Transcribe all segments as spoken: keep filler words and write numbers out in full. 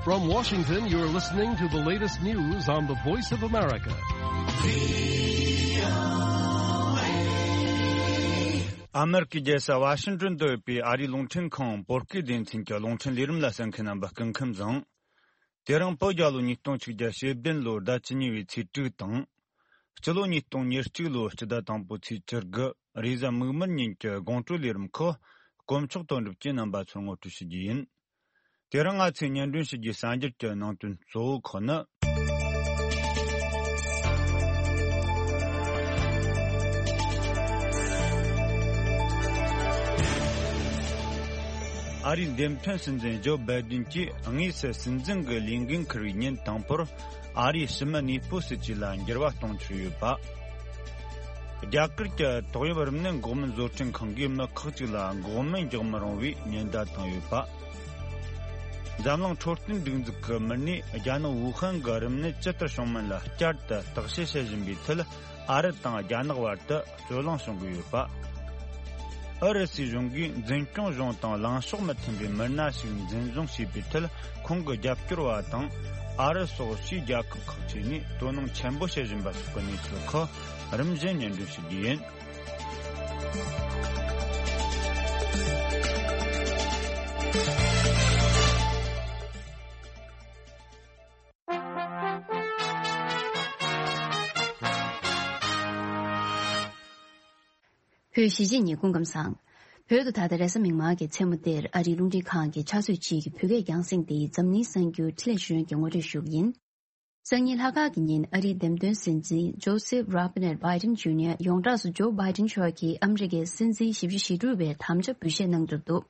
From Washington, you're listening to the latest news on the Voice of America. ཨ་མེ་རི་ཀའི་རྒྱལ་ས་ཝ་ཤིང་ཏོན་དུ་ཡོད་པའི་ཨ་རིའི་རླུང་འཕྲིན་ཁང་བོད་སྐད་སྡེ་ཚན་གྱི་རླུང་འཕྲིན་ལས་རིམ་ལ་གསན་མཁན་རྣམ་པ་སྐུ་ཁམས་བཟང་། དེ་རིང་བོད་རྒྱལ་ལོ་ཉིས་སྟོང་ཆིག་བརྒྱ་ཞེ་བདུན་ལོའི་ཟླ་བཅུ་གཉིས་པའི་ཚེས་དྲུག་དང་། སྤྱི་ལོ་ཉིས་སྟོང་ཉེར་གཅིག་ལོའི་སྤྱི་ཟླ་དང་པོའི་ཚེས་བཅུ་དགུ། རེས་གཟའ་མིག་དམར་ཉིན་གྱི་དགོང་དྲོའི་ལས་རིམ་ཁག་དཀོན་མཆོག་དོན་གྲུབ་ཀྱིས་རྣམ་པ་ཚོར་ངོ་སྤྲོད་ཞུ་རྒྱུ་ཡིན། དེ་རིང་ང་ཚོས་སྙན་སྒྲོན་ཞུ་རྒྱུའི་གསར་འགྱུར་གྱི་ནང་དོན་གཙོ་བོ་ཁག་ནི། ཨ་རིའི་འདེམས་ཐོན་སྲིད་འཛིན་ཇོ་བྷའི་ཌེན་གྱིས་དངོས་སུ་སྲིད་འཛིན་གྱི་ལས་འགན་འཁུར་བའི་ཉིན་དང་པོར། ཨ་རིའི་ཕྱི་མི་གནས་སྤོ་སྲིད་ཇུས་ལ་འགྱུར་བ་གཏོང་འཆར་ཡོད་པ། རྒྱ་གར་གྱི་ཏོག་དབྱིབས་རིམས་ནད་འགོག་སྨན་བཟོ་སྐྲུན་ཁང་གིས་མི་ཁག་ཅིག་ལ་འགོག་སྨན་རྒྱག་མི་རུང་བའི་ཉེན་བརྡ་བཏང་ཡོད་པ། འཛམ་གླིང་འཕྲོད་བསྟེན་སྒྲིག་འཛུགས་ཀྱིས་མི་སྣས་རྒྱ་ནག་ཝུ་ཧན་གྱི་རིམས་ནད་ཇི་ལྟར་བྱུང་མིན་ལ་བསྐྱར་དུ་བརྟག་དཔྱད་བྱེད་བཞིན་པའི་ཁྲོད། ཨ་རི་དང་རྒྱ་ནག་བར་དུ་རྩོད་གླེང་བྱུང་གི་ཡོད་པ། ཨུ་རུ་སུའི་གཞུང་གིས་འཛིན་སྐྱོང་གཞུང་དང་ལངས་ཕྱོགས་མི་མཐུན་པའི་མི་སྣ་ཞིག་འཛིན་བཟུང་བྱས་པའི་ཁྲོད། ཁོང་གི་རྒྱབ་སྐྱོར་བ་དང་ཨ་རི་སོགས་ཕྱིའི་རྒྱལ་ཁབ་ཁག་ཅིག་ནས་དོ་སྣང་ཆེན་པོ་བྱེད་བཞིན་པ་སོགས་ཀྱི་གནས་ཚུལ་ཁག་རིམ་བཞིན་སྙན་སྒྲོན་ཞུ་རྒྱུ་ཡིན། བོད་གཞིས་བྱེས་གཉིས་སྐུ་ཁམས་བཟང་། བོད་དུ་ད་ལྟ་རེས་གཟའ་མིག་དམར་གྱི་མཚན་མོ་འདིར་ཨ་རིའི་རླུང་འཕྲིན་ཁང་གི་ཕྱག་ཚོད་གཅིག་གི་བོད་སྐད་རྒྱང་སྲིང་འདིའི་འཛམ་གླིང་གསར་འགྱུར་འཕྲིན་ལས་ཞུ་ཡོན་གྱི་ངོ་སྤྲོད་ཞུ་གི་ཡིན། སང་ཉིན་ལྷག་དཀར་གྱི་ཉིན་ཨ་རིའི་འདེམས་ཐོན་སྲིད་འཛིན་ཇོ་སེབ་རོ་བྷི་ནེཊ་བྷའི་ཌེན་ཇུ་ནི་ཡར་ཡོངས་གྲགས་སུ་ཇོ་བྷའི་ཌེན་མཆོག་གིས་ཨ་མི་རི་ཀའི་སྲིད་འཛིན་བཞི་བཅུ་ཞེ་དྲུག་པའི་དམ་བཅའ་འབུལ་བཞེས་གནང་གྲུབ་འདུག་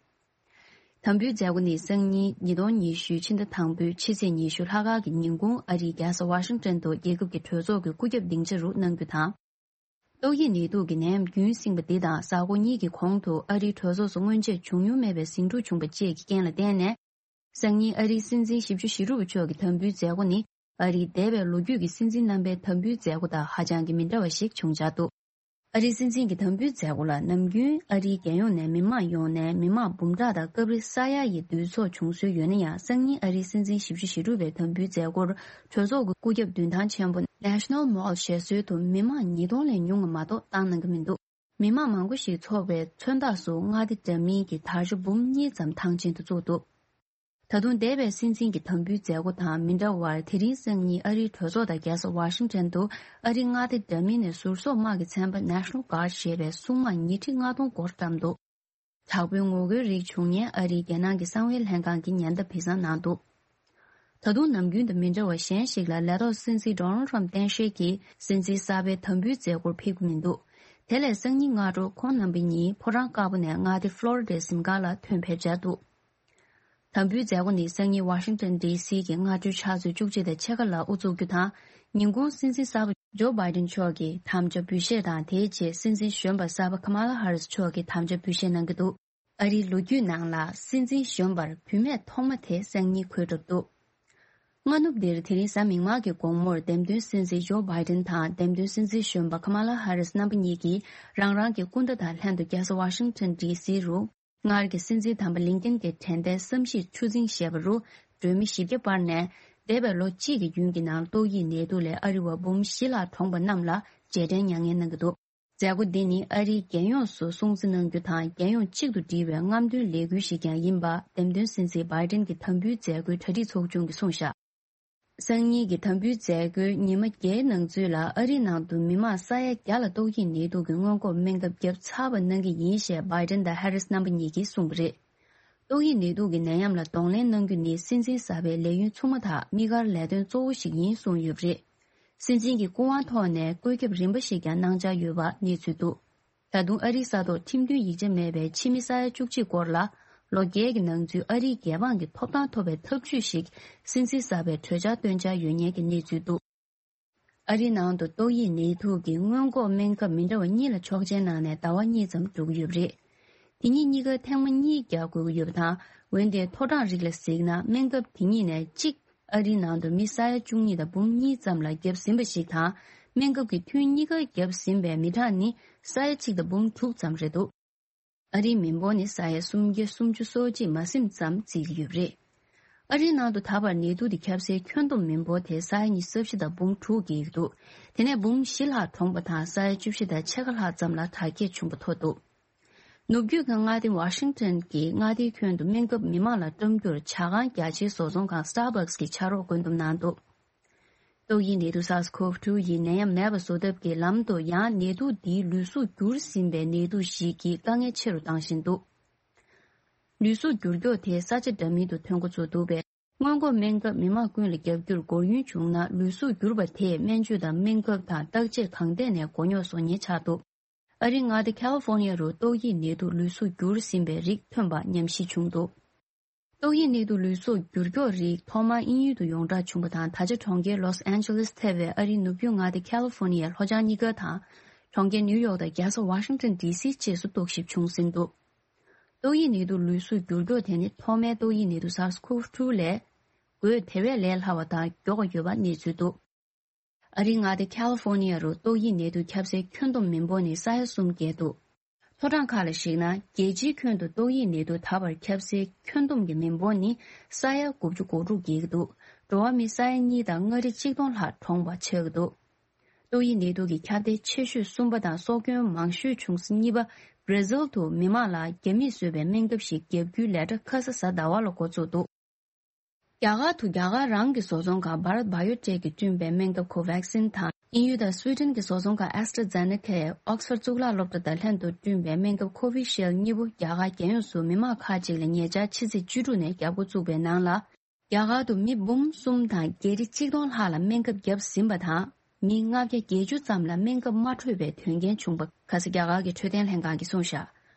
དམ་འབུལ་མཛད་སྒོ་ནི་སང་ཉིན་ཉིས་སྟོང་ཉི་ཤུའི་ཕྱི་ཟླ་དང་པོའི་ཕྱི་ཚེས་ཉི་ཤུ་ལྷག་དཀར་གྱི་ཉིན་གུང་ཨ་རིའི་རྒྱལ་ས་ཝ་ཤིང་ཏོན་དུ་རྒྱལ་ཁབ་ཀྱི་གྲོས་ཚོགས་ཀྱི་སྐུ་ཁྱབ་སྡིངས་ཆ་རུ་གནང་རྒྱུ་དང་། ཏོག་དབྱིབས་ནད་དུག་གི་ནད་ཡམས་རྒྱུན་བསྲིངས་པ་འདི་དང་གཟའ་འཁོར་གཉིས་ཀྱི་གོང་དུ་ཨ་རིའི་གྲོས་ཚོགས་སུ་སྔོན་ཆད་བྱུང་མྱོང་མེད་པའི་ཟིང་འཁྲུག་བྱུང་བ་བཅས་ཀྱི་རྐྱེན་ལ་བརྟེན་ནས། སང་ཉིན་ཨ་རིའི་སྲིད་འཛིན་བཞི་བཅུ་ཞེ་དྲུག་པ་མཆོག་གི་དམ་འབུལ་མཛད་སྒོ་ནི་ཨ་རིའི་འདས་པའི་ལོ་རྒྱུས་ཀྱི་སྲིད་འཛིན་རྣམ་པའི་དམ་འབུལ་མཛད་སྒོ་དང་ཧ་ཅང་གི་མི་འདྲ་བ་ཞིག་བྱུང་འཆར་འདུག་ཨ་རིའི་སྲིད་འཛིན་གྱི་དམ་འབུལ་མཛད་སྒོ་ལ་ནམ་རྒྱུན་ཨ་རིའི་རྒྱལ་ཡོངས་ནས་མི་མང་ཡོང་ནས་མི་མང་འབུམ་ཕྲག་དང་སྐབས་རེ་ས་ཡ་ཡི་འདུས་ཚོགས་བྱུང་སྲོལ་ཡོད་ན་ཡང་སང་ཉིན་ཨ་རིའི་སྲིད་འཛིན་བཞི་བཅུ་ཞེ་དྲུག་པའི་དམ་འབུལ་མཛད་སྒོར་གྲོས་ཚོགས་ཀྱི་སྐུ་ཁྱབ་མདུན་ཐང་ཆེན་པོ་National Mall ཞེས་སྲོལ་དུ་མི་མང་ཉིས་སྟོང་ལས་ཉུང་བ་མ་གཏོགས་བཏང་གནང་གི་མི་འདུག་མི་མང་མང་པོ་ཞིག་ཚོགས་པའི་མཚོན་རྟགས་སུ་མངའ་སྡེ་འདྲ་མིན་གྱི་དར་ཆ་འབུམ་གཉིས་ཙམ་ཐང་ཆེན་དུ་བཙུགས་འདུག་ད་དུང་འདས་པའི་སྲིད་འཛིན་གྱི་དམ་འབུལ་མཛད་སྒོ་དང་མི་འདྲ་བར་དེ་རིང་སང་ཉིན་ཨ་རིའི་གྲོས་ཚོགས་དང་རྒྱལ་ས་ཝ་ཤིང་ཊོན་དུ་ཨ་རིའི་མངའ་སྡེ་འདྲ་མིན་ནས་ཟུར་སོག་དམག་གི་ཚན་པ་National Guard ཞེས་པའི་སྲུང་དམག་ཉིས་ཁྲི་ལྔ་སྟོང་སྐོར་བཀྲམ་འདུག་དྲག་པོའི་ངོ་རྒོལ་རིགས་བྱུང་ཉེན་ཨ་རིའི་རྒྱལ་ནང་གི་གསང་བའི་ལྷན་ཁང་གིས་ཉེན་བརྡ་ཕུལ་གསལ་གནང་འདུག་ད་དུང་ནམ་རྒྱུན་དང་མི་འདྲ་བ་གཞན་ཞིག་ལ་ལས་ཐོག་སྲིད་འཛིན་Donald Trump གཏན་བཞེས་ཀྱིས་སྲིད་འཛིན་གསར་པའི་དམ་འབུལ་མཛད་སྒོར་ཕེབས་ཀྱི་མི་འདུག་དེ་ལས་སང་ཉིན་སྔ་དྲོ་ཁོང་རྣམ་པ་གཉིས་ཕོ་བྲང་དཀར་པོ་ནས་མངའ་སྡེ་ཕློ་རི་ཌའི་གཟིམ་ཁང་ལ་ཐོན་ཕེབས་འཆར་འདུག་དམ་འབུལ་མཛད་སྒོ་ནི་སང་ཉིན་ཝ་ཤིང་ཊོན་ཌི་སི་གི་སྔ་དྲོའི་ཕྱག་ཚོད་བཅུ་གཅིག་དང་ཕྱེད་ཀ་ལ་དབུ་འཛུགས་རྒྱུ་དང་། ཉིན་གུང་སྲིད་འཛིན་གསར་པ་ཇོ་བྷའི་ཌེན་མཆོག་གིས་དམ་བཅའ་འབུལ་བཞེས་དང་། དེའི་རྗེས་སྲིད་འཛིན་གཞོན་པ་གསར་པ་ཁ་མ་ལ་ཧ་རིས་མཆོག་གིས་དམ་བཅའ་འབུལ་བཞེས་གནང་གི་འདུག་ཨ་རིའི་ལོ་རྒྱུས་ནང་ལ་སྲིད་འཛིན་གཞོན་པར་བུད་མེད་ཐོག་མ་དེ་སང་ཉིན་འཁོད་གྲུབ་འདུག་སྔ་ནུབ་འདིར་དེ་རིང་གཟའ་མིག་དམར་གྱི་དགོང་མོར་འདེམས་ཐོན་སྲིད་འཛིན་ཇོ་བྷའི་ཌེན་དང་འདེམས་ཐོན་སྲིད་འཛིན་གཞོན་པ་ཁ་མ་ལ་ཧ་རིས་རྣམ་པ་གཉིས་ཀྱིས་རང་རང་གི་སྐུ་ཟླ་དང་ལྷན་དུ་རྒྱལ་ས་ཝ་ཤིང་ཊོན་ཌི་སི་རུ། སྔར་གྱི་སྲིད་འཛིན་དམ་པ་ལིང་ཀིན་གྱི་དྲན་རྟེན་བསམ་ཤེས་ཆུ་རྫིང་ཞེས་པ་རུ་སྒྲོན་མེ་བཞི་བརྒྱ་སྤར་ནས། འདས་པའི་ལོ་གཅིག་གི་རྒྱུན་གྱི་ནང་ཏོག་དབྱིབས་ནད་དུག་ལས་ཨ་རི་བ་འབུམ་བཞི་ལྷག་གྲོངས་པ་རྣམས་ལ་རྗེས་དྲན་མྱ་ངན་གནང་གི་འདུག་མཛད་སྒོ་འདི་ནི་ཨ་རིའི་རྒྱལ་ཡོངས་སུ་སྲུང་བརྩི་གནང་རྒྱུ་དང་རྒྱལ་ཡོངས་གཅིག་ཏུ་སྒྲིལ་བའི་རྔམ་སྟོན་ལས་འགུལ་ཞིག་ཀྱང་ཡིན་པ་འདེམས་ཐོན་སྲིད་འཛིན་བྷའི་ཌེན་གྱི་དམ་འབུལ་མཛད་སྒོའི་གྲ་སྒྲིག་ཚོགས་ཆུང་གིས་གསུངས་བཞག་སང་ཉིན་གྱི་དམ་འབུལ་མཛད་སྒོའི་ཉི་མ་བརྒྱད་ནང་ཚུད་ལ་ཨ་རིའི་ནང་དུ་མི་མང་ས་ཡ་བརྒྱ་ལ་ཏོག་དབྱིབས་ནད་དུག་གི་སྔོན་འགོག་སྨན་ཁབ་བརྒྱབ་ཚར་བ་གནང་གི་ཡིན་ཞེས་བྷའི་ཌེན་དང་ཧེ་རིས་རྣམ་པ་གཉིས་ཀྱིས་གསུངས་པ་རེད། ཏོག་དབྱིབས་ནད་དུག་གི་ནད་ཡམས་ལ་གདོང་ལེན་གནང་རྒྱུ་ནི་སྲིད་འཛིན་གསར་པའི་ལས་ཡུན་ཚུགས་མ་ཐག་དམིགས་བཀར་ལས་དོན་གཙོ་བོ་ཞིག་ཡིན་གསུངས་ཡོད་པ་རེད། སྲིད་འཛིན་གྱི་སྐུ་དབང་ཐོག་ནས་བཀོད་ཁྱབ་རིམ་པ་ཞིག་ཀྱང་གནང་འཆར་ཡོད་པ་གནས་ཚུལ་འདུག་ད་དུང་ཨ་རིའི་ས་ཐོག་ཁྲིམས་མཐུན་ཡིག་ཆ་མེད་པའི་ཕྱི་མི་ས་ཡ་བཅུ་གཅིག་སྐོར་ལ་ལོ་བརྒྱད་ཀྱི་ནང་ཚུད་ཨ་རིའི་རྒྱལ་འབངས་ཀྱི་ཐོབ་ཐང་ཐོབ་པའི་ཐབས་ཇུས་ཤིག་སྲིད་འཛིན་གསར་པས་གྲོས་འཆར་བཏོན་འཆར་ཡོད་ཉེན་གྱི་གནས་ཚུལ་འདུག་ཨ་རིའི་ནང་དུ་ཏོག་དབྱིབས་ནད་དུག་གི་སྔོན་འགོག་སྨན་ཁབ་མི་འདྲ་བ་གཉིས་ལ་ཆོག་མཆན་གནང་ནས་ཟླ་བ་གཉིས་ཙམ་འགྲོ་གི་ཡོད་པ་རེད། དེ་གཉིས་གཉིས་ཀ་ཐེངས་མ་གཉིས་རྒྱག་དགོས་ཀྱི་ཡོད་པ་དང་། འོན་ཏེ་མཐོ་གྲངས་རིགས་ལ་གཟིགས་ན་སྨན་ཁབ་དེ་གཉིས་ནས་གཅིག་ཨ་རིའི་ནང་དུ་མི་ས་ཡ་བཅུ་གཉིས་དང་འབུམ་གཉིས་ཙམ་ལ་བརྒྱབ་ཟིན་པ་ཞིག་དང་། སྨན་ཁབ་ཀྱི་ཐུན་གཉིས་ཀ་བརྒྱབ་ཟིན་པའི་མི་གྲངས་ནི་ས་ཡ་གཅིག་དང་འབུམ་དྲུག་ཙམ་རེད་འདུག་ཨ་རིའི་མི་འབོར་ནི་ས་ཡ་སུམ་བརྒྱ་སུམ་ཅུ་སོ་གཅིག་མ་ཟིན་ཙམ་བརྩིས་ཀྱི་ཡོད་པ་རེད། ཨ་རིའི་ནང་དུ་ད་བར་ནད་དུག་དེ་ཁྱབ་སའི་ཁྱོན་བསྡོམས་མི་འབོར་དེ་ས་ཡ་ཉི་ཤུ་རྩ་བཞི་དང་འབུམ་དྲུག་བརྒལ་འདུག་དེ་ནས་འབུམ་བཞི་ལྷག་གྲོངས་པ་དང་ས་ཡ་བཅུ་བཞི་དང་ཕྱེད་ཀ་ལྷག་ཙམ་ལ་དར་རྒྱས་བྱུང་བ་ཐོན་འདུག་ནུབ་རྒྱུད་ཀྱི་མངའ་སྡེ་ཝ་ཤིང་ཊོན་གྱི་མངའ་སྡེའི་ཁྱོན་དུ་སྨན་ཁབ་མི་མང་ལ་བཀྲམ་རྒྱུར་ཇ་ཁང་རྒྱ་ཆེའི་བཟོ་ཚོང་ཁང་Starbucks་གིས་ཕྱག་རོགས་བཀོད་འདོམས་གནང་འདུག་ཏོག་དབྱིབས་ནད་དུག་SARS-CoV two་ཡི་ནད་ཡམས་མེད་པ་བཟོ་ཐབས་ཀྱི་ལམ་དུ་ཡང་ནད་དུག་འདིའི་ལུས་གཟུགས་འགྱུར་ཟིན་པའི་ནད་དུག་ཞིག་གིས་དཀའ་ངལ་ཆེ་རུ་བཏང་བཞིན་འདུག་ལུས་གཟུགས་འགྱུར་མགྱོགས་དེ་ས་ཆ་འདྲ་མིན་དུ་ཐོན་འགོ་ཚུགས་འདུག་པས། སྔོན་འགོག་སྨན་ཁབ་མི་མང་ཀུན་ལ་བརྒྱབ་རྒྱུར་འགོར་ཡུན་བྱུང་ན་ལུས་གཟུགས་འགྱུར་བ་དེས་སྨན་བཅོས་དང་སྨན་ཁབ་དང་བརྟག་དཔྱད་གང་ཐད་ནས་མགོ་རྙོག་བཟོ་ཉེན་ཆགས་འདུག་ཨ་རིའི་མངའ་སྡེ་ཁ་ལི་ཧྥོ་ནི་ཡ་རུ་ཏོག་དབྱིབས་ནད་དུག་ལུས་གཟུགས་འགྱུར་ཟིན་པའི་རིགས་ཐོན་པ་ཉམས་ཞིབ་བྱུང་འདུག་ཏོག་དབྱིབས་ནད་དུག་ལུས་གཟུགས་འགྱུར་མགྱོགས་རིགས་ཐོག་མར་དབྱིན་ཡུལ་དུ་ཡོངས་གྲགས་བྱུང་བ་དང་། ད་ཆ་གྲོང་ཁྱེར་ལོས་ཨན་ཇེ་ལེས་ཐེ་བའི་ཨ་རིའི་ནུབ་རྒྱུད་མངའ་སྡེ་ཁ་ལི་ཧྥོ་ནི་ཡའི་ལྷོ་བྱང་གཉིས་ཀ་དང་། གྲོང་ཁྱེར་ནིའུ་ཡོག་དང་རྒྱལ་ས་ཝ་ཤིང་ཊོན་ཌི་སི་བཅས་སུ་རྟོག་ཞིབ་བྱུང་ཟིན་འདུག་ཏོག་དབྱིབས་ནད་དུག་ལུས་གཟུགས་འགྱུར་མགྱོགས་དེ་ནི་ཐོག་མའི་ཏོག་དབྱིབས་ནད་དུག་SARS-CoV two་ལས་འགོས་དེ་བས་ལས་སླ་བ་དང་མགྱོགས་པ་ཡོད་པ་གནས་ཚུལ་འདུག་ཨ་རིའི་མངའ་སྡེ་ཁ་ལི་ཧྥོ་ནི་ཡ་རུ་ཏོག་དབྱིབས་ནད་དུག་ཁྱབ་སའི་ཁྱོན་བསྡོམས་མི་འབོར་ནི་ས་ཡ་གསུམ་བརྒལ་འདུག་ཐོ་གྲངས་ཁག་ལ་གཞིགས་ན། རྒྱལ་སྤྱིའི་ཁྱོན་དུ་ཏོག་དབྱིབས་ནད་དུག་ད་བར་ཁྱབ་སའི་ཁྱོན་བསྡོམས་ཀྱི་མི་འབོར་ནི་ས་ཡ་དགུ་བཅུ་གོ་དྲུག་བརྒལ་གྱི་འདུག་འགྲོ་བ་མི་ས་ཡ་གཉིས་དང་མངའ་རིས་གཅིག་སྟོང་ལྷག་གྲོངས་པ་ཆགས་ཀྱི་འདུག་ཏོག་དབྱིབས་ནད་དུག་གི་ཁྱབ་གདལ་ཆེ་ཤོས་གསུམ་པ་དང་སྲོག་སྐྱོན་མང་ཤོས་བྱུང་ས་གཉིས་པ་བྷར་ཛིལ་དུ་མི་མང་ལ་རྒྱ་མིས་བཟོས་པའི་སྨན་ཁབ་ཞིག་བརྒྱབ་རྒྱུའི་ལས་གྲྭ་ཁ་ས་གཟའ་ཟླ་བ་ལ་འགོ་བཙུགས་འདུག་རྒྱ་གར་དུ་རྒྱ་གར་རང་གི་བཟོ་ཚོང་ཁང་Bharat Biotech་གིས་བསྐྲུན་པའི་སྨན་ཁབ་Covaxin་དང་། དབྱིན་ཡུལ་དང་སུའེ་ཏེན་གྱི་བཟོ་ཚོང་ཁང་AstraZeneca་ཡིས་ཨོག་སི་ཕོར་གཙུག་ལག་སློབ་གྲྭ་དང་ལྷན་དུ་བསྐྲུན་པའི་སྨན་ཁབ་Covishield་གཉིས་པོ་རྒྱ་གར་རྒྱལ་ཡོངས་སུ་མི་མང་ཁག་ཅིག་ལ་ཉེ་ཆར་ཕྱི་ཚེས་བཅུ་དྲུག་ནས་བརྒྱབ་འགོ་བཙུགས་པའི་ནང་ལ། རྒྱ་གར་དུ་མི་འབུམ་གསུམ་དང་བརྒྱད་ཁྲི་ཆིག་སྟོང་ལྷག་ལ་སྨན་ཁབ་བརྒྱབ་ཟིན་པ་དང་། མི་ལྔ་བརྒྱ་བརྒྱད་ཅུ་ཙམ་ལ་སྨན་ཁབ་མ་འཕྲོད་པའི་དོན་རྐྱེན་བྱུང་བ་ཁ་ས་རྒྱ་གར་གྱི་འཕྲོད་བསྟེན་ལྷན་ཁང་གིས་གསུངས་བཞག་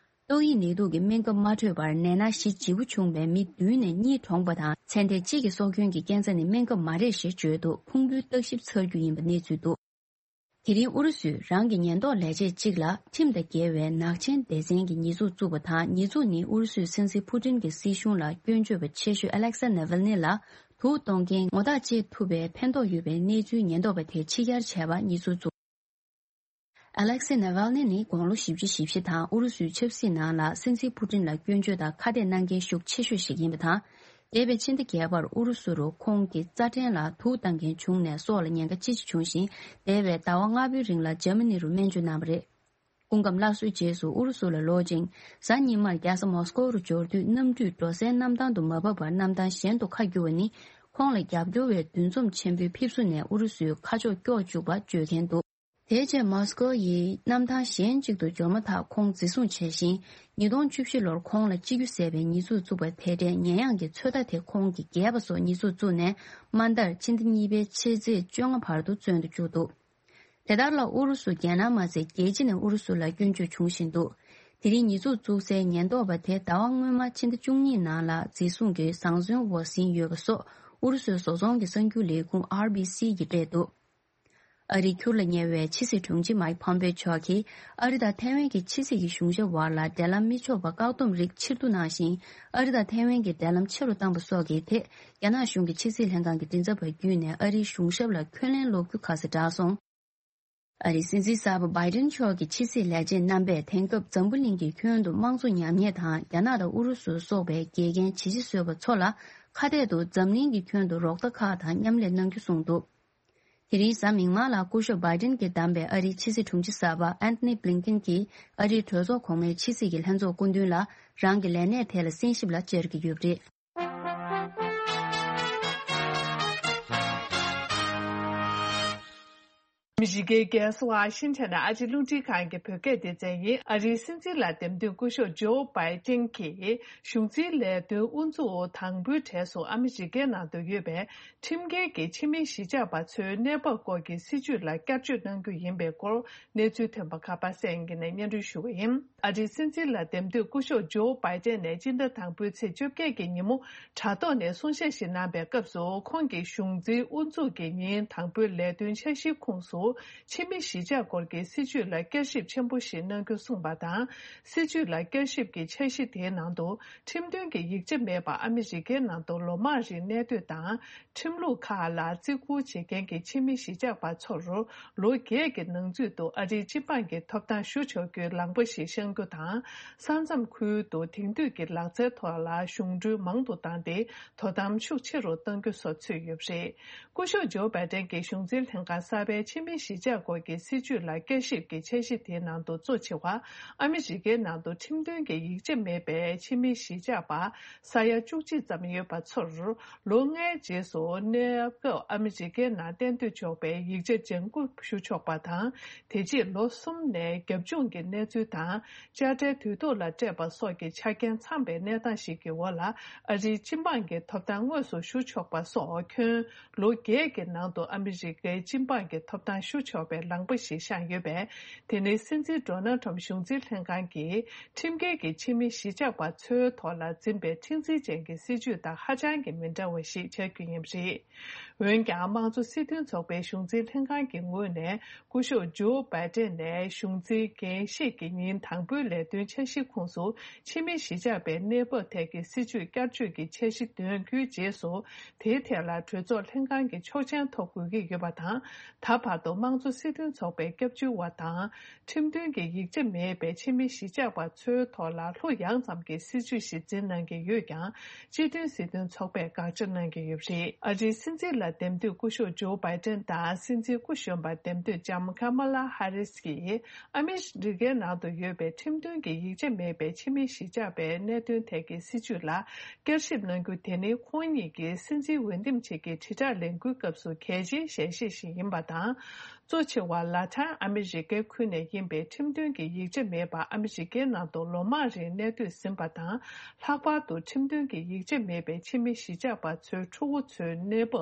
ཏོག་དབྱིབས་ནད་དུག་གི་སྨན་ཁབ་མ་འཕྲོད་པར་ནད་མནར་གཞི་ལྗིད་པོ་བྱུང་བའི་མི་བདུན་ནས་གཉིས་གྲོངས་པ་དང་། ཚེ་འདས་གཅིག་གི་སྲོག་སྐྱོན་གྱི་རྐྱེན་རྩ་ནི་སྨན་ཁབ་མ་རེད་ཞེས་བརྗོད་འདུག་ཕུང་པོའི་བརྟག་ཞིབ་ཚར་རྒྱུ་ཡིན་པ་གནས་ཚུལ་འདུག་དེ་རིང་ཨུ་རུ་སུས་རང་གི་ཉེན་རྟོག་ལས་བྱེད་གཅིག་ལ་ཁྲིམས་དང་འགལ་བའི་ནག་ཆེན་སྡེ་ཚན་གྱི་ཉེས་འཛུགས་བཙུགས་པ་དང་། ཉེས་འཛུགས་ནི་ཨུ་རུ་སུའི་སྲིད་འཛིན་ཕུ་ཏིན་གྱི་སྲིད་གཞུང་ལ་སྐྱོན་བརྗོད་པ་ཆེ་ཤོས་ཨ་ལེག་སེ་ནེ་ཝལ་ནི་ལ་དུག་གཏོང་མཁན་ངོ་རྟགས་བཅད་ཐུབ་པའི་ཕན་ཐོགས་ཡོད་པའི་གནས་ཚུལ་ཉེན་རྟོག་པ་དེས་ཕྱི་གྱར་བྱས་པ་ཉེས་འཛུགས་བཙུགས། ཨ་ལེག་སེ་ནེ་ཝལ་ནི་ནི་དགུང་ལོ་བཞི་བཅུ་ཞེ་བཞི་དང་ཨུ་རུ་སུའི་ཆབ་སྲིད་ནང་ལ་སྲིད་འཛིན་ཕུ་ཏིན་ལ་སྐྱོན་བརྗོད་དང་ཁ་གཏད་གནང་མཁན་ཤུགས་ཆེ་ཤོས་ཤིག་ཡིན་པ་དང་། འདས་པའི་ཕྱི་ཟླ་བརྒྱད་པར་ཨུ་རུ་སུ་རུ་ཁོང་གི་རྩ་ཕྲན་ལ་དུག་བཏང་མཁན་བྱུང་ནས་སྲོག་ལ་ཉེན་ཁ་ཅི་ཆེ་བྱུང་ཞིང་། འདས་པའི་ཟླ་བ་ལྔ་པོའི་རིང་ལ་འཇར་མ་ནི་རུ་སྨན་བཅོས་གནང་བ་རེད། སྐུ་ཁམས་སླར་གསོའི་རྗེས་སུ་ཨུ་རུ་སུ་ལ་ལོག་ཅིང་། གཟའ་ཉི་མར་རྒྱལ་ས་མོ་སི་ཀོ་རུ་འབྱོར་དུས་གནམ་གྲུས་འགྲོ་སའི་གནམ་ཐང་དུ་མ་བབས་པར་གནམ་ཐང་གཞན་དུ་ཁ་བསྒྱུར་བ་ནི། ཁོང་ལ་རྒྱབ་སྐྱོར་བའི་འདུ་འཛོམས་ཆེན་པོའི་ཕེབས་བསུ་ནས་ཨུ་རུ་སུའི་ཁ་ཕྱོགས་སྐྱོར་བཅུག་པ་བརྗོད་མཁན་འདུག་དེ་རྗེས་མོ་སི་ཀོ་ཡི་གནམ་ཐང་གཞན་གཅིག་ཏུ་འབྱོར་མ་ཐག་ཁོང་འཛིན་བཟུང་བྱས་ཤིང་། ཉིས་སྟོང་བཅུ་བཞི་ལོར་ཁོང་ལ་སྤྱི་རྒྱུ་ཟད་པའི་ཉེས་འཛུགས་བཙུགས་པ་དེ་འདྲའི་ཉེས་ཡངས་ཀྱི་ཚོད་ལྟ་དེ་ཁོང་གིས་འགལ་བ་སོགས་ཉེས་འཛུགས་བཙུགས་ནས། དམའ་མཐར་ཕྱི་ཟླ་གཉིས་པའི་ཕྱི་ཚེས་བཅོ་ལྔ་བར་དུ་བཙོན་དུ་བཅུག་འདུག་དེ་ལྟར་ལ་ཨུ་རུ་སུ་རྒྱལ་ནང་མ་ཚད་རྒྱལ་སྤྱི་ནས་ཨུ་རུ་སུ་ལ་སྐྱོན་བརྗོད་བྱུང་བཞིན་འདུག་དེ་རིང་ཉེས་འཛུགས་བཙུགས་སའི་ཉེན་རྟོག་པ་དེ་ཟླ་བ་སྔོན་མ་ཕྱི་ཟླ་བཅུ་གཉིས་ནང་ལ་འཛིན་བཟུང་གིས་བཟང་བཙོན་འོག་ཟིན་ཡོད་པ་སོགས་ཨུ་རུ་སུའི་བཟོ་ཚོང་གི་གསར་འགྱུར་ལས་ཁུངས་ཨར་བྷི་སི་ཡིས་སྤྲད་འདུག་ཨ་རིའི་ཁྱུར་ལ་ཉེ་བའི་ཕྱི་སྲིད་དྲུང་ཆེ་མཱིག་ཕོམ་པེ་མཆོག་གིས་ཨ་རི་དང་ཐའེ་ཝན་གྱི་ཕྱི་སྲིད་ཀྱི་གཞུང་ཞབས་བར་ལ་འབྲེལ་ལམ་མི་ཆོག་པ་བཀག་སྡོམ་རིགས་ཕྱིར་བསྡུ་གནང་ཞིང་། ཨ་རི་དང་ཐའེ་ཝན་གྱི་འབྲེལ་ལམ་ཆེ་རུ་བཏང་པ་སོགས་ཀྱི་ཐད། རྒྱ་ནག་གཞུང་གི་ཕྱི་སྲིད་ལྷན་ཁང་གི་མགྲིན་ཚབ་པ་བརྒྱུད་ནས་ཨ་རིའི་གཞུང་ཞབས་ལ་འཁོན་ལན་སློག་རྒྱུ་ཁ་གསལ་བསྒྲགས་སོང་། ཨ་རིའི་སྲིད་འཛིན་གསར་པ་བྷའི་ཏིན་མཆོག་གི་ཕྱི་སྲིད་ལས་བྱེད་རྣམ་པས་དེང་སྐབས་འཛམ་བུ་གླིང་གི་ཁྱོན་དུ་དམངས་གཙོ་ཉམས་ཉེས་དང་། རྒྱ་ནག་དང་ཨུ་རུ་སུ་སོགས་པའི་འགལ་རྐྱེན་ཇེ་ཆེ་བཟོས་པ་ཚོ་ལ་ཁ་གཏད་དུ་འཛམ་གླིང་གི་ཁྱོན་དུ་རོགས་ཟླ་ཁག་དང་མཉམ་ལས་གནང་རྒྱུ་གསུངས་འདུག་དེ་རིང་གཟའ་མིག་དམར་ལ་སྐུ་ཞབས་བྷའི་ཏིན་གྱིས་བདམས་པའི་ཨ་རིའི་ཕྱི་སྲིད་དྲུང་ཆེ་གསར་པ་ཨན་ཐོ་ནི་བྷི་ལིན་ཀིན་གྱིས་ཨ་རིའི་གྲོས་ཚོགས་གོང་མའི་ཕྱི་སྲིད་ཀྱི་ལྷན་ཚོགས་སྐུ་མདུན་ལ་རང་གི་ལས་གནས་དེ་ལ་གསན་ཞིབ་ལ་བཅར་གྱི་ཡོད་པ་རེད། ཨ་མི་རི་ཀའི་རྒྱལ་ས་ཝ་ཤིང་ཊོན་ནས་ཨ་རིའི་རླུང་འཕྲིན་ཁང་གི་བོད་སྐད་སྡེ་ཚན་ཡིན། ཨ་རིའི་སྲིད་འཛིན་ལ་འདེམས་ཐོན་སྐུ་ཞབས་ཇོ་བྷའི་ཏིན་གྱིས་གཞུང་འཛིན་ལས་དོན་དབུ་འཛུགས་དང་པོའི་གྲས་སུ་ཨ་མི་རི་ཀའི་ནང་དུ་ཡོད་པའི་ཁྲིམས་འགལ་གྱི་ཕྱི་མི་གཞིས་ཆགས་པ་ཚོའི་གནས་བབ་སྐོར་གྱི་སྲིད་བྱུས་ལ་བསྐྱར་བཅོས་གནང་རྒྱུ་ཡིན་པའི་སྐོར་གནས་ཚུལ་ཐོན་པ་ཁ་པར་གསན་གྱི་ནས་སྙན་སྒྲོན་ཞུ་བ་ཡིན། ཨ་རིའི་སྲིད་འཛིན་ལ་འདེམས་ཐོན་སྐུ་ཞབས་ཇོ་བྷའི་ཏན་ནས་སྤྱི་ཟླ་དང་པོའི་ཚེས་བཅོ་བརྒྱད་ཀྱི་ཉིན་མོ་དྲ་ཐོག་ནས་གསུང་བཤད་ཞིག་གནང་པའི་སྐབས་སུ། ཁོང་གིས་གཞུང་འཛིན་དབུ་འཛུགས་ཀྱི་ཉིན་དང་པོའི་ལས་དོན་འཆར་གཞིའི་ཁོངས་སུ། ཕྱི་མི་གཞིས་ཆགས་སྐོར་གྱི་སྲིད་ཇུས་ལ་བསྐྱར་ཞིབ་ཆེན་པོ་ཞིག་གནང་རྒྱུ་གསུངས་པ་དང་། སྲིད་ཇུས་ལ་བསྐྱར་ཞིབ་ཀྱི་འཆར་གཞི་དེའི་ནང་དུ་ཁྲིམས་མཐུན་གྱི་ཡིག་ཆ་མེད་པར་ཨ་མི་རི་ཀའི་ནང་དུ་ལོ་མང་རིང་གནས་སྡོད་དང་། ཁྲིམས་ལུགས་ཁག་ལ་བརྩི་བཀུར་བྱེད་མཁན་གྱི་ཕྱི་མི་གཞིས་ཆགས་པ་ཚོར་ལོ་བརྒྱད་ཀྱི་ནང་ཚུད་དུ་ཨ་རིའི་སྤྱི་འབངས་ཀྱི་ཐོབ་ཐང་ཞུ་ཆོག་རྒྱུའི་ལམ་ཁ་ཞིག་བཤམ་རྒྱུ་དང་། ས་མཚམས་ཁུལ་དུ་དེང་དུས་ཀྱི་ལག་རྩལ་ཐོག་ལ་གཞུང་འབྲེལ་མང་དུ་བཏང་སྟེ་དོ་དམ་ཤུགས་ཆེ་རུ་གཏང་རྒྱུ་སོགས་ཚུད་ཡོད་པ་རེད། སྐུ་ཞབས་ཇོ་བྷའི་ཏན་གྱི་གཞུང་འཛིན་ལྷན་ཁང་གསར་པའི་ཕྱི་མི་གཞིས་ཆགས་སྐོར་གྱི་སྲིད་ཇུས་ལ་བསྐྱར་ཞིབ་ཀྱི་འཆར་གཞི་དེའི་ནང་དུ་གཙོ་ཆེ་བ། ཨ་མི་རི་ཀའི་ནང་དུ་ཁྲིམས་མཐུན་གྱི་ཡིག་ཆ་མེད་པའི་ཕྱི་མི་གཞིས་ཆགས་པ་ས་ཡ་བཅུ་གཅིག་ཙམ་ཡོད་པ་ཚོར། ལོ་ལྔའི་རྗེས་སུ་གནས་སྐབས་ཨ་མི་རི་ཀའི་ནང་གཏན་སྡོད་ཆོག་པའི་ཡིག་ཆ་ལྗང་ཁུ་ཞུ་ཆོག་པ་དང་། དེ་རྗེས་ལོ་གསུམ་ནས་རྒྱབ་ལྗོངས་ཀྱི་གནས་ཚུལ་དང་། དཔྱ་ཁྲལ་དུས་ཐོག་ལ་སྤྲད་པ་སོགས་ཀྱི་ཆ་རྐྱེན་ཚང་བའི་གནས་སྟངས་ཤིག་གི་འོག་ལ། ཨ་རིའི་སྤྱི་འབངས་ཀྱི་ཐོབ་ཐང་དངོས་སུ་ཞུ་ཆོག་པ་སོགས་ཁྱོན་ལོ་བརྒྱད་ཀྱི་ནང་དུ་ཨ་མི་རི་ཀའི་སྤྱི་འབངས་ཀྱི་ཐོབ་ཐང་ཞུ་ཆོག་པའི་ལམ་ཁ་ཞིག་བཤམས་ཡོད་པས། དེ་ནི་སྲིད་འཛིན་ཌོ་ནལ་ཁྲམ་གཞུང་འཛིན་ལྷན་ཁང་གིས་ཁྲིམས་འགལ་གྱི་ཕྱི་མི་གཞིས་ཆགས་པ་ཚོའི་ཐོག་ལ་འཛིན་པའི་མཁྲེགས་འཛིན་ཅན་གྱི་སྲིད་ཇུས་དང་ཧ་ཅང་གི་མི་འདྲ་བ་ཞིག་ཆགས་རྒྱུ་ཡིན་པ་རེད། འོན་ཀྱང་། དམངས་གཙོ་སྲིད་དོན་ཚོགས་པའི་གཞུང་འཛིན་ལྷན་ཁང་གི་ངོས་ནས། སྐུ་ཞབས་ཇོ་བྷའི་ཏན་ནས་གཞུང་འཛིན་འགན་བཞེས་ཀྱི་ཉིན་དང་པོའི་ལས་དོན་འཆར་གཞིའི་ཁོངས་སུ། ཕྱི་མི་གཞིས་ཆགས་པའི་གནས་བབ་ཐད་ཀྱི་སྲིད་ཇུས་བསྐྱར་བཅོས་ཀྱི་འཆར་གཞི་འདོན་རྒྱུའི་རྗེས་སུ། དེའི་ཐད་ལ་གྲོས་ཚོགས་ལྷན་ཁང་གི་ཆོག་མཆན་ཐོབ་དགོས་ཀྱི་ཡོད་པ་དང་། ད་བར་དུ་དམངས་གཙོ་སྲིད་དོན་ཚོགས་པའི་སྐྱབས་བཅོལ་བ་དང་། ཁྲིམས་མཐུན་གྱི་ཡིག་ཆ་མེད་པའི་ཕྱི་མི་གཞིས་ཆགས་པ་ཚོའི་ཐོག་ལ་ལྷོད་ཡངས་ཙམ་གྱི་སྲིད་ཇུས་ཤིག་འཛིན་གནང་གི་ཡོད་ཀྱང་། སྤྱི་མཐུན་སྲིད་དོན་ཚོགས་པས་དགག་བྱ་གནང་གི་ཡོད་པ་རེད། ཨ་རིའི་སྲིད་འཛིན་ལ་འདེམས་ཐོན་སྐུ་ཞབས་ཇོ་བྷའི་ཏན་དང་སྲིད་འཛིན་སྐུ་གཞོན་པར་འདེམས་ཐོན་ལྕམ་ཀ་མ་ལ་ཧ་རིས་ཀྱིས་ཨ་མི་རི་ཀའི་ནང་དུ་ཡོད་པའི་ཁྲིམས་མཐུན་གྱི་ཡིག་ཆ་མེད་པའི་ཕྱི་མི་གཞིས་ཆགས་པའི་གནད་དོན་ཐད་ཀྱི་སྲིད་ཇུས་ལ་བསྐྱར་ཞིབ་གནང་རྒྱུ་དེ་ནི་ཁོང་ཉིད་ཀྱིས་སྲིད་འཛིན་འོས་འདེམས་བྱེད་ཀྱི་དྲིལ་བསྒྲགས་ལས་འགུལ་སྐབས་སུ་གལ་ཆེའི་ཞལ་བཞེས་ཤིག་ཡིན་པ་དང་། གཙོ་ཆེ་བ་ལ་ཏིན་ཨ་མི་རི་ཀའི་ཁུལ་ནས་ཡིན་པའི་ཁྲིམས་མཐུན་གྱི་ཡིག་ཆ་མེད་པ་ཨ་མི་རི་ཀའི་ནང་དུ་ལོ་མང་རིང་གནས་སྡོད་ཟིན་པ་དང་། ལྷག་པར་དུ་ཁྲིམས་མཐུན་གྱི་ཡིག་ཆ་མེད་པའི་ཕྱི་མི་གཞིས་ཆགས་པ་ཚོའི་ཕྲུ་གུ་ཚོའི་གནས་བབ་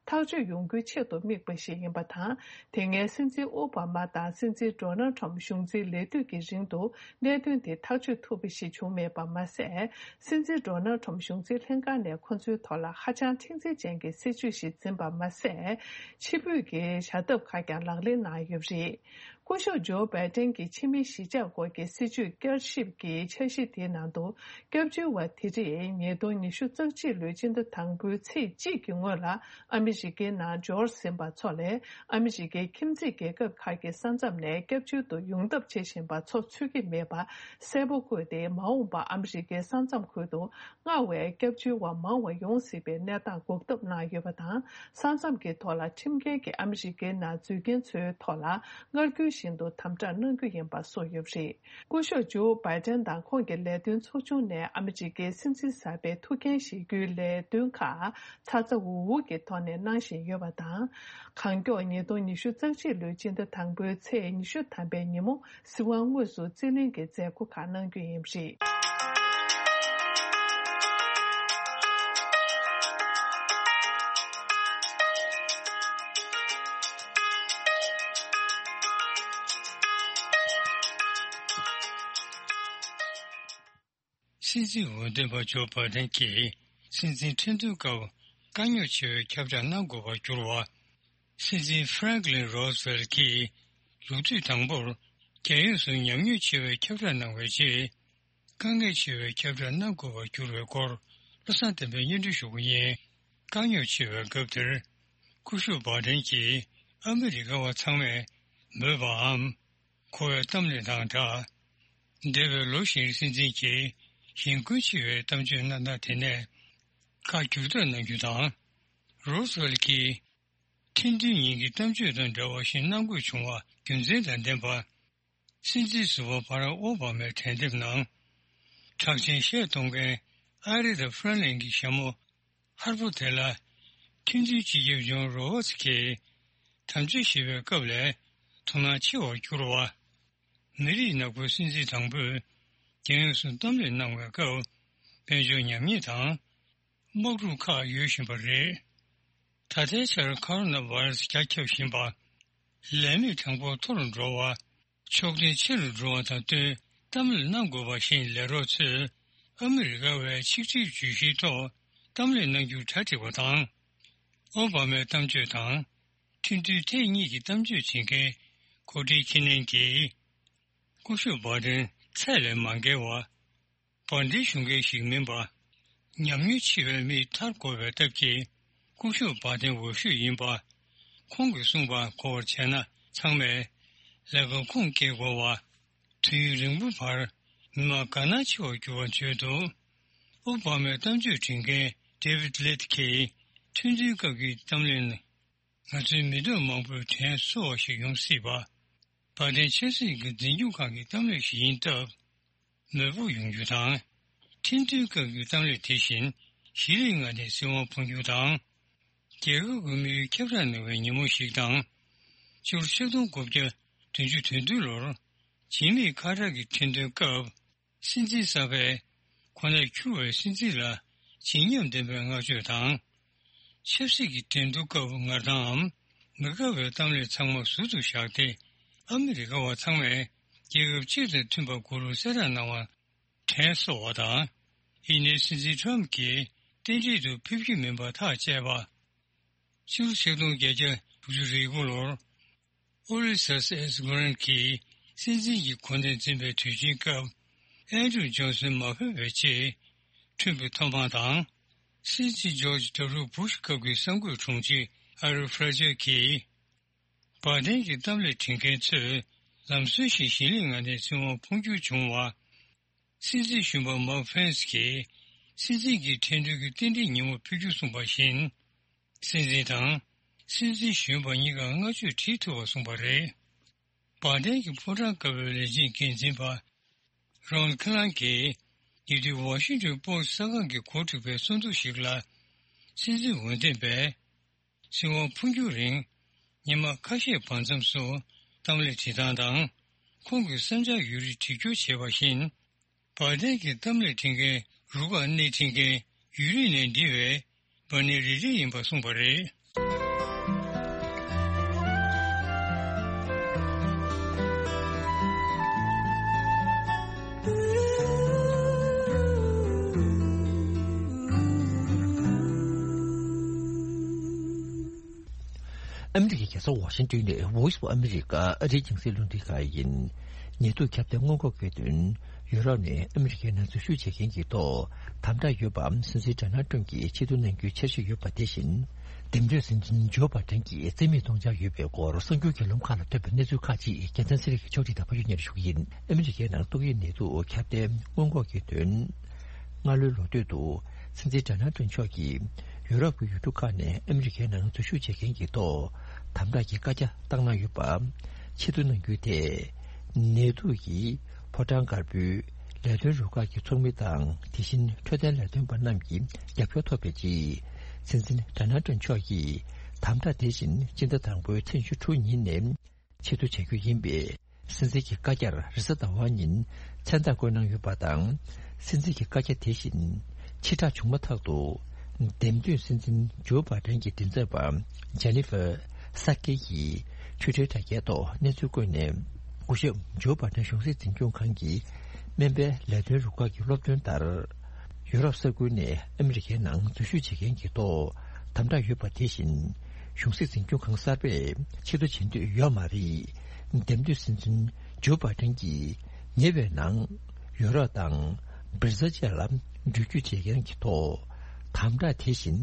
ཐག་གཅོད་ཡོང་རྒྱུའི་ཆེད་དུ་དམིགས་པ་ཞིག་ཡིན་པ་དང་། དེ་སྔའི་སྲིད་འཛིན་ཨོ་བྷ་མ་དང་སྲིད་འཛིན་ཌོ་ནལ་ཁྲམ་གཞུང་འཛིན་ལས་དུས་ཀྱི་རིང་དུ་གནད་དོན་དེ་ཐག་གཅོད་ཐུབ་པ་ཞིག་བྱུང་མེད་པ་མ་ཟད། སྲིད་འཛིན་ཌོ་ནལ་ཁྲམ་གཞུང་འཛིན་ལྷན་ཁང་ནས་ཁོ་ཚོའི་ཐོག་ལ་ཧ་ཅང་མཁྲེགས་འཛིན་ཅན་གྱི་སྲིད་ཇུས་ཤིག་འཛིན་པ་མ་ཟད། ཕྱི་འབོད་ཀྱི་བྱ་ཐབས་ཁག་ཀྱང་ལག་ལེན་གནང་ཡོད་པ་རེད། སྐུ་ཞབས་ཇོ་བྷའི་ཏན་གྱི་ཕྱི་མི་གཞིས་ཆགས་སྐོར་གྱི་སྲིད་ཇུས་བསྐྱར་ཞིབ་ཀྱི་འཆར་གཞི་དེའི་ནང་དུ། སྐྱབས་བཅོལ་བ་དེ་རིགས་ཉིས་སྟོང་ཉི་ཤུ་རྩ་གཅིག་ལོའི་སྤྱི་ཟླ་དང་པོའི་ཚེས་གཅིག་གི་སྔོན་ལ་ཨ་མི་རི་ཀའི་ནང་འབྱོར་ཟིན་པ་ཚོ་ལས། ཨ་མི་རི་ཀའི་ཁྱིམ་མཚེས་རྒྱལ་ཁབ་ཁག་གི་ས་མཚམས་ནས་སྐྱབས་བཅོལ་དུ་ཡོང་ཐབས་བྱེད་བཞིན་པ་ཚོ་ཚུད་ཀྱི་མེད་པ་གསལ་པོ་བཀོད་དེ། མ་འོངས་པར་ཨ་མི་རི་ཀའི་ས་མཚམས་ཁུལ་དུ་མངའ་བའི་སྐྱབས་བཅོལ་བ་མང་བ་ཡོང་སྲིད་པའི་གནས་སྟངས་འགོག་ཐབས་གནང་ཡོད་པ་དང་། ས་མཚམས་ཀྱི་ཐོག་ལ་ཁྲིམས་འགལ་གྱིས་ཨ་མི་རི་ཀའི་ནང་འཛུལ་མཁན་ཚོའི་ཐོག་ལ་སྔར་རྒྱུན་བཞིན་དུ་དམ་དྲག་གནང་རྒྱུ་ཡིན་པ་སོགས་ཡོད་པ་རེད། སྐུ་ཞབས་ཇོ་བྷའི་ཏན་དང་ཁོང་གི་ལས་དོན་ཚོགས་ཆུང་ནས་ཨ་མི་རི་ཀའི་སྲིད་འཛིན་གསར་པའི་ཐུགས་འགན་བཞེས་རྒྱུའི་ལས་དོན་ཁག་ཚ་ཚ་འུར་འུར་གྱི་ཐོག་ནས་གནང་བཞིན་ཡོད་པ་དང་། གང་མགྱོགས་ཉིས་སྟོང་ཉི་ཤུ་རྩ་གཅིག་ལོའི་སྤྱི་ཟླ་དང་པོའི་ཚེས་ཉི་ཤུ་ཐམ་པའི་ཉིན་མོ་སྲིད་དབང་དངོས་སུ་རྩིས་ལེན་གྱི་མཛད་སྒོ་ཁག་གནང་རྒྱུ་ཡིན་པ་རེད། སྲིད་འཛིན་འོས་འདེམས་པ་ཇོ་བྷའི་ཌེན་གྱིས་སྲིད་འཛིན་ཁྲི་འདོན་སྐབས་དཀའ་རྙོག་ཆེ་བའི་ཁྱབ་བསྒྲགས་གནང་དགོས་པར་གྱུར་བ། སྲིད་འཛིན་ཧྥ་རན་ཀི་ལིན་རོ་སི་ཝེལ་གྱིས་ལོ་དུས་དང་པོར་རྒྱལ་ཡོངས་སུ་ཉམས་མྱོང་ཆེ་བའི་ཁྱབ་བསྒྲགས་གནང་བའི་རྗེས། དཀའ་ངལ་ཆེ་བའི་ཁྱབ་བསྒྲགས་གནང་དགོས་པར་གྱུར་བའི་སྐོར་བློ་བཟང་བསྟན་པས་སྙན་སྒྲོན་ཞུ་གི་ཡིན། དཀའ་རྙོག་ཆེ་བའི་སྐབས་དེར། སྐུ་ཞབས་བྷའི་ཌེན་གྱིས་ཨ་མི་རི་ཀ་བ་ཚང་མས་མོས་པའམ། གོ་བའི་གཏམ་གླེང་དང་སྦྲགས། འདས་པའི་ལོ་བཞིར་སྲིད་འཛིན་གྱིས་གཞན་དགུན་ཆེ་བའི་གཏམ་བརྗོད་གནང་སྟངས་དེ་ནས་ཁ་བསྒྱུར་ཐབས་གནང་རྒྱུ་དང་། རོ་སི་ཝེལ་གྱིས་ཁྲི་འདོན་ཉིན་གྱི་གཏམ་བརྗོད་དང་འདྲ་བ་ཞིག་གནང་དགོས་བྱུང་བ་རྒྱུ་མཚན་དང་ལྡན་པ། སྲིད་འཛིན་ཟུར་པ་བྷ་རག་ཨོ་བྷ་མའི་གྲལ་འདེབས་ནང་། གྲགས་ཅན་གཞས་གཏོང་མཁན་ཨ་རི་ཐ་ཧྥ་རན་ལིན་གྱི་ཞྭ་མོ་ཧར་པོ་དེ་ལ་ཁྲི་འདོན་སྤྱི་ཁྱབ་ཇོན་རོ་བར་ཙི་གིས་དམ་བཅའ་བཞེས་པའི་སྐབས་ལས་དོ་སྣང་ཆེ་བར་གྱུར་བ། མི་རིགས་ནག་པོའི་སྲིད་འཛིན་དང་པོས་རྒྱལ་ཡོངས་སུ་གཏམ་གླེང་གནང་བའི་སྐབས་དཔལ་འབྱོར་ཉམས་ཉེས་དང་། དམག་འཁྲུག་ཁག་ཡོད་བཞིན་པ་རེད། ད་ལྟའི་ཆར་ཁོ་རོ་ན་བྷ་ར་སི་རྒྱ་ཁྱབ་བཞིན་པ། ལས་མེད་གྲངས་འབོར་མཐོ་རུ་འགྲོ་བ། ཕྱོགས་འཐེན་ཆེ་རུ་འགྲོ་བ་དང་བསྟུན་གཏམ་གླེང་གནང་དགོས་པ་བཞིན་ལས་རོགས་ཚོས་ཨ་མི་རི་ཀ་བའི་ཆིག་སྒྲིལ་བརྗོད་གཞིའི་ཐོག་གཏམ་གླེང་གནང་རྒྱུར་གྲ་སྒྲིག་པ་དང་། ཨོ་བྷ་མའི་གཏམ་བརྗོད་དང་། ཁྲིམས་མཐུན་ཐེངས་གཉིས་ཀྱི་གཏམ་བརྗོད་བྱེད་མཁན་ཀོ་ཏི་ཁི་ནན་གྱིས། སྐུ་ཞབས་བྷ་ཏན་ཚད་ལས་མ་བརྒལ་བ། བར་འདིའི་གཞུང་འགན་ཞིག་མིན་པ། ཉམས་མྱོང་ཆེ་བའི་མིས་ཐར་དགོས་པའི་སྟབས་ཀྱིས། སྐུ་ཞབས་བྷ་ཏན་འོས་ཤོས་ཡིན་པ། ཁོང་གིས་གསུངས་པ་གོ་བར་བྱས་ན། ཚང་མས་ལས་ཀ་ཁུངས་སྐྱེལ་དགོས་པ། དུས་ཡུན་རིང་པོའི་བར་མི་མང་དགའ་སྣང་ཆེ་བར་གྱུར་བ་བརྗོད་འདུག། ཨོ་བྷ་མའི་གཏམ་བརྗོད་འབྲི་མཁན་David Litt གྱིས། ཁྲིམས་མཐུན་སྐབས་ཀྱི་གཏམ་གླེང་ནི། ང་ཚོའི་མི་འདོད་མང་པོས་དྲན་གསོ་བ་ཞིག་ཡོང་སྲིད་པ། བྷ་ཏན་ཆབ་སྲིད་ཀྱི་འཛིན་སྐྱོང་ཁང་གི་གཏམ་གླེང་ཞིག་ཡིན་སྟབས། མོས་པོ་ཡོང་རྒྱུ་དང་། ཁྲིམས་མཐུན་སྐབས་ཀྱི་གཏམ་གླེང་དེ་བཞིན་གཞིས་ལུས་མངའ་སྡེའི་སྲིད་དབང་འཕོ་འགྱུར་དང་། རྒྱལ་ཁབ་ཀྱི་དམིགས་ཡུལ་ཁྱབ་བསྒྲགས་གནང་བའི་ཉིན་མོ་ཞིག་དང་། ཕྱི་ལོ་ཆིག་སྟོང་དགུ་བརྒྱ་བདུན་ཅུ་དོན་བདུན་ལོར་བྱེད་མེད་ཁ་བྲལ་གྱི་ཁྲིམས་དོན་སྐབས། སྲིད་འཛིན་གསར་པས་ཁོ་ནར་འཁྱུར་བའི་སྲིད་འཛིན་ལ་བརྗིད་ཉམས་ལྡན་པའི་བསྔགས་བརྗོད་དང་། ཆབ་སྲིད་ཀྱི་འགྲན་བསྡུར་སྐབས་ངར་ཐང་ངམ་མི་དགའ་བའི་གཏམ་གླེང་ཚང་མ་ཟུར་དུ་བཞག་སྟེ། ཨ་མི་རི་ཀ་བ་ཚང་མས་རྒྱལ་ཁབ་གཅིག་དང་མཐུན་པ་དགོས་ལུགས་གསལ་བསྒྲགས་གནང་བར་དྲན་གསོ་བ་དང་། ཡིན་ནའི་སྲིད་འཛིན་ཊམ་གྱིས་རྟེན་འབྲེལ་དུ་ཕེབས་རྒྱུ་མིན་པར་ཐག་བཅད་པ། ཕྱི་ལོ་ཆིག་སྟོང་བརྒྱད་བརྒྱ་དྲུག་ཅུ་རེ་དགུ་ལོར། ཨོ་ལི་སཱས་ཨེས་གྷོ་རན་གྱིས་སྲིད་འཛིན་གྱི་གོ་གནས་འཛིན་པའི་དུས་ཆེན་སྐབས། ཨན་ཌྲུ་ཇོན་སན་མ་ཕེབས་པའི་ཆེད། ཁྲིམས་ཀྱི་ཐོབ་དབང་དང་། སྲིད་འཛིན་ཇོརྗ་ཌབ་ལིའུ་བུ་ཤ་སྐབས་ཀྱི་གསར་འགོད་དྲུང་ཆེ་ཨ་རི་ཕ་ར་ཇར་གྱིས། བར་དན་གྱི་གཏམ་གླེང་འབྲི་མཁན་ཚོས་ལམ་སྲོལ་བཞིན་གཞིས་ལུས་མངའ་སྡེའི་སྲིད་དབང་འཕོ་འགྱུར་བྱུང་བ། སྲིད་འཛིན་གཞོན་པ་མཱིག་ཕེན་སི་གིས་སྲིད་འཛིན་གྱི་འགྲན་བསྡུར་གྱི་རྟེན་འབྲེལ་ཉིན་མོར་ཕེབས་རྒྱུ་གསུངས་པ་བཞིན། སྲིད་འཛིན་དང་སྲིད་འཛིན་གཞོན་པ་གཉིས་ཀར་བསྔགས་བརྗོད་བྲིས་ཐུབ་པ་གསུངས་པ་རེད། བར་དན་གྱི་ཕོ་བྲང་དཀར་པོའི་ལས་བྱེད་འགན་འཛིན་པ་རོན་ཁི་ལང་གིས་ཉེ་དུས་ཝ་ཤིང་ཊོན་པོ་སི་གསར་ཁང་གིས་གོ་སྒྲིག་པའི་གསར་འཛུགས་ཤིག་ལ། སྲིད་འཛིན་འོས་འདེམས་པས། སྲིད་དབང་འཕོ་འགྱུར་རིང་ཉི་མ་ཁ་ཤས་བར་མཚམས་སུ་གཏམ་གླེང་བྱེད་སྟངས་དང་། ཁོང་གི་བསམ་འཆར་ཡོད་རིགས་དྲི་བསྐྱུར་བྱས་པ་བཞིན། བར་དན་གྱི་གཏམ་གླེང་འབྲི་མཁན་རུ་ཁག་སྣེ་ཁྲིད་མཁན་ཡུལ་རིས་ནས་འདྲི་བའི་བར་ནི་རི་རི་ཡིན་པ་གསུངས་པ་རེད། ཨ་མི་རི་ཀའི་རྒྱལ་ས་ཝ་ཤིང་ཏོན་ནས་Voice of America ཨ་རིའི་རྒྱང་སྲིང་རླུང་འཕྲིན་ཁང་ཡིན། ཉེ་དུས་ཁྱབ་གདལ་སྔོན་འགོག་གི་དོན། ཡུ་རོབ་ནས་ཨ་མི་རི་ཀའི་ནང་འཛུལ་ཞུགས་བྱེད་མཁན་གྱི་ཐོག་དམ་དྲག་ཡོད་པའམ་སྲིད་འཛིན་ཌོ་ནལ་ཊམ་གྱིས་ཆེ་བསྟོད་གནང་རྒྱུའི་འཆར་གཞི་ཡོད་པ་དེ་བཞིན། འདེམས་ཐོན་སྲིད་འཛིན་ཇོ་བྷ་ཏན་གྱིས་རྩིས་མེད་གཏོང་འཆར་ཡོད་པའི་སྐོར་གསར་འགྱུར་གྱི་ལམ་ཁག་ལ་ཐོན་པའི་གནས་ཚུལ་ཁག་ཅིག་རྒྱལ་མཚན་ཚེ་རིང་གིས་ཕྱོགས་སྒྲིག་དང་ཕབ་སྒྱུར་སྙན་སྒྲོན་ཞུ་གི་ཡིན། ཨ་མི་རི་ཀའི་ནང་ཏོག་དབྱིབས་ནད་དུག་ཁྱབ་གདལ་སྔོན་འགོག་གི་དོན། སྔ་ལོའི་ལོ་སྟོད་དུ་སྲིད་འཛིན་ཌོ་ནལ་ཊམ་མཆོག་གིས་ཡུ་རོབ་ཀྱི་ཡུལ་གྲུ་ཁག་ནས་ཨ་མི་རི་ཀའི་ནང་འཛུལ་ཞུགས་བྱེད་མཁན་གྱི་ཐོག་དམ་དྲག་གི་བཀའ་རྒྱ་བཏང་གནང་ཡོད་པ། ཆེ་བསྟོད་གནང་རྒྱུ་དེ། ནད་དུག་གིས་ཕོ་བྲང་དཀར་པོའི་ལས་དོན་རུ་ཁག་གི་ཚོགས་མི་དང་། དེ་བཞིན་འཕྲོད་བསྟེན་ལས་དོན་པ་རྣམས་ཀྱི་རྒྱབ་སྐྱོར་ཐོབ་པའི་ཆེད། སྲིད་འཛིན་ཌོ་ནལ་ཊམ་མཆོག་གིས་དམ་དྲག་དེ་བཞིན་སྤྱི་ཟླ་དང་པོའི་ཚེས་བཅུ་དྲུག་ཉིན་ནས། ཆེད་དུ་བྱ་རྒྱུ་ཡིན་པས། སྲིད་འཛིན་གྱི་བཀའ་རྒྱར་རེས་གཟའ་ཟླ་བ་ཉིན་མཚན་རྟགས་བཀོད་གནང་ཡོད་པ་དང་། སྲིད་འཛིན་གྱི་བཀའ་རྒྱ་དེ་བཞིན་ཕྱིར་བསྒྲགས་བྱུང་མ་ཐག་ཏུ། འདེམས་ཐོན་སྲིད་འཛིན་ཇོ་བྷ་ཏན་གྱི་མགྲིན་ཚབ་པ་ཇེ་ནི་ཧྥར་ས་ཀེ་ཡིས་ཊུའི་ཊར་དྲ་རྒྱའི་ཐོག་གནས་ཚུལ་བཀོད་ནས། སྐུ་ཞབས་ཇོ་བྷ་ཏན་གཞུང་སྲིད་འཛིན་སྐྱོང་ཁང་གི་སྨན་པའི་ལས་དོན་རུ་ཁག་གི་སློབ་སྟོན་ལྟར། ཡུ་རོབ་ས་ཁུལ་ནས་ཨ་མི་རི་ཀའི་ནང་འཛུལ་ཞུགས་བྱེད་མཁན་གྱི་ཐོག་དམ་དྲག་ཡོད་པ་དེ་བཞིན། གཞུང་སྲིད་འཛིན་སྐྱོང་ཁང་གསར་པས་ཆེད་དུ་བྱེད་འདོད་ཡོད་མ་རེད། འདེམས་ཐོན་སྲིད་འཛིན་ཇོ་བྷ་ཏན་གྱིས་ཉེ་བའི་ནང་ཡུ་རོབ་དང་བྷི་རི་ཟལ་བཅས་ལ་འགྲུལ་སྐྱོད་བྱེད་མཁན་གྱི་ཐོག་དམ་དྲག་དེ་བཞིན་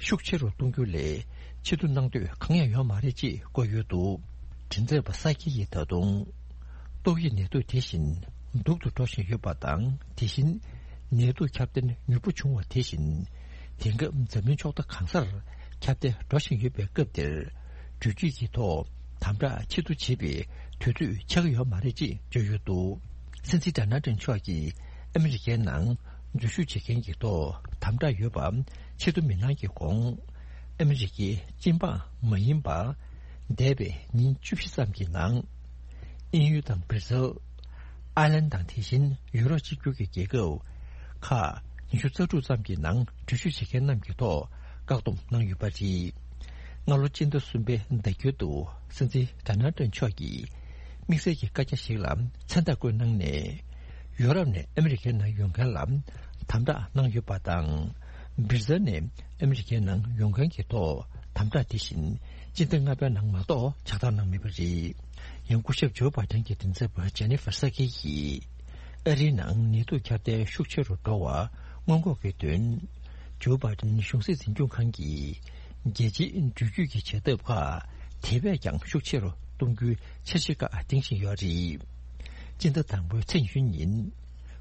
ཤུགས་ཆེ་རུ་གཏོང་རྒྱུ་ལས་ཆེད་དུ་གནང་འདོད་གང་ཡང་ཡོད་མ་རེད་ཅེས་བཀོད་ཡོད་འདུག། མགྲིན་ཚབ་པ་ས་ཀི་ཡིས་ད་དུང་ཏོག་དབྱིབས་ནད་དུག་དེ་བཞིན་སྡུག་ཏུ་འགྲོ་བཞིན་ཡོད་པ་དང་། དེ་བཞིན་ནད་དུག་ཁྱབ་གདལ་མྱུར་པོ་བྱུང་བ་དེ་བཞིན། དེང་སྐབས་འཛམ་གླིང་ཕྱོགས་མཐའ་གང་སར་ཁྱབ་གདལ་འགྲོ་བཞིན་ཡོད་པའི་སྐབས་འདིར། འགྲུལ་སྐྱོད་ཀྱི་ཐོག་དམ་དྲག་ཆེད་དུ་བྱེད་པའི་དུས་ཚོད་ཆགས་ཀྱི་ཡོད་མ་རེད་ཅེས་བརྗོད་ཡོད་འདུག། སྲིད་འཛིན་ཌོ་ནལ་ཊམ་མཆོག་གིས་ཨ་མི་རི་ཀའི་ནང་འཛུལ་ཞུགས་བྱེད་མཁན་གྱི་ཐོག་དམ་དྲག་ཡོད་པ་ཆེད་དུ་མི་གནང་གི་གོང་། ཨ་མི་རི་ཀའི་སྤྱི་འབངས་མ་ཡིན་པ། འདས་པའི་ཉིན་བཅུ་བཞི་ཙམ་གྱི་ནང་། དབྱིན་ཡུལ་དང་བྷི་རི་ཟལ། ཨའི་ལན་དང་དེ་བཞིན་ཡུ་རོབ་གཅིག་གྱུར་གྱི་རྒྱལ་ཁབ་ཁག་ཉི་ཤུ་རྩ་དྲུག་ཙམ་གྱི་ནང་འགྲུལ་བཞུད་བྱེད་མཁན་རྣམས་ཀྱི་ཐོག་བཀག་སྡོམ་གནང་ཡོད་པ་རེད། སྔ་ལོ་སྤྱི་ཟླ་གསུམ་པའི་ཟླ་མཇུག་ཏུ་སྲིད་འཛིན་ཌོ་ནལ་ཊམ་མཆོག་གིས་དམིགས་བསལ་གྱི་བཀའ་རྒྱ་ཞིག་ལ་མཚན་རྟགས་བཀོད་གནང་ནས། ཡོ་རོབ་ནས་ཨ་མི་རི་ཀའི་ནང་ཡོང་མཁན་ལ་དམ་དྲག་གནང་ཡོད་པ་དང་། བྷི་རི་ཟལ་ནས་ཨ་མི་རི་ཀའི་ནང་ཡོང་མཁན་གྱི་ཐོག་དམ་དྲག་དེ་བཞིན་ སྤྱི་ཟླ་ལྔ་པའི་ནང་མ་གཏོགས་ཕྱག་བསྟར་གནང་མེད་པ་རེད། ཡང་སྐུ་ཞབས་ཇོ་བྷའི་ཌེན་གྱི་མགྲིན་ཚབ་པ་ཇེ་ནི་ཧྥར་ས་ཀི་ཡིས། ཨ་རིའི་ནང་ནད་དུག་ཁྱབ་གདལ་ཤུགས་ཆེ་རུ་འགྲོ་བ་སྔོན་འགོག་གི་དོན། ཇོ་བྷའི་ཌེན་གཞུང་སྲིད་འཛིན་སྐྱོང་ཁང་གིས། རྒྱལ་སྤྱིའི་འགྲུལ་སྐྱོད་ཀྱི་བྱེད་ཐབས་ཁག་དེ་བས་ཀྱང་ཤུགས་ཆེ་རུ་གཏོང་རྒྱུའི་འཆར་གཞི་ཁག་འདིང་བཞིན་ཡོད་རེད། སྤྱི་ཟླ་དང་པོའི་ཚེས་ཉི་ཤུ་ཉིན།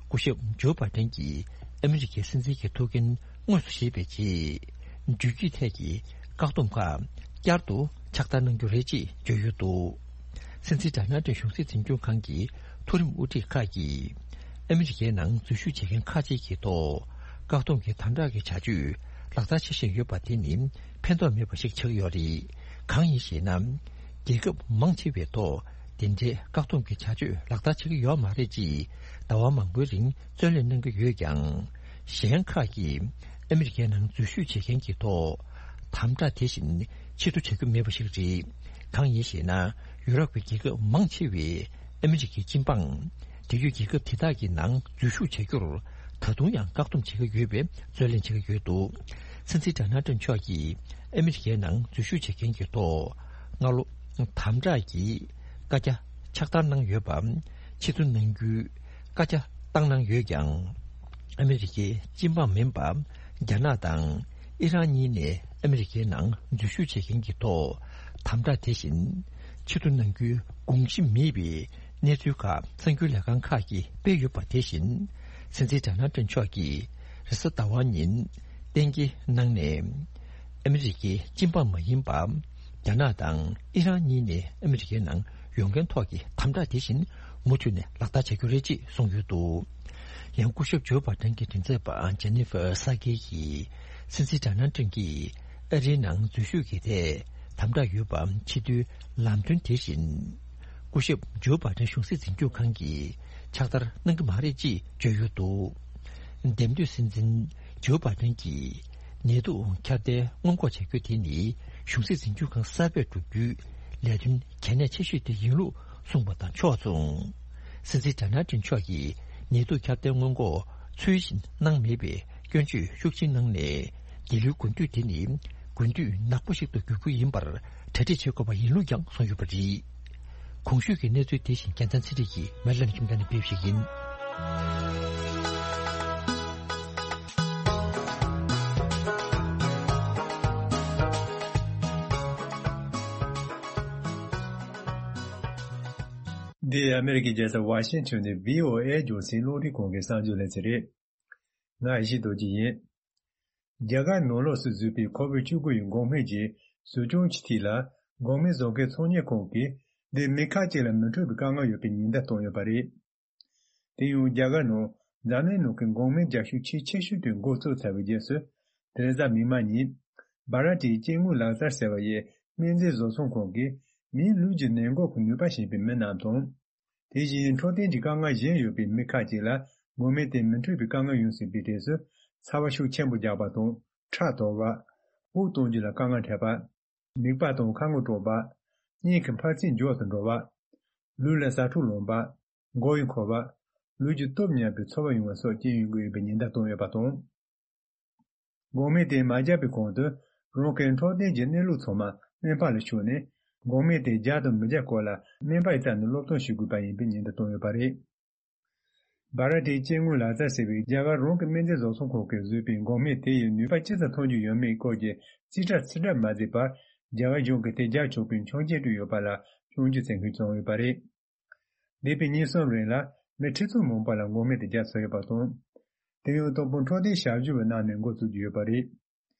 སྐུ་ཞབས་ཇོ་བྷའི་ཌེན་གྱིས་ཨ་མི་རི་ཀའི་སྲིད་འཛིན་གྱི་ཐུགས་འགན་དངོས་སུ་བཞེས་པའི་རྗེས། འགྲུལ་སྐྱོད་ཐད་ཀྱི་བཀག་སྡོམ་ཁག་བསྐྱར་དུ་ཕྱག་བསྟར་གནང་རྒྱུ་རེད་ཅེས་བརྗོད་ཡོད་འདུག་སྲིད་འཛིན་ཌོ་ནལ་ཏྲམ་གཞུང་སྲིད་འཛིན་སྐྱོང་ཁང་གི་མཐོ་རིམ་དབུ་ཁྲིད་ཁག་གིས། ཨ་མི་རི་ཀའི་ནང་འཛུལ་ཞུགས་བྱེད་མཁན་ཁག་ཅིག་གི་ཐོག་བཀག་སྡོམ་གྱི་དམ་དྲག་གི་བྱ་སྤྱོད་ལག་བསྟར་བྱེད་བཞིན་ཡོད་པ་དེ་ནི་ཕན་ཐོགས་མེད་པ་ཞིག་ཆགས་ཡོད་རེད། གང་ཡིན་ཞེ་ན། རྒྱལ་ཁབ་མང་ཆེ་བའི་ཐོག་དེ་འདྲའི་བཀག་སྡོམ་གྱི་བྱ་སྤྱོད་ལག་བསྟར་བྱེད་ཀྱི་ཡོད་མ་རེད་ཅེས་ཟླ་བ་མང་པོའི་རིང་བརྩོན་ལེན་གནང་གི་ཡོད་ཀྱང་། གཞན་ཁག་གིས་ཨ་མི་རི་ཀའི་ནང་འཛུལ་ཞུགས་བྱེད་མཁན་གྱི་ཐོག་དམ་དྲག་དེ་བཞིན་ཆེ་བསྟོད་བྱ་རྒྱུ་མེད་པ་ཞིག་རེད། གང་ཡིན་ཞེ་ན། ཡུ་རོབ་ཀྱི་རྒྱལ་ཁབ་མང་ཆེ་བས་ཨ་མི་རི་ཀའི་སྤྱི་འབངས། དེ་ཡུལ་རྒྱལ་ཁབ་དེ་དག་གི་ནང་འཛུལ་ཞུགས་བྱ་རྒྱུར་ད་དུང་ཡང་བཀག་སྡོམ་བྱེད་ཀྱི་ཡོད་པའི་རྩོད་ལེན་བྱེད་ཀྱི་ཡོད་འདུག་སྲིད་འཛིན་ཌོ་ནལ་ཏྲམ་མཆོག་གིས་ཨ་མི་རི་ཀའི་ནང་འཛུལ་ཞུགས་བྱེད་མཁན་གྱི་ཐོག་སྔ་ལོ་དམ་དྲག་གི་བཀའ་རྒྱ་ཕྱག་བསྟར་གནང་ཡོད་པ། ཕྱིར་བསྡུ་གནང་རྒྱུའི་བཀའ་རྒྱ་བཏང་གནང་ཡོད་ཀྱང་། ཨ་མི་རི་ཀའི་སྤྱི་འབངས་མིན་པ་རྒྱ་ནག་དང་ཨི་རན་གཉིས་ནས་ཨ་མི་རི་ཀའི་ནང་འཛུལ་ཞུགས་བྱེད་མཁན་གྱི་ཐོག་དམ་དྲག་དེ་བཞིན་ཕྱིར་བསྡུ་གནང་རྒྱུའི་དགོངས་གཞི་མེད་པའི་གནས་ཚུལ་ཁག་གསར་འགྱུར་ལས་ཁང་ཁག་གིས་སྤེལ་ཡོད་པ་དེ་བཞིན། སྲིད་འཛིན་ཌོ་ནལ་ཏྲམ་མཆོག་གིས་རེས་གཟའ་ཟླ་བ་ཉིན་གཏན་འཁེལ་གནང་ནས། ཨ་མི་རི་ཀའི་སྤྱི་འབངས་མ་ཡིན་པ། རྒྱ་ནག་དང་ཨི་རན་གཉིས་ནས་ཨ་མི་རི་ཀའི་ནང་ཡོང་མཁན་ཐོག་གི་དམ་དྲག་དེ་བཞིན་མུ་མཐུད་ནས་ལག་བསྟར་བྱ་རྒྱུ་རེད་ཅེས་གསུངས་ཡོད་འདུག་ཡང་སྐུ་ཞབས་ཇོ་བྷའི་ཌེན་གྱི་མགྲིན་ཚབ་པ་ཇེ་ནི་ཧྥར་ས་ཀི་ཡིས། སྲིད་འཛིན་ཌོ་ནལ་ཏྲམ་གྱིས་ཨ་རིའི་ནང་འཛུལ་ཞུགས་ཀྱི་ཐད་དམ་དྲག་ཡོད་པ་ཕྱི་དོན་ལམ་སྟོན་དེ་བཞིན། སྐུ་ཞབས་ཇོ་བྷའི་ཌེན་གཞུང་སྲིད་འཛིན་སྐྱོང་ཁང་གིས་ཕྱག་བསྟར་གནང་གི་མ་རེད་ཅེས་བརྗོད་ཡོད་འདུག་འདེམས་ཐོན་སྲིད་འཛིན་ཇོ་བྷའི་ཌེན་གྱིས་ནད་དུག་ཁྱབ་གདལ་སྔོན་འགོག་བྱ་རྒྱུ་དེ་ནི་གཞུང་སྲིད་འཛིན་སྐྱོང་ཁང་གསར་པས་བསྒྲུབ་རྒྱུའི་ལས་དོན་གལ་གནད་ཆེ་ཤོས་དེ་ཡིན་ལུགས་གསུངས་པ་དང་ཕྱོགས་མཚུངས། སྲིད་འཛིན་ཌོ་ནལ་ཏྲམ་མཆོག་གིས་ནད་དུག་ཁྱབ་གདལ་སྔོན་འགོག་ཚུལ་བཞིན་གནང་མེད་པའི་སྐྱོན་བརྗོད་ཤུགས་ཆེན་གནང་ནས། འདི་ལོའི་དགུན་དུས་དེ་ནི་དགུན་དུས་ནག་པོ་ཞིག་ཏུ་འགྱུར་རྒྱུ་ཡིན་པར་གྲ་སྒྲིག་བྱེད་དགོས་པ་ཡིན་ལུགས་ཀྱང་གསུངས་ཡོད་པ་རེད། གོང་ཞུས་ཀྱི་གནས་ཚུལ་དེ་བཞིན་རྒྱལ་མཚན་ཚེ་རིང་གིས་མེ་ལན་ཁྱིམ་ཚང་ནས་ཕེབས་ཤིག་ཡིན། འདི་ཨ་མེ་རི་ཀའི་རྒྱལ་ས་ཝ་ཤིང་ཊོན་ནས་བྷི་ཨོ་ཨེ་རྒྱང་སྲིང་རླུང་འཕྲིན་ཁང་གི་གསར་འགྱུར་ལེ་ཚན་རེད། ང་ཡེ་ཤེས་རྡོ་རྗེ་ཡིན། རྒྱ་གར་ནང་ལོགས་སུ་བཟོས་པའི་ཁོ་བོད་བཅུ་དགུ་ཡི་འགོག་སྨན་གྱི་བཟོ་སྐྲུན་གྱི་ཐད་ལ། འགོག་སྨན་བཟོ་མཁན་ཚོང་གཉེར་ཁང་གིས་འདི་མི་ཁག་ཅིག་ལ་མི་འཕྲོད་པའི་དཀའ་ངལ་ཡོད་པའི་ཉེན་བརྡ་བཏང་ཡོད་པ་རེད། དེ་ཡང་རྒྱ་གར་ནང་འཛམ་གླིང་ནང་གི་འགོག་སྨན་རྒྱག་ཤུགས་ཆེས་ཆེ་ཤོས་དེ་འགོ་བཙུགས་ཚར་བའི་རྗེས་སུ། དེ་རིང་གཟའ་མིག་དམར་ཉིན། བྷ་ར་ཏིའི་སྐྱེ་དངོས་ལག་རྩལ་ཟེར་བ་ཡི་སྨན་རྫས་བཟོ་ཚོང་ཁང་གིས་མིའི་ལུས་ཀྱི་ནད་འགོག་གི་ནུས་པ་ཞན་པའི་མི་རྣམས་དང་། དེ་བཞིན་འཕྲོད་བསྟེན་གྱི་དཀའ་ངལ་གཞན་ཡོད་པའི་མི་ཁག་ཅིག་ལ་འགོག་སྨན་དེ་མི་འཕྲོད་པའི་དཀའ་ངལ་ཡོང་སྲིད་པའི་གྲས་སུ། ཚ་བ་ཤུགས་ཆེན་པོ་རྒྱག་པ་དང་། ཁྲག་དོག་པ། དབུགས་གཏོང་རྒྱུ་ལ་དཀའ་ངལ་འཕྲད་པ། མིད་པ་དང་ཁ་ངོ་བཀྲུ་བ། སྙིང་གི་འཕར་ཚད་མགྱོགས་སུ་འགྲོ་བ། ལུས་ལ་ཟ་འཕྲུག་ལངས་པ། མགོ་ཡི་འཁོར་བ། ལུས་ཀྱི་སྟོབས་ཉམས་པའི་ཚོར་བ་ཡོང་བ་སོགས་རྐྱེན་ཡོང་གི་ཡོད་པའི་ཉེན་བརྡ་བཏང་ཡོད་པ་དང་། འགོག་སྨན་དེ་མ་བརྒྱབ་པའི་གོང་དུ། རང་གི་འཕྲོད་བསྟེན་གྱི་གནས་ལུགས་ཚང་མ་སྨན་པ་ལ་ཞུས་ནས། འགོག་སྨན་དེ་རྒྱག་དང་མི་རྒྱག་སྐོར་ལ་སྨན་པ་ཡི་རྩ་ནས་སློབ་སྟོན་ཞུ་དགོས་པ་ཡིན་པའི་ཉེན་བརྡ་བཏང་ཡོད་པ་རེད། བྷ་ར་ཏིའི་སྐྱེ་དངོས་ལག་རྩལ་ཟེར་བའི་རྒྱ་གར་རང་གི་སྨན་རྫས་བཟོ་ཚོང་ཁང་གིས་བཟོས་པའི་འགོག་སྨན་དེ་ཡི་ནུས་པ་ཅི་ཙམ་ཐོན་རྒྱུ་ཡོད་མེད་སྐོར་གྱི་རྩིས་ཁྲ་ཚིག་འགྲེལ་མ་མཛད་པར། རྒྱ་གར་གཞུང་གིས་དེ་རྒྱག་ཆོག་པའི་ཆོག་མཆན་སྤྲད་ཡོད་པ་ལ་སྐྱོན་བརྗོད་བྱེད་མཁན་བྱུང་ཡོད་པ་རེད། འདས་པའི་ཉིན་གསུམ་རིང་ལ་མི་ཁྲི་ཚོ་མང་པོ་ལ་འགོག་སྨན་དེ་རྒྱག་ཚར་ཡོད་པ་དང་། དེ་ཡང་དང་པོ་འཕྲོད་བསྟེན་ཞབས་ཞུ་བའི་ནང་ནས་འགོ་བཙུགས་ཀྱི་ཡོད་པ་རེད།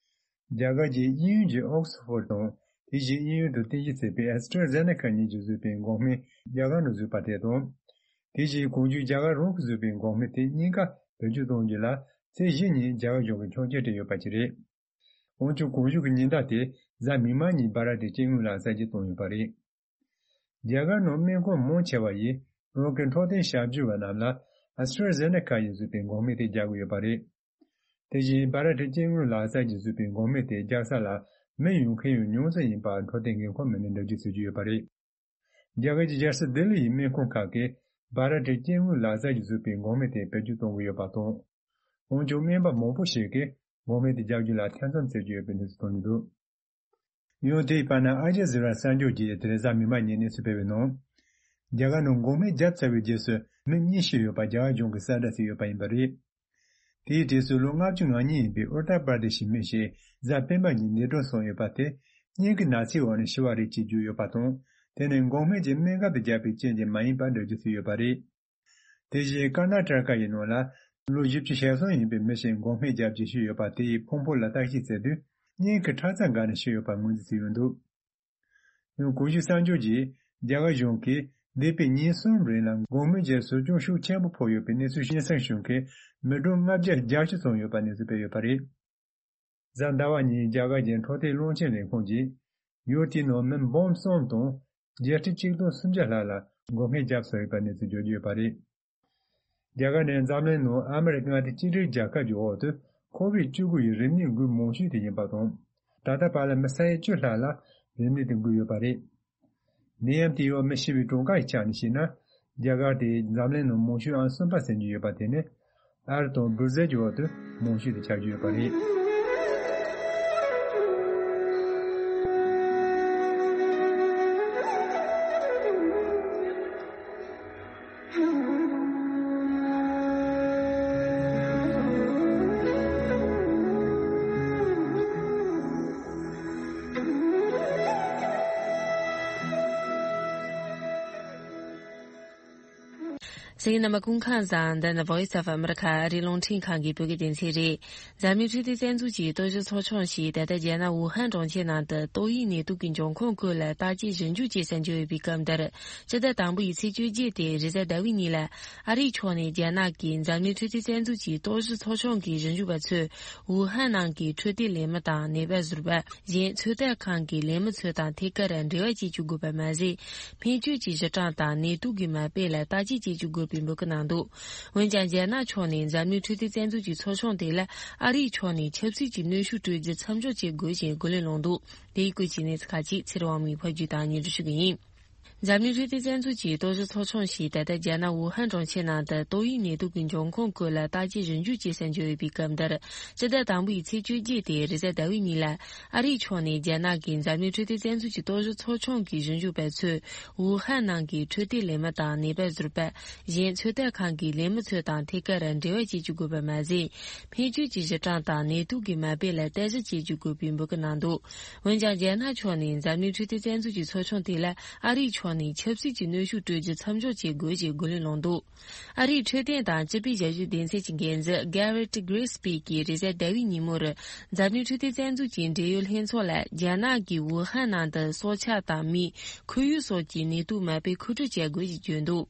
རྒྱ་གར་གྱི་དབྱིན་ཡུལ་གྱི་ཨོག་སི་ཧྥོར་དང་། དེ་བཞིན་དབྱིན་ཡུལ་དུ་རྟེན་གཞི་བྱས་པའི་ཨེ་སི་ཊྲ་ཛེ་ནེ་ཁ་གཉིས་ཀྱིས་བཟོས་པའི་འགོག་སྨན་རྒྱ་གར་ནང་བཟོས་པ་དེ་དང་། དེ་བཞིན་གོང་ཞུས་རྒྱ་གར་རང་གིས་བཟོས་པའི་འགོག་སྨན་དེ་གཉིས་ཀ་བེད་སྤྱོད་གཏོང་རྒྱུ་ལ་ཚེས་བཞི་ཉིན་རྒྱ་གར་གཞུང་གིས་ཆོག་མཆན་སྤྲད་ཡོད་པ་ཅིག་རེད། འོན་ཀྱང་གོང་ཞུས་ཀྱི་ཉེན་བརྡ་དེ་གཟའ་མིག་དམར་ཉིན་བྷ་ར་ཏིའི་སྐྱེ་དངོས་ལག་རྩལ་གྱིས་བཏང་ཡོད་པ་རེད། རྒྱ་གར་ནང་སྨན་ཁང་མང་ཆེ་བ་ཡིས་རང་གི་འཕྲོད་བསྟེན་ཞབས་ཞུ་བ་རྣམས་ལ་ཨེ་སི་ཊྲ་ཛེ་ནེ་ཁ་ཡིས་བཟོས་པའི་འགོག་སྨན་དེ་རྒྱག་གི་ཡོད་པ་རེད། དེ་བཞིན་བྷ་ར་ཏིའི་སྐྱེ་དངོས་ལག་རྩལ་གྱིས་བཟོས་པའི་འགོག་སྨན་དེ་རྒྱག་ས་ལ་མི་ཡོང་མཁན་ཡང་ཉུང་ཙམ་ཡིན་པ་འཕྲོད་བསྟེན་འགན་ཁུར་མི་སྣས་འགྲེལ་བརྗོད་བྱེད་ཀྱི་ཡོད་པ་རེད། རྒྱ་གར་གྱི་རྒྱལ་ས་ལྡི་ལི་ཡི་སྨན་ཁང་ཁག་གིས་བྷ་ར་ཏིའི་སྐྱེ་དངོས་ལག་རྩལ་གྱིས་བཟོས་པའི་འགོག་སྨན་དེ་བེད་སྤྱོད་གཏོང་གི་ཡོད་པ་དང་། འོན་ཀྱང་སྨན་པ་མང་པོ་ཞིག་གིས་འགོག་སྨན་དེ་རྒྱག་རྒྱུ་ལ་ཐེ་ཚོམ་བྱེད་ཀྱི་ཡོད་པའི་གནས་ཚུལ་ཐོན་གྱི་འདུག་ཡང་དེའི་བར་ན་ཨལ་ཇི་ཟི་ར་གསར་འགྱུར་གྱིས་དེ་རིང་གཟའ་མིག་དམར་ཉིན་གནས་ཚུལ་སྤེལ་བའི་ནང་། རྒྱ་གར་ནང་འགོག་སྨན་བརྒྱབ་ཚར་བའི་རྗེས་སུ་མི་གཉིས་ཤི་ཡོད་པ་རྒྱ་གར་གཞུང་གིས་གསལ་བསྒྲགས་བྱས་ཡོད་པ་ཡིན་པ་རེད། དེའི་གྲས་སུ་ལོ་ལྔ་བཅུ་ང་གཉིས་ཡིན་པའི་ཨུ་ཏར་པར་དེ་ཤི་མི་ཞིག་གཟའ་སྤེན་པ་ཉིན་ནད་གྲོལ་སོང་ཡོད་པ་དེ། སྙིང་གི་ན་ཚའི་འོག་ནས་ཤི་བ་རེད་ཅེས་བརྗོད་ཡོད་པ་དང་། དེ་ནི་འགོག་སྨན་གྱི་སྨན་ཁབ་དེ་བརྒྱབ་པའི་རྐྱེན་གྱིས་མ་ཡིན་པ་འགྲེལ་བརྗོད་བྱས་ཡོད་པ་རེད། དེ་བཞིན་ཀར་ན་ཊ་ཀ་ཡི་ནང་ལ་ལོ་བཞི་བཅུ་ཞེ་གསུམ་ཡིན་པའི་མི་ཞིག་འགོག་སྨན་བརྒྱབ་རྗེས་ཤི་ཡོད་པ་དེ་ཡི་ཕུང་པོ་ལ་བརྟག་དཔྱད་བྱས་དུས། སྙིང་གི་ཁྲག་རྩ་འགགས་ནས་ཤི་ཡོད་པ་ངོས་འཛིན་བྱས་ཡོད་འདུག་ཡང་གོང་ཞུས་གསར་འགྱུར་གྱིས་རྒྱ་གར་གཞུང་གིས་འདས་པའི་ཉིན་གསུམ་རིང་ལ་འགོག་སྨན་གྱི་ཟུར་སྦྱོང་ཤུགས་ཆེན་པོ་ཕོག་ཡོད་པའི་གནས་ཚུལ་སྙན་སེང་བྱུང་མཁན་མི་གྲངས་ལྔ་བརྒྱ་བརྒྱད་ཅུ་ཙམ་ཡོད་པ་གནས་ཚུལ་སྤེལ་ཡོད་པ་རེད། གཟའ་ཟླ་བ་ཉིན་རྒྱ་གར་གྱི་འཕྲོད་བསྟེན་བློན་ཆེན་ལས་ཁུངས་ཀྱིས་ཡུལ་དེའི་ནང་མི་འབུམ་གསུམ་དང་བརྒྱད་ཁྲི་གཅིག་སྟོང་སུམ་བརྒྱ་ལྷག་ལ་འགོག་སྨན་བརྒྱབ་ཚར་ཡོད་པ་གནས་ཚུལ་བརྗོད་ཀྱི་ཡོད་པ་རེད། རྒྱ་གར་ནི་འཛམ་གླིང་ནང་ཨ་མི་རི་ཀ་མངའ་སྡེ་གཅིག་སྒྲིལ་རྒྱལ་ཁབ་ཀྱི་འོག་ཏུ་ཁོ་བིཌ་བཅུ་དགུ་ཡི་རིམས་ནད་འགོས་མང་ཤོས་དེ་ཡིན་པ་དང་། ད་ལྟ་བར་ལ་མི་ས་ཡ་བཅུ་ལྷག་ལ་རིམས་ནད་དེ་འགོས་ཡོད་པ་རེད། ནད་ཡམས་དེའི་འོག་མི་ཤི་བའི་གྲངས་ཀ་ཡི་ཆ་ནས་བཤད་ན། རྒྱ་གར་དེ་འཛམ་གླིང་ནང་མང་ཤོས་ཨང་གསུམ་པ་ཟིན་གྱི་ཡོད་པ་དེ་ནི། ཨ་རི་དང་སྦྲུ་སིལ་གྱི་འོག་ཏུ་མང་ཤོས་དེ་ཆགས་ཀྱི་ཡོད་པ་རེད། གསན་མཁན་རྣམ་པ་སྐུ་ཁམས་བཟང་། འདི་ནི་Voice of America ཨ་རིའི་རླུང་འཕྲིན་ཁང་གི་བོད་སྐད་སྡེ་ཚན་རེད། འཛམ་གླིང་འཕྲོད་བསྟེན་རྩ་འཛུགས་ཀྱི་རྟོག་ཞིབ་ཚོགས་ཆུང་ཞིག་ད་ལྟ་རྒྱ་ནག་ཝུ་ཧན་གྲོང་ཁྱེར་ནང་དུ་ཏོག་དབྱིབས་ནད་དུག་གི་འབྱུང་ཁུངས་སྐོར་ལ་བརྟག་དཔྱད་ཞིབ་འཇུག་བྱེད་སར་འབྱོར་ཡོད་པའི་སྐབས་འདིར། སྤྱི་ཟླ་དང་པོ་ཡི་ཚེས་བཅོ་བརྒྱད་དེ་རེས་གཟའ་ཟླ་བའི་ཉིན་ལ། ཨ་རིའི་ཕྱོགས་ནས་རྒྱ་ནག་གི་འཛམ་གླིང་འཕྲོད་བསྟེན་རྩ་འཛུགས་ཀྱི་རྟོག་ཞིབ་ཚོགས་ཆུང་གི་ཞིབ་འཇུག་པ་ཚོས་ཝུ་ཧན་ནང་གི་འཕྲོད་བསྟེན་ལས་མི་དང་ནད་པ་ཟུར་པ། གཞན་ཚོད་ལྟ་ཁང་གི་ལས་མི་ཚོ་དང་ཐད་ཀར་འབྲེལ་བ་བྱེད་བཅུག་དགོས་པ་མ་ཟད། སྨན་བཅོས་ཀྱི་གཞི་གྲངས་དང་ནད་དུག་གི་མ་དཔེ་ལ་བརྟག་དཔྱད་བྱེད་བཅུག་དགོས་པའི་འབོད་སྐུལ་གནང་འདུག་འོན་ཀྱང་། རྒྱ་ནག་ཕྱོགས་ནས་འཛམ་གླིང་འཕྲོད་བསྟེན་རྩ་འཛུགས་ཀྱི་ཚོགས་ཆུང་དེ་ལ་ཨ་རིའི་ཕྱོགས་ནས་ཆབ་སྲིད་ཀྱི་གནོན་ཤུགས་སྤྲོད་རྒྱུ་མཚམས་འཇོག་བྱེད་དགོས་ཞེས་རྒོལ་ལན་བསླངས་འདུག་དེའི་སྐོར་གྱི་གནས་ཚུལ་ཁག་ཅིག་ཚེ་རིང་དབང་མོས་ཕབ་སྒྱུར་དང་སྙན་སྒྲོན་ཞུ་གི་ཡིན། འཛམ་གླིང་འཕྲོད་བསྟེན་རྩ་འཛུགས་ཀྱི་རྟོག་ཞིབ་ཚོགས་ཆུང་ཞིག་ད་ལྟ་རྒྱ་ནག་ཝུ་ཧན་གྲོང་ཁྱེར་ནང་དུ་ཏོག་དབྱིབས་ནད་དུག་གི་འབྱུང་ཁུངས་སྐོར་ལ་བརྟག་དཔྱད་ཞིབ་འཇུག་བྱེད་སར་འབྱོར་ཡོད་པའི་སྐབས་འདིར། སྤྱི་ཟླ་དང་པོ་ཡི་ཚེས་བཅོ་བརྒྱད་དེ་རེས་གཟའ་ཟླ་བའི་ཉིན་ལ། ཨ་རིའི་ཕྱོགས་ནས་རྒྱ་ནག་གི་འཛམ་གླིང་འཕྲོད་བསྟེན་རྩ་འཛུགས་ཀྱི་རྟོག་ཞིབ་ཚོགས་ཆུང་གི་ཞིབ་འཇུག་པ་ཚོས་ཝུ་ཧན་ནང་གི་འཕྲོད་བསྟེན་ལས་མི་དང་ནད་པ་ཟུར་པ། གཞན་ཚོད་ལྟ་ཁང་གི་ལས་མི་ཚོ་དང་ཐད་ཀར་འབྲེལ་བ་བྱེད་བཅུག་དགོས་པ་མ་ཟད། སྨན་བཅོས་ཀྱི་གཞི་གྲངས་དང་ནད་དུག་གི་མ་དཔེ་ལ་བརྟག་ཞིབ་བྱེད་བཅུག་དགོས་པའི་འབོད་སྐུལ་གནང་འདུག་འོན་ཀྱང་། རྒྱ་ནག་ཕྱོགས་ནས་འཛམ་གླིང་འཕྲོད་བསྟེན་རྩ་འཛུགས་ཀྱི་ཚོགས་ཆུང་དེ་ལ་ཨ་རིའི་ཕྱོགས་ནས་ཆབ་སྲིད་ཀྱི་གནོན་ཤུགས་སྤྲོད་རྒྱུ་མཚམས་འཇོག་བྱེད་དགོས་ཞེས་རྒོལ་ལན་བསླངས་འདུག་ཨ་རིའི་འཕྲོད་བསྟེན་དང་སྤྱི་པའི་ཞབས་ཞུའི་སྡེ་ཚན་གྱི་འགན་འཛིན་Garrett Gridsby གྱིས་རེས་གཟའ་ཟླ་བའི་ཉིན་མོར། འཛམ་གླིང་འཕྲོད་བསྟེན་རྩ་འཛུགས་ཀྱི་འབྲེལ་ཡོད་ལྷན་ཚོགས་ལ་རྒྱ་ནག་གིས་ཝུ་ཧན་ནང་དུ་སྲོག་ཆགས་དང་མིའི་ཁོར་ཡུག་སོགས་ཀྱི་ནད་དུག་མ་དཔེ་མཁོ་སྤྲོད་བྱ་དགོས་ཞེས་བརྗོད་འདུག་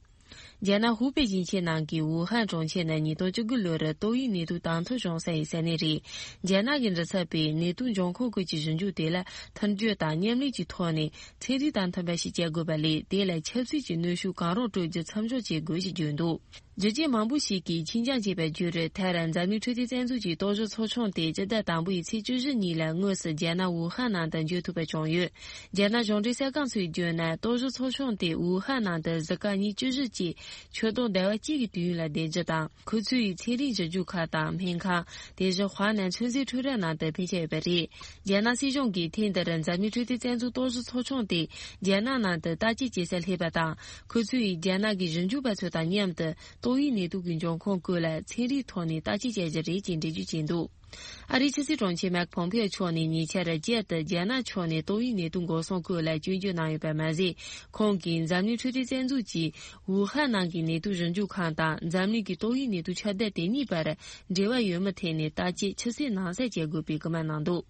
རྒྱ་ནག་ཧུའུ་པེ་ཞིང་ཆེན་ནང་གི་ཝུ་ཧན་གྲོང་ཁྱེར་ནི་ཉིས་སྟོང་བཅུ་དགུ་ལོར་ཏོག་དབྱིབས་ནད་དུག་དང་ཐོག་བྱུང་ས་ཡི་ས་གནས་རེད། རྒྱ་ནག་གི་མགྲིན་ཚབ་པས་ནད་དུག་འབྱུང་ཁུངས་སྐོར་གྱི་ཞིབ་འཇུག་དེ་ལ་མཐུན་སྦྱོར་དང་མཉམ་ལས་ཀྱི་ཐོག་ནས་ཚན་རིག་དང་མཐུན་པ་ཞིག་བྱ་དགོས་པ་ལས། དེ་ལ་ཆབ་སྲིད་ཀྱི་གནོན་ཤུགས་གང་རུང་སྤྲོད་རྒྱུ་མཚམས་འཇོག་བྱེད་དགོས་ཞེས་བརྗོད་འདུག་རྒྱུ་རྐྱེན་མང་པོ་ཞིག་གིས་ཁྱིམ་རྐྱང་བྱས་པར་གྱུར། མཐར་འཛམ་གླིང་འཕྲོད་བསྟེན་རྩ་འཛུགས་ཀྱི་རྟོག་ཞིབ་ཚོགས་ཆུང་དེ་སྤྱི་ཟླ་དང་པོ་ཡི་ཚེས་བཅུ་བཞི་ཉིན་ལ་དངོས་སུ་རྒྱ་ནག་ཝུ་ཧན་ནང་དུ་འབྱོར་ཐུབ་པ་བྱུང་ཡོད། རྒྱ་ནག་གཞུང་འབྲེལ་གསར་ཁང་ཚོས་བརྗོད་ན། རྟོག་ཞིབ་ཚོགས་ཆུང་དེ་ཝུ་ཧན་ནང་དུ་གཟའ་སྐར་ཉིན་བཅུ་བཞི་བཅས་ཆུ་སྟོང་ཟླ་བ་གཅིག་གི་དུས་ཡུན་ལ་བསྡད་རྒྱུ་དང་། ཁོ་ཚོའི་ཚན་རིག་ཞིབ་འཇུག་ཁང་དང་སྨན་ཁང་། དེ་བཞིན་ཧྭ་ནན་ཚོད་འཛིན་ཁྲོམ་ར་ནང་དུ་ཕེབས་འཆར་ཡོད་པ་རེད། རྒྱ་ནག་སྲིད་གཞུང་གིས་ཐེངས་འདིར་འཛམ་གླིང་འཕྲོད་བསྟེན་རྩ་འཛུགས་རྟོག་ཞིབ་ཚོགས་ཆུང་དེ་རྒྱ་ནག་ནང་དུ་བརྟག་དཔྱད་བྱེད་སར་སླེབས་པ་དང་། ཁོ་ཚོས་རྒྱ་ནག་གི་ཞིབ་འཇུག་པ་ཚོ་དང་མཉམ་དུ་ཏོག་དབྱིབས་ནད་དུག་གི་འབྱུང་ཁུངས་སྐོར་ལ་ཚན་རིག་ཐོག་ནས་བརྟག་དཔྱད་བྱ་རྒྱུ་རེད་ཅེས་འགྲེལ་བརྗོད་བྱས་འདུག་ཨ་རིའི་ཕྱི་སྲིད་དྲུང་ཆེ་མེག་ཕོམ་ཕེ་ཨོ་མཆོག་ནས་ཉེ་ཆར་རྒྱལ་དུ་རྒྱ་ནག་ཕྱོགས་ནས་ཏོག་དབྱིབས་ནད་དུག་འགོག་སྲུང་སྐོར་ལ་སྐྱོན་བརྗོད་གནང་ཡོད་པ་མ་ཟད། ཁོང་གིས་འཛམ་གླིང་འཕྲོད་བསྟེན་རྩ་འཛུགས་ཀྱིས་ཝུ་ཧན་ནང་གི་ནད་དུག་ཞིབ་འཇུག་ཁང་དང་འཛམ་གླིང་གི་ཏོག་དབྱིབས་ནད་དུག་ཁྱབ་གདལ་དེ་གཉིས་བར་འབྲེལ་བ་ཡོད་མེད་ཐད་ནས་བརྟག་དཔྱད་ཆུ་ཚོད་ནང་གསལ་བྱེད་དགོས་པའི་སྐུལ་མ་གནང་འདུག་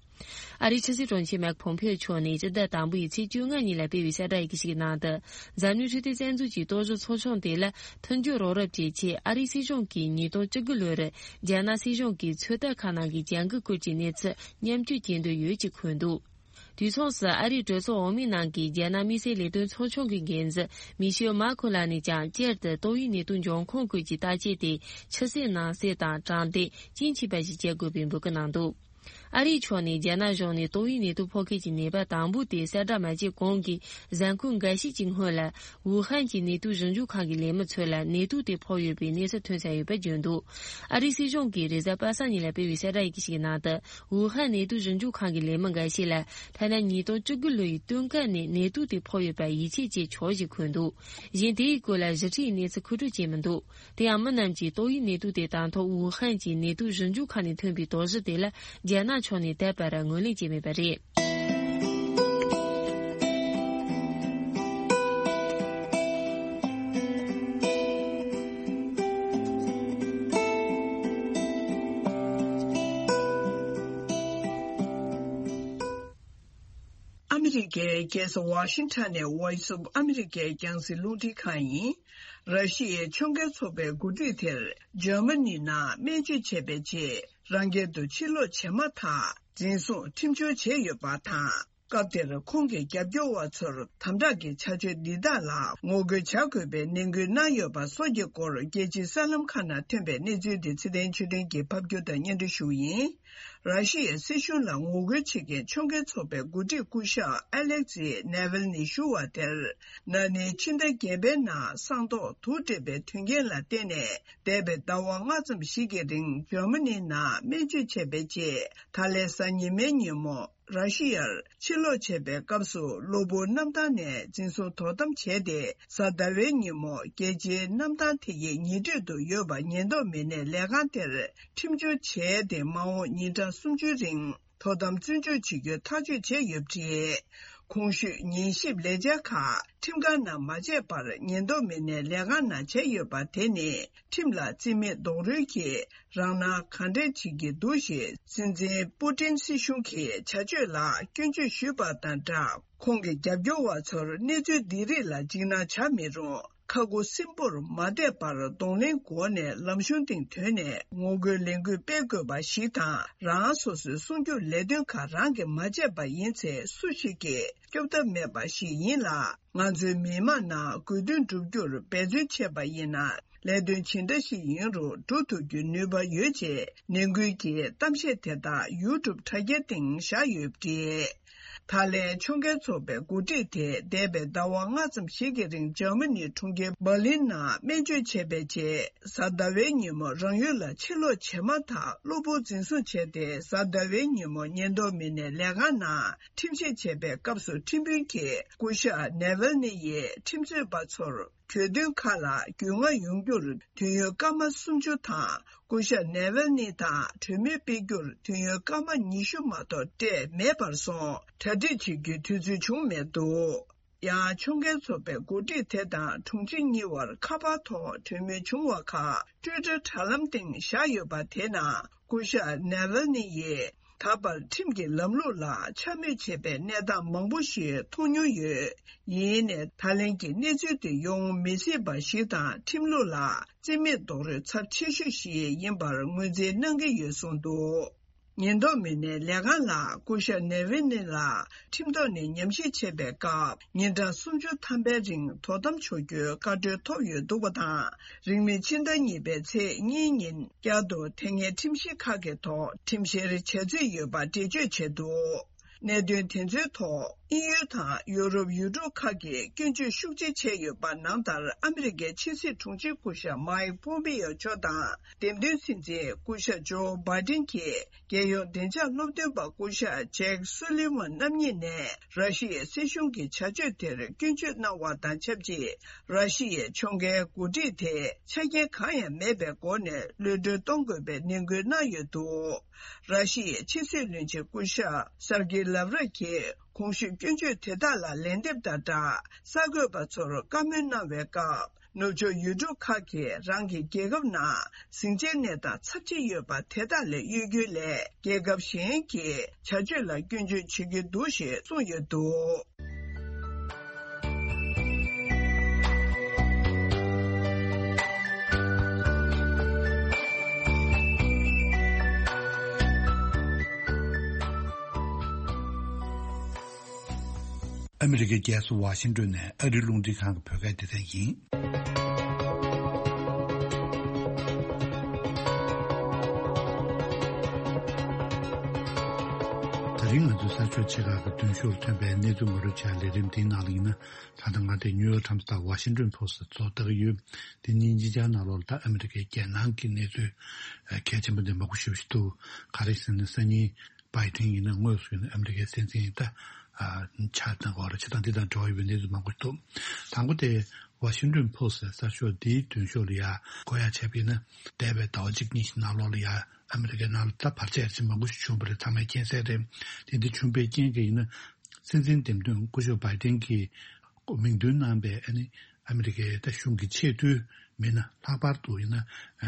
ཨ་རིའི་ཕྱི་སྲིད་དྲུང་ཆེ་མེག་ཕོམ་ཕེ་ཨོ་མཆོག་ནས་སྤྱི་ཟླ་དང་པོ་ཡི་ཚེས་བཅོ་ལྔ་ཉིན་ལ་སྤེལ་བའི་གསལ་བསྒྲགས་ཡི་གེ་ཞིག་གི་ནང་དུ། འཛམ་གླིང་འཕྲོད་བསྟེན་རྩ་འཛུགས་ཀྱི་རྟོག་ཞིབ་ཚོགས་ཆུང་དེ་ལ་མཐུན་འགྱུར་རོགས་རམ་བྱེད་ཆེད་ཨ་རིའི་སྲིད་གཞུང་གིས་ཉིས་སྟོང་བཅུ་དགུ་ལོར་རྒྱ་ནག་སྲིད་གཞུང་གི་ཚོད་ལྟ་ཁང་ནང་གི་བྱ་འགུལ་སྐོར་གྱི་གནས་ཚུལ་མཉམ་སྤྱོད་བྱེད་འདོད་ཡོད་ཅེས་འཁོད་འདུག་དུས་མཚུངས་སུ་ཨ་རིའི་གྲོས་ཚོགས་འོག་མའི་ནང་གི་རྒྱ་ནག་དམིགས་བསལ་ལས་དོན་ཚོགས་ཆུང་གི་འགན་འཛིན་མི་ཤེལ་མཱ་ཁོ་ལགས་ནས་ཀྱང་སྤྱིར་དུ་ཏོག་དབྱིབས་ནད་དུག་འབྱུང་ཁུངས་སྐོར་གྱི་བརྟག་དཔྱད་དེ་ཆུ་ཚད་ནང་གསལ་དང་དྲང་བདེན་རྒྱུན་ཆད་པ་ཞིག་བྱེད་དགོས་པའི་འབོད་སྐུལ་གནང་འདུག་ཨ་རིའི་ཕྱོགས་ནས་རྒྱ་ནག་གཞུང་ནས་ཏོག་དབྱིབས་ནད་དུག་ཕོག་མཁན་གྱི་ནད་པ་དང་པོ་དེ་གསལ་བསྒྲགས་མ་བྱས་གོང་གི་གཟའ་འཁོར་འགའ་ཤས་ཀྱི་སྔོན་ལ། ཝུ་ཧན་གྱི་ནད་དུག་ཞིབ་འཇུག་ཁང་གི་ལས་མི་ཚོ་ལ་ནད་དུག་དེ་ཕོག་ཡོད་པའི་གནས་ཚུལ་ཐོན་ཚར་ཡོད་པ་བརྗོད་འདུག་ཨ་རིའི་སྲིད་གཞུང་གིས་རེས་གཟའ་པ་སངས་ཉིན་ལ་སྤེལ་བའི་གསལ་བསྒྲགས་ཡི་གེ་ཞིག་གི་ནང་དུ། ཝུ་ཧན་ནད་དུག་ཞིབ་འཇུག་ཁང་གི་ལས་མི་འགའ་ཤས་ལ་ཐ་ན་ཉིས་སྟོང་བཅུ་དགུ་ལོ་ཡི་སྟོན་ཁ་ནས་ནད་དུག་དེ་ཕོག་ཡོད་པར་ཡིད་ཆེས་བྱེད་ཆོག་ཅེས་འཁོད་འདུག་གཞན་དེའི་སྐོར་ལ་ཞིབ་ཕྲའི་གནས་ཚུལ་མཁོ་སྤྲོད་བྱས་མི་འདུག་དེ་ཡང་མི་རྣམས་ཀྱིས་ཏོག་དབྱིབས་ནད་དུག་དེ་དང་ཐོག་ཝུ་ཧན་གྱི་ནད་དུག་ཞིབ་འཇུག་ཁང་ནས་ཐོན་པའི་དོགས་གཞི་དེ་ལ་རྒྱ་ནག་ཕྱོགས་ནས་ད་བར་ངོས་ལེན་བྱས་མེད་པ་རེད། ཨ་མི་རི་ཀའི་རྒྱལ་ས་ཝ་ཤིང་ཊོན་ནས་Voice of America རྒྱང་སྲིང་རླུང་འཕྲིན་ཁང་ཡིན། ར་ཤི་ཡའི་ཕྱོགས་འགལ་ཚོགས་པའི་འགོ་ཁྲིད་དེར་འཇར་མ་ནི་ནང་སྨན་བཅོས་བྱས་པའི་རྗེས་རང་རྒྱལ་དུ་ཕྱིར་ལོག་བྱས་མ་ཐག་འཛིན་བཟུང་ཁྲིམས་གཅོད་བྱས་ཡོད་པ་དང་། སྐབས་དེར་ཁོང་གི་རྒྱབ་སྐྱོར་བ་ཚོར་དམ་དྲག་གི་བྱ་སྤྱོད་འདི་དག་ལ་ངོ་རྒོལ་བྱ་དགོས་པའི་ནན་སྐུལ་གནང་ཡོད་པ་སོགས་ཀྱི་སྐོར་རྒྱལ་སྤྱིའི་གསར་ལམ་ཁག་ནང་ཐོན་པའི་གནས་ཚུལ་འདི་ཚེ་བརྟན་ཆོས་སྒྲོན་གྱིས་ཕབ་སྒྱུར་དང་སྙན་སྒྲོན་ཞུ་བ་ཡིན། ར་ཤི་ཡའི་སྲིད་གཞུང་ལ་ངོ་རྒོལ་བྱེད་མཁན་ཕྱོགས་འགལ་ཚོགས་པའི་འགོ་ཁྲིད་སྐུ་ཞབས་ཨ་ལེག་ཛི་ནེ་ཝལ་ནི་ཞུ་བ་དེར། ན་ནིང་ཕྱི་ཟླ་བརྒྱད་པའི་ནང་སྲང་ཐོག་དུག་སྤྲད་པའི་དོན་རྐྱེན་ལ་བརྟེན་ནས། འདས་པའི་ཟླ་བ་ལྔ་ཙམ་ཞིག་གི་རིང་འཇར་མ་ནི་ནང་སྨན་བཅོས་བྱས་པའི་རྗེས། ད་ལན་གཟའ་ཉི་མའི་ཉིན་མོ་ར་ཤི་ཡར་ཕྱིར་ལོག་བྱས་པའི་སྐབས་སུ་གློ་བུར་གནམ་ཐང་ནས་འཛིན་བཟུང་དོ་དམ་བྱས་ཏེ། གཟའ་ཟླ་བའི་ཉིན་མོ་རྒྱལ་སྤྱིའི་གནམ་ཐང་དེ་ཡི་ཉེ་འཁྲིས་དུ་ཡོད་པ་ཉེན་རྟོག་མི་སྣའི་ལས་ཁང་དེར་ཁྲིམས་གཅོད་བྱས་ཏེ། མ་འོངས་ཉིན་གྲངས་སུམ་ཅུའི་རིང་། དོ་དམ་བཙོན་འཇུག་བྱེད་རྒྱུའི་ཐག་གཅོད་བྱས་ཡོད་པ་རེད། གོང་ཞུས་ཉན་ཞིབ་ལས་འཆར་ཁག་ཁྲིམས་ཁང་ནང་མ་བྱས་པར་ཉེན་རྟོག་མི་སྣའི་ལས་ཁང་ནང་བྱས་ཡོད་པ་དེ་ནི་ཁྲིམས་ལ་བརྩི་མེད་རྡོག་རོལ་གྱིས་རང་སྣང་གང་དྲན་བྱེད་ཀྱི་འདུག་ཞེས་སྲིད་འཛིན་པུ་ཏིན་སྲིད་གཞུང་གི་བྱ་སྤྱོད་ལ་སྐྱོན་བརྗོད་ཞུས་པ་དང་སྦྲགས། ཁོང་གི་རྒྱབ་སྐྱོར་བ་ཚོར་གནས་ཚུལ་འདི་རིགས་ལ་འཇིགས་སྣང་བྱ་མི་རུང་། ཁ་ཁུ་སིམ་པོར་མ་བསྡད་པར་གདོང་ལེན་སྒོ་ནས་ལམ་གཞུང་སྟེང་ཐོན་ནས་ངོ་རྒོལ་ལས་འགུལ་སྤེལ་དགོས་པ་ཞིག་དང་། རང་སོ་སོའི་སྲུང་སྐྱོབ་ལས་དོན་ཁག་རང་གིས་མ་བྱས་པ་ཡིན་ཚེ་སུ་ཞིག་གིས་སྐྱོབ་ཐབས་མེད་པ་ཞིག་ཡིན་ལ། ང་ཚོའི་མི་དམངས་རྣམས་དགོས་འདུན་བསྒྲུབ་རྒྱུར་འབད་བརྩོན་བྱས་པ་ཡིན་ན། ལས་དོན་ཇི་འདྲ་ཞིག་ཡིན་རུང་སྒྲུབ་ཐུབ་རྒྱུའི་ནུས་པ་ཡོད་ཅེས་ནན་སྐུལ་གྱི་གཏམ་བཤད་དེ་དག་ཡུ་ཊུབ་དྲ་རྒྱའི་སྟེང་བཞག་ཡོད་པ་རེད། ད་ལན་ཕྱོགས་འགལ་ཚོགས་པའི་འགོ་ཁྲིད་དེ་འདས་པའི་ཟླ་བ་ལྔ་ཙམ་ཞིག་གི་རིང་འཇར་མ་ནིའི་གྲོང་ཁྱེར་འབར་ལིན་ནང་སྨན་བཅོས་བྱས་པའི་རྗེས། གཟའ་ཟླ་བའི་ཉིན་མོ་རང་ཡུལ་ལ་ཕྱིར་ལོག་བྱས་མ་ཐག་གློ་བུར་འཛིན་བཟུང་བྱས་ཏེ། གཟའ་ཟླ་བའི་ཉིན་མོ་ཉེན་རྟོག་མི་སྣའི་ལས་ཁང་ནང་ཁྲིམས་བཤེར་བྱས་པའི་སྐབས་སུ་ཁྲིམས་དཔོན་གྱིས་སྐུ་ཞབས་ནེ་ཝལ་ནི་ཡིས་ཁྲིམས་རྩོད་པ་ཚོར་གྱོད་དོན་ཁག་ལ་རྒྱུས་མངའ་ཡོང་རྒྱུར་དུས་ཡུན་སྐར་མ་སུམ་ཅུ་དང་། སྐུ་ཞབས་ནེ་ཝལ་ནི་དང་གྲོས་མོལ་སྤེལ་རྒྱུར་དུས་ཡུན་སྐར་མ་ཉི་ཤུ་མ་གཏོགས་སྤྲད་མེད་པར་སོང་། གྲ་སྒྲིག་བྱེད་རྒྱུའི་དུས་ཚོད་བྱུང་མེད་འདུག་ཡང་ཕྱོགས་འགལ་ཚོགས་པའི་འགོ་ཁྲིད་དེ་དང་དྲུང་ཆེ་གཉིས་བར་ཁ་པར་ཐོག་གྲོས་མོལ་བྱུང་བ་ཁག་ཊུའི་ཊར་དྲ་ལམ་སྟེང་བཞག་ཡོད་པ་དེ་ནང་སྐུ་ཞབས་ནེ་ཝལ་ནི་ཡིས། ད་བར་ཁྲིམས་ཀྱི་ལམ་ལུགས་ལ་འཕྱ་སྨོད་བྱེད་པའི་གནས་སྟངས་མང་པོ་ཞིག་མཐོང་མྱོང་ཡོད། ཡིན་ནའི་ད་ལན་གྱི་གནས་ཚུལ་དེ་ཡོང་མི་སྲིད་པ་ཞིག་དང་། ཁྲིམས་ལུགས་ལ་བརྩི་མེད་རྡོག་རོལ་ཚབས་ཆེ་ཤོས་ཤིག་ཡིན་པར་ངོས་འཛིན་གནང་གི་ཡོད་གསུངས་འདུག་ཉེན་རྟོག་མི་སྣའི་ལས་ཁང་ལ་སྐུ་ཞབས་ནེ་ཝི་ནི་ལ་ཁྲིམས་ཐོག་ནས་ཉམས་ཞིབ་བྱེད་པའི་སྐབས། ཉིན་གྲངས་སུམ་ཅུ་ཐམ་པའི་རིང་དོ་དམ་ཆོག་རྒྱུའི་བཀའ་འཁྲོལ་ཐོབ་ཡོད་འདུག་པ་དང་། རིང་མིན་ཕྱི་ཟླ་གཉིས་པའི་ཚེས་གཉིས་ཉིན་བསྐྱར་དུ་དེ་སྔའི་ཁྲིམས་གཞི་ཁག་གི་ཐོག་ཁྲིམས་བཤེར་བྱ་རྩིས་ཡོད་པ་འགྲེལ་བརྗོད་བྱས་འདུག་གནད་དོན་དེ་ཚོའི་ཐོག་དབྱིན་ཡུལ་དང་ཡུ་རོབ་ཡུལ་གྲུ་ཁག་གིས་སྐྱོན་བརྗོད་ཤུགས་ཆེ་བྱས་ཡོད་པ་ནང་ལྟར། ཨ་མི་རི་ཀའི་ཕྱི་སྲིད་དྲུང་ཆེ་སྐུ་ཞབས་མའིག་པོམ་པེ་ཡོ་མཆོག་དང་། འདེམས་ཐོན་སྲིད་འཛིན་སྐུ་ཞབས་ཇོ་བྷའི་ཏིན་གྱིས། རྒྱལ་ཡོངས་བདེ་འཇགས་སློབ་སྟོན་པ་སྐུ་ཞབས་ཇེག་སུ་ལི་ཝན་རྣམ་གཉིས་ནས་ར་ཤི་ཡའི་སྲིད་གཞུང་གི་བྱ་སྤྱོད་དེར་སྐྱོན་བརྗོད་གནང་བ་དང་ཆབས་ཅིག་ར་ཤི་ཡའི་ཕྱོགས་འགལ་འགོ་ཁྲིད་དེ་ཆ་རྐྱེན་གང་ཡང་མེད་པའི་སྒོ་ནས་གློད་གྲོལ་གཏོང་དགོས་པའི་ནན་སྐུལ་གནང་ཡོད་འདུག་ར་ཤི་ཡའི་ཕྱི་སྲིད་བློན་ཆེན་སྐུ་ཞབས་སར་ཀི་ལབ་རོབ་ཀྱིས་གོང་ཞུས་སྐྱོན་བརྗོད་དེ་དག་ལ་ལན་འདེབས་དང་སྦྲགས། གསར་འགོད་པ་ཚོར་བཀའ་མོལ་གནང་བའི་སྐབས། ནུབ་ཕྱོགས་ཡུལ་གྲུ་ཁག་གིས་རང་གི་རྒྱལ་ཁབ་ནང་ཟིང་ཆའི་གནས་སྟངས་ཚབས་ཆེ་ཡོད་པ་དེ་དག་ལས་གཡོལ་རྒྱུའི་སླད། རྒྱལ་ཁབ་གཞན་གྱི་བྱ་སྤྱོད་ལ་སྐྱོན་བརྗོད་བྱེད་ཀྱི་འདུག་ཞེས་གསུངས་ཡོད་འདུག་ཨ་མི་རི་ཀའི་རྒྱལ་ས་ཝ་ཤིང་ཏོན་ནས་ཨ་རིའི་རླུང་འཕྲིན་ཁང་གི་བོད་སྐད་སྡེ་ཚན་ཡིན། རིང་ང་ཚོའི་གསར་ཤོག་ཆེ་ཁག་གི་མདུན་ཤོག་ཐོན་པའི་གནས་ཚུལ་ངོ་སྤྲོད་བྱ་ལས་རིམ་འདིའི་ནང་ལ་ཡིན་ན། ད་ལྟ་ང་དེ་ནིའུ་ཡོག་ཊའིམ་སི་དང་ཝ་ཤིང་ཏོན་པོ་སི་ཊི་ཚོ་ལྟ་གི་ཡོད། དེ་གཉིས་གཉིས་ཆར་ནང་ལོགས་ལ་ད་ཨ་མི་རི་ཀའི་རྒྱལ་ནང་གི་གནས་ཚུལ་གལ་ཆེན་པོ་འདི་མང་པོ་ཞེ་པོ་ཞིག་འདུག་ག་རེ་ཟེར་ན་སང་ཉིན་བྷའི་ཌེན་ཡིན་ན་དངོས་སུ་ཡིན་ན་ཨ་མི་རི་ཀའི་སྲིད་འཛིན་ད་ཆགས་གནང་གི་ཡོད་རེད། བྱས་ཙང་འདི་དང་འབྲེལ་བ་ཡོད་པའི་གནས་ཚུལ་མང་པོ་ཞིག་འདུག་དང་པོ་དེ་ཝ་ཤིང་ཏོན་པོ་སི་ཊི་གསར་ཤོག་འདིའི་མདུན་ཤོག་ལ་ཡ་བཀོད་ཡ་བྱས་པ་ཡིན་ན། འདས་པའི་ཟླ་བ་གཅིག་གཉིས་ཤིག་ནང་ལོགས་ལ་ཡ་ཨ་མི་རི་ཀའི་ནང་ལ་ད་བར་ཆད་རིམ་མང་པོ་ཞིག་བྱུང་བ་རེད། ཚང་མས་མཁྱེན་གསལ་རེད། དེ་འདྲ་བྱུང་བའི་རྐྱེན་གྱིས་ཡིན་ན། སྲིད་འཛིན་འདེམས་ཐོན་སྐུ་ཞབས་བྷའི་ཌེན་གྱིས་མིང་འདོན་གནང་པའི་ཨ་ནི་ཨ་མི་རི་ཀའི་ད་གཞུང་གི་ཆེས་མཐོའི་མི་སྣ་ལྷག་པར་དུ་ཡིན་ན།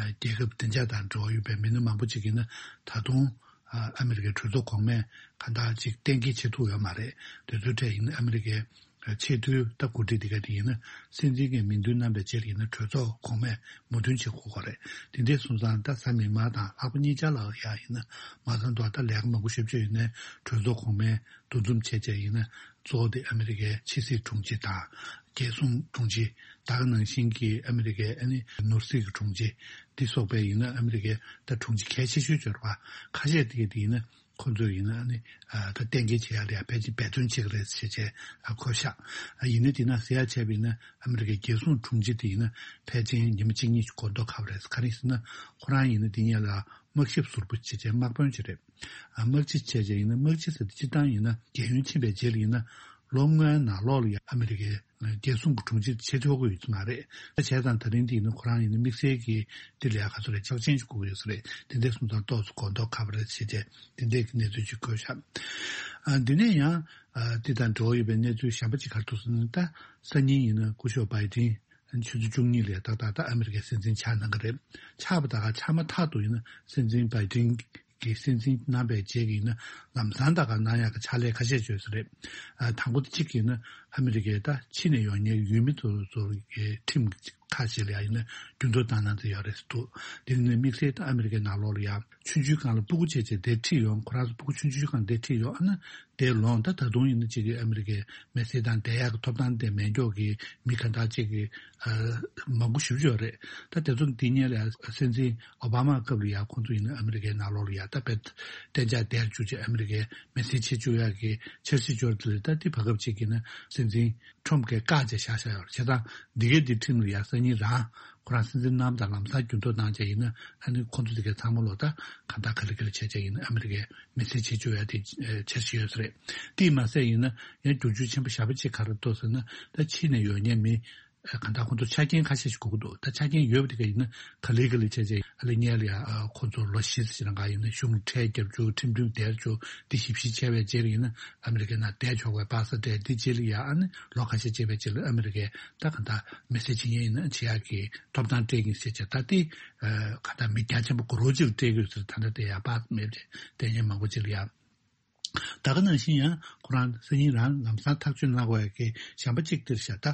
རྒྱལ་ཁབ་བདེ་འཇགས་དང་འབྲེལ་བ་ཡོད་པའི་མི་སྣ་མང་པོ་ཅིག་ཡིན་ན་ད་དུང་ཨ་མི་རི་ཀའི་གྲོས་ཚོགས་གོང་མས་གང་ལྟར་ཅིག་གཏན་འཁེལ་བྱེད་ཐུབ་ཡོད་མ་རེད། དེ་ཚོའི་གྲས་ཡིན་ན་ཨ་མི་རི་ཀའི་ཆེས་མཐོའི་ད་འགོ་ཁྲིད་འདི་ག་དེ་ཡིན་ན་སྲིད་འཛིན་གྱི་མིང་འདོན་གནང་པའི་རྗེས་ལ་ཡིན་ན་གྲོས་ཚོགས་གོང་མས་མོས་མཐུན་བྱེད་དགོས་ཀྱི་རེད། དེ་འདྲའི་སོང་ཙང་ད་གཟའ་མིག་དམར་དང་ལྷག་པ་གཉིས་ཆར་ལ་ཡ་ཡིན་ན་མ་ཚང་དུ་ད་ལས་ཀ་མང་པོ་ཞེ་པོ་ཅིག་ཡོད་ནའི་གྲོས་ཚོགས་གོང་མས་འདུ་འཛོམས་བྱས་བྱས་ཡིན་ན་གཙོ་བོ་དེ་ཨ་མི་རི་ཀའི་ཕྱི་སྲིད་དྲུང་ཆེ་དང་རྒྱལ་སྲུང་དྲུང་ཆེ། ད་ག་ནང་བཞིན་གྱི་ཨ་མི་རི་ཀའི་ཨ་ནི་ནོར་སྲིད་ཀྱི་དྲུང་ཆེ་འདི་སོགས་པའི་ཡིན་ན་ཨ་མི་རི་ཀའི་ད་དྲུང་ཆེ་གལ་ཆེ་ཤོས་འབྱོར་བ་ཁ་ཤས་དེ་ག་དེ་ཡིན་ན། ཁོ་ཚོས་ཡིན་ན་ཨ་ནི་ཨ་ད་གཏན་འཁེལ་བྱེད་ཡ་ལ་ཡ་ཕལ་ཆེར་འབད་བརྩོན་བྱེད་ཀྱི་རེད་ཟེར་བྱས་ཨ་གོ་ཤག་ཨ་ཡིན་ན་དེ་ན་ཟེར་ཡ་བྱས་པ་ཡིན་ན་ཨ་མི་རི་ཀའི་རྒྱལ་སྲུང་དྲུང་ཆེ་དེ་ཡིན་ན་ཕལ་ཆེར་ཉི་མ་གཅིག་གཉིས་ཤིག་གོ་མདོག་ཁ་པོ་རེད། ག་རེ་ཟེར་ན་ཁོ་རང་ཡིན་ན་དེ་གཉིས་ལ་དམག་ཞབས་ཟུར་པོ་བྱས་བྱས་དམག་དཔོན་ཅིག་རེད། ཨ་དམག་སྤྱི་བྱས་བྱས་ཡིན་ན་དམག་སྤྱི་ཟེར་དེ་སྤྱིར་བཏང་ཡིན་ན་རྒས་ཡོལ་ཕྱིན་པའི་རྗེས་ལ་ཡིན་ན་ལོ་ལྔའི་ནང་ལོགས་ལ་ཡ་ཨ་མི་རི་ཀའི་རྒྱལ་སྲུང་གི་དྲུང་ཆེ་བྱེད་ཆོག་གི་ཡོད་ཀྱི་མ་རེད། ད་བྱས་ཙང་ད་རིང་འདི་ཡིན་ན་ཁོ་རང་ཡིན་ན་དམིགས་བསལ་གྱི་འདི་ལ་ཡ་ག་ཚོད་རེད་ཆོག་མཆན་ཞིག་དགོས་ཀྱི་ཡོད་ས་རེད། དེ་འདྲའི་སོང་ཙང་ཏོག་ཙམ་གོ་མདོག་ཁ་པོ་རེད་ཟེར་བྱས་དེ་འདྲའི་གི་གནས་ཚུལ་ཅིག་བཀོད་ཤག་ཨ་འདི་ནས་ཡང་ཨ་འདི་དང་འབྲེལ་བ་ཡོད་པའི་གནས་ཚུལ་གཞན་པ་ཅིག་ག་རེ་འདུག་ཟེར་ན། ད་སང་ཉིན་ཡིན་ན་སྐུ་ཞབས་བྷའི་ཌེན་ཆུ་ཚོད་བཅུ་གཉིས་ལ་ཏག་ཏག་ད་ཨ་མི་རི་ཀའི་སྲིད་འཛིན་ཆགས་གནང་གི་རེད། ཆགས་པ་ད་ག་ཆགས་མ་ཐག་ཏུ་ཡིན་ན་སྲིད་འཛིན་བྷའི་ཌེན་གྱི་སྲིད་འཛིན་གནང་པའི་རྗེས་ཀྱི་ཡིན་ན་ལམ་སང་ད་ག་གནང་ཡག་གི་ཕྱག་ལས་ཁ་ཤས་བྱོས་ས་རེད། ཨ་དང་པོ་དེ་གཅིག་ཡིན་ན་ཨ་མི་རི་ཀའི་ད་ཕྱི་ནས་ཡོང་མཁན་ཡུལ་མི་ཚོ་ཚོ་གི་ཁྲིམས་ཀྱི་ཁ་ཤས་ལ་ཡང་ཡིན་ན་འགྱུར་ལྡོག་བཏང་གནང་ཚར་ཡོད་རེད་འདུག་དེ་ནི་དམིགས་བསལ་དུ་ཨ་མི་རི་ཀའི་ནང་ལོགས་ལ་ཡང་ཆུང་ཆུང་སྒང་ལ་སྤུ་གུ་བྱས་བྱས་དེ་ཁྲིད་ཡོང་། ཁོ་རང་ཚོ་སྤུ་གུ་ཆུང་ཆུང་སྒང་དེ་ཁྲིད་ཡོང་ཨ་ན་དེ་ལོང་ད་ད་དུང་ཡིན་ན་གཅིག་གི་ཨ་མི་རི་ཀའི་མི་སེར་དང་བསྡད་ཡག་གི་ཐོབ་ཐང་དེ་མེད་མཁན་གྱི་མི་ག་འདྲ་གཅིག་གི་ཨ་མང་པོ་ཞེ་པོ་ཅིག་ཡོད་རེད། ད་དེ་ཚོ་འདི་སྔོན་ལ་ཡང་སྲིད་འཛིན་ཨོ་བྷ་མ་སྐབས་ལ་ཡང་ཁོང་ཚོ་ཡིན་ན་ཨ་མི་རི་ཀའི་ནང་ལོགས་ལ་ཡང་ད་དཔེ་གཏན་འཇགས་བསྡད་བཅུག་བྱས་ཨ་མི་རི་ཀའི་མི་སེར་བྱེད་བཅུག་ཡག་གི་འཆར་གཞི་འབྱོར་དེ་ལ་ད་དེ་བར་སྐབས་གཅིག་གི་ན་སྲིད་འཛིན་ཁྲོམ་གྱིས་བཀག་བྱས་བཞག་བཞག་ཡོད་རེད། བྱས་ཙང་འདི་གའི་འདི་ཁྲིམས་ལ་ཡ་སང་ཉིན་རང་ཁོ་རང་སྲིད་འཛིན་གནང་དང་ལམ་སང་འགྱུར་ལྡོག་གནང་བྱས་ཡིན་ན་ཨ་ནི་ཁོང་ཚོ་འདི་གའི་ཚང་མ་ལོ་ད་གང་ལྟར་ག་ལེ་ག་ལེ་བྱས་བྱས་ཡིན་ན་ཨ་མི་རི་ཀའི་མི་སེར་བྱེད་བཅུག་ཡ་དེ་འཆར་གཞི་ཡོད་ས་རེད། དེས་མ་ཟད་ཡིན་ན་ཡང་བསྒྱུར་བཅོས་ཆེན་པོ་ཞེ་པོ་ཅིག་ག་རེ་འདུག་ཟེར་ན་ད་ཕྱི་ནས་ཡོང་མཁན་མི་གང་ལྟར་ཁོང་ཚོ་ཆ་རྐྱེན་ཁ་ཤས་ཤིག་དགོས་ཀྱི་འདུག་ད་ཆ་རྐྱེན་ཡོད་པ་དེ་ག་ཡིན་ན་ག་ལེ་ག་ལེ་བྱས་བྱས་ཨ་ལེ་སྔོན་ལ་ཡ་ཁོང་ཚོ་ལོ་བཞི་ཙམ་ཞིག་རང་ག་ཡིན་ན་གཞུང་གྲལ་རྒྱབ་བཅུག་ཁྲིམས་མཐུན་བསྡད་བཅུག་འདི་ཞིབ་བཤེར་བྱས་པའི་རྗེས་ལ་ཡིན་ན་ཨ་མི་རི་ཀའི་ནང་བསྡད་ཆོག་པའི་པ་སེ་སྤྲད། འདི་རྗེས་ལ་ཡ་ཨ་ནི་ལོ་ཁ་ཤས་བྱས་པའི་རྗེས་ལ་ཨ་མི་རི་ཀའི་ད་གང་ལྟར་མི་སེར་བྱེད་མཁན་ཡིན་ན་བྱེད་ཡག་གི་ཐོབ་ཐང་སྤྲད་ཀྱིན་ཟེར་བྱས་ད་དེ་གང་ལྟར་མི་རྒྱ་ཆེན་པོ་གོ་རོ་གཅིག་ལ་སྤྲད་དགོས་ཟེར་ད་ལྟ་དེ་ཡ་པ་མེད་པ་བྱས་བསྡད་མཁན་མང་པོ་ཅིག་ལ་ཡ། ད་ག་ནང་བཞིན་ཡང་ཁོ་རང་སང་ཉིན་རང་ལམ་སང་ཐག་གཅོད་གནང་དགོས་ཡ་གི་གཞན་པ་གཅིག་འདིར་བཞག་ད་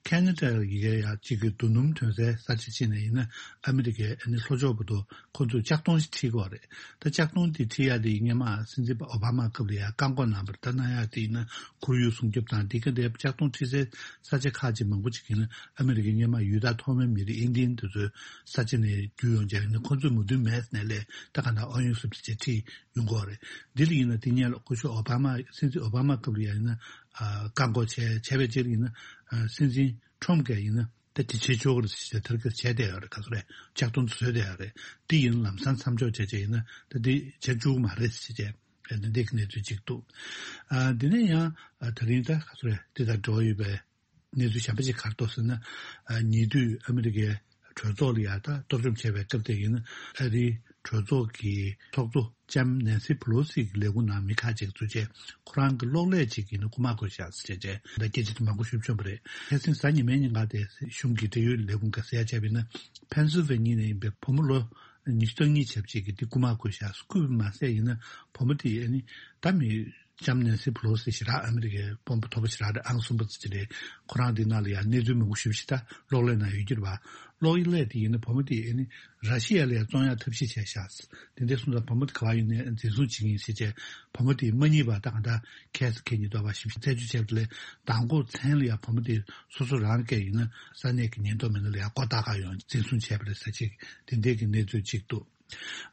ཁེ་ན་ཌ་ཡི་གེ་ཡ་གཅིག་གི་རྡོ་སྣུམ་ཐོན་སའི་ས་ཆ་གཅིག་ནས་ཡིན་ན་ཨ་མི་རི་ཀའི་ཨ་ནི་ལྷོ་ཕྱོགས་བར་དུ་ཁོ་ཚོས་ལྕགས་མདོང་ཞིག་ཁྲིད་དགོས་རེད། ད་ལྕགས་མདོང་འདི་ཁྲིད་ཡ་དེ་སྔོན་མ་སྲིད་འཛིན་པ་ཨོ་བྷ་མ་སྐབས་ལ་ཡ་བཀག་འགོག་གནང་བར་ད་གནང་ཡ་དེ་ཡིན་ན་ཁོར་ཡུག་སྲུང་སྐྱོབ་དང་འདི་ག་འདྲའི་ལྕགས་མདོང་ཁྲིད་སའི་ས་ཆ་ཁག་ཅིག་མང་པོ་ཅིག་ཡིན་ན་ཨ་མི་རི་ཀའི་སྔོན་མ་ཡུལ་བདག་ཐོག་མའི་མི་རིགས་ཨིན་ཌི་ཡན་དེ་ཚོའི་ས་ཆ་ནས་བརྒྱུད་ཡོང་བྱས་ཡིན་ན་ཁོ་ཚོས་མོས་མཐུན་མེད་ནས་ལས་ད་ག་ན་ཨོ་ཡོན་སུབ་ཏི་ཅེ་ཁྲིད་ཡོང་གི་ཡོད་རེད། འདི་ལ་ཡིན་ན་དེ་སྔོན་ལ་སྐུ་ཞབས་ཨོ་བྷ་མ་སྲིད་འཛིན་ཨོ་བྷ་མ་སྐབས་ལ་ཡང་ཡིན་ན་ཨ་བཀག་འགོག་བྱས་བྱས་པའི་རྗེས་ལ་ཡིན་ན་ཨ་སྲིད་འཛིན་ཁྲོམ་གྱིས་ཡིན་ན་ད་དེ་བྱེད་ཆོག་གི་རེད་ཟེར་བྱས་དེར་གྱི་བྱས་བསྡད་ཡོད་རེད། ག་ཚོད་རེད་ལྕགས་མདོང་བཟོས་བསྡད་ཡོད་རེད། དེ་ཡིན་ན་ལམ་སང་མཚམས་འཇོག་བྱས་བྱས་ཡིན་ན་ད་དེ་བྱེད་བཅུག་གི་མ་རེད་ཟེར་བྱས་ཨ་ནི་འདི་གི་གནས་ཚུལ་ཅིག་འདུག་ཨ་འདི་ནས་ཡང་ཨ་དེ་རིང་ད་ག་ཚོད་རེད་འདི་དང་འབྲེལ་བ་ཡོད་པའི་གནས་ཚུལ་གཞན་པ་ཅིག་ག་རེ་འདུག་ཟེར་ན། ཨ་ཉེ་དུས་ཨ་མི་རི་ཀའི་གྲོས་ཚོགས་ལ་ཡ་ད་གཏོར་བཅོམ་བྱས་པའི་སྐབས་དེ་ཡིན་ན་ཨ་རིའི་གྲོས་ཚོགས་ཀྱི་ཚོགས་གཙོ་ལྕམ་ནན་སི་ཕུ་ལོ་སི་གི་ལས་ཁུངས་ནང་མི་ཁག་ཅིག་ཚུད་རྗེས་ཁོ་རང་གི་གློག་ཀླད་ཅིག་ཡིན་ན་རྐུ་མ་བཀོལ་བཞག་ཟེར་བྱས་རྗེས་ད་སྐད་ཆ་དེ་མང་པོ་ཞིག་བྱུང་བ་རེད། ཁ་སང་གཟའ་ཉི་མའི་ཉིན་ཀ་དེ་གཞུང་གི་འབྲེལ་ཡོད་ལས་ཁུངས་ཀྱིས་གསལ་བྱས་པ་ཡིན་ན་ཕེན་སིལ་ཝེ་ནི་ཡ་ནས་ཡིན་པའི་བུ་མོ་ལོ་ཉི་ཤུ་རྩ་གཉིས་བྱས་པ་ཅིག་གིས་དེ་རྐུ་མ་བཀོལ་བཞག་རྐུས་པ་མ་ཟད་ཡིན་ན་བུ་མོ་དེ་ཨ་ནི་ད་མི། ལྕམ་ནན་སི་ཕུ་ལོ་སི་ཞེ་དྲག་ཨ་མི་རི་ཀའི་དཔོན་པོ་མཐོ་པོ་ཞེ་དྲག་རེད། ཨང་གསུམ་པ་ཙམ་ཅིག་རེད། ཁོ་རང་འདི་ནང་ལ་ཡང་གནས་ཚུལ་མང་པོ་ཞེ་པོ་ཞིག་ད་གློག་ཀླད་ནང་ཡོད་ཀྱི་རེད་པ། གློག་ཀླད་དེ་ཡིན་ན་བུ་མོ་དེ་ཨ་ནི་ར་ཤི་ཡ་ལ་ཡང་བཙོང་ཡག་ཐབས་ཤེས་བྱས་ཤག་དེ་འདྲ་སོང་ཙང་བུ་མོ་དེ་ག་པར་ཡོད་ནའི་འཛིན་བཟུང་བྱེད་ཀྱི་ཡིན་ཟེར་བྱས་བུ་མོ་དེ་མ་རྙེད་པ་ད་གང་ལྟར་ཁྱེད་ཀྱིས་ཉེན་རྟོག་པ་ཞིབ་ཕྲ་རྩད་གཅོད་བྱས་པ་ལས་མདང་དགོང་མཚན་ལ་ཡང་བུ་མོ་དེ་སོ་སོ་རང་སྐད་ཡིན་ན་ས་གནས་ཀྱི་ཉེན་རྟོག་མི་སྣ་ལ་ཡང་མགོ་བཏགས་ག་ཡོང་འཛིན་བཟུང་བྱས་པ་རེད་ཟེར་ཅིག་དེ་འདྲའི་གི་གནས་ཚུལ་ཅིག་འདུག་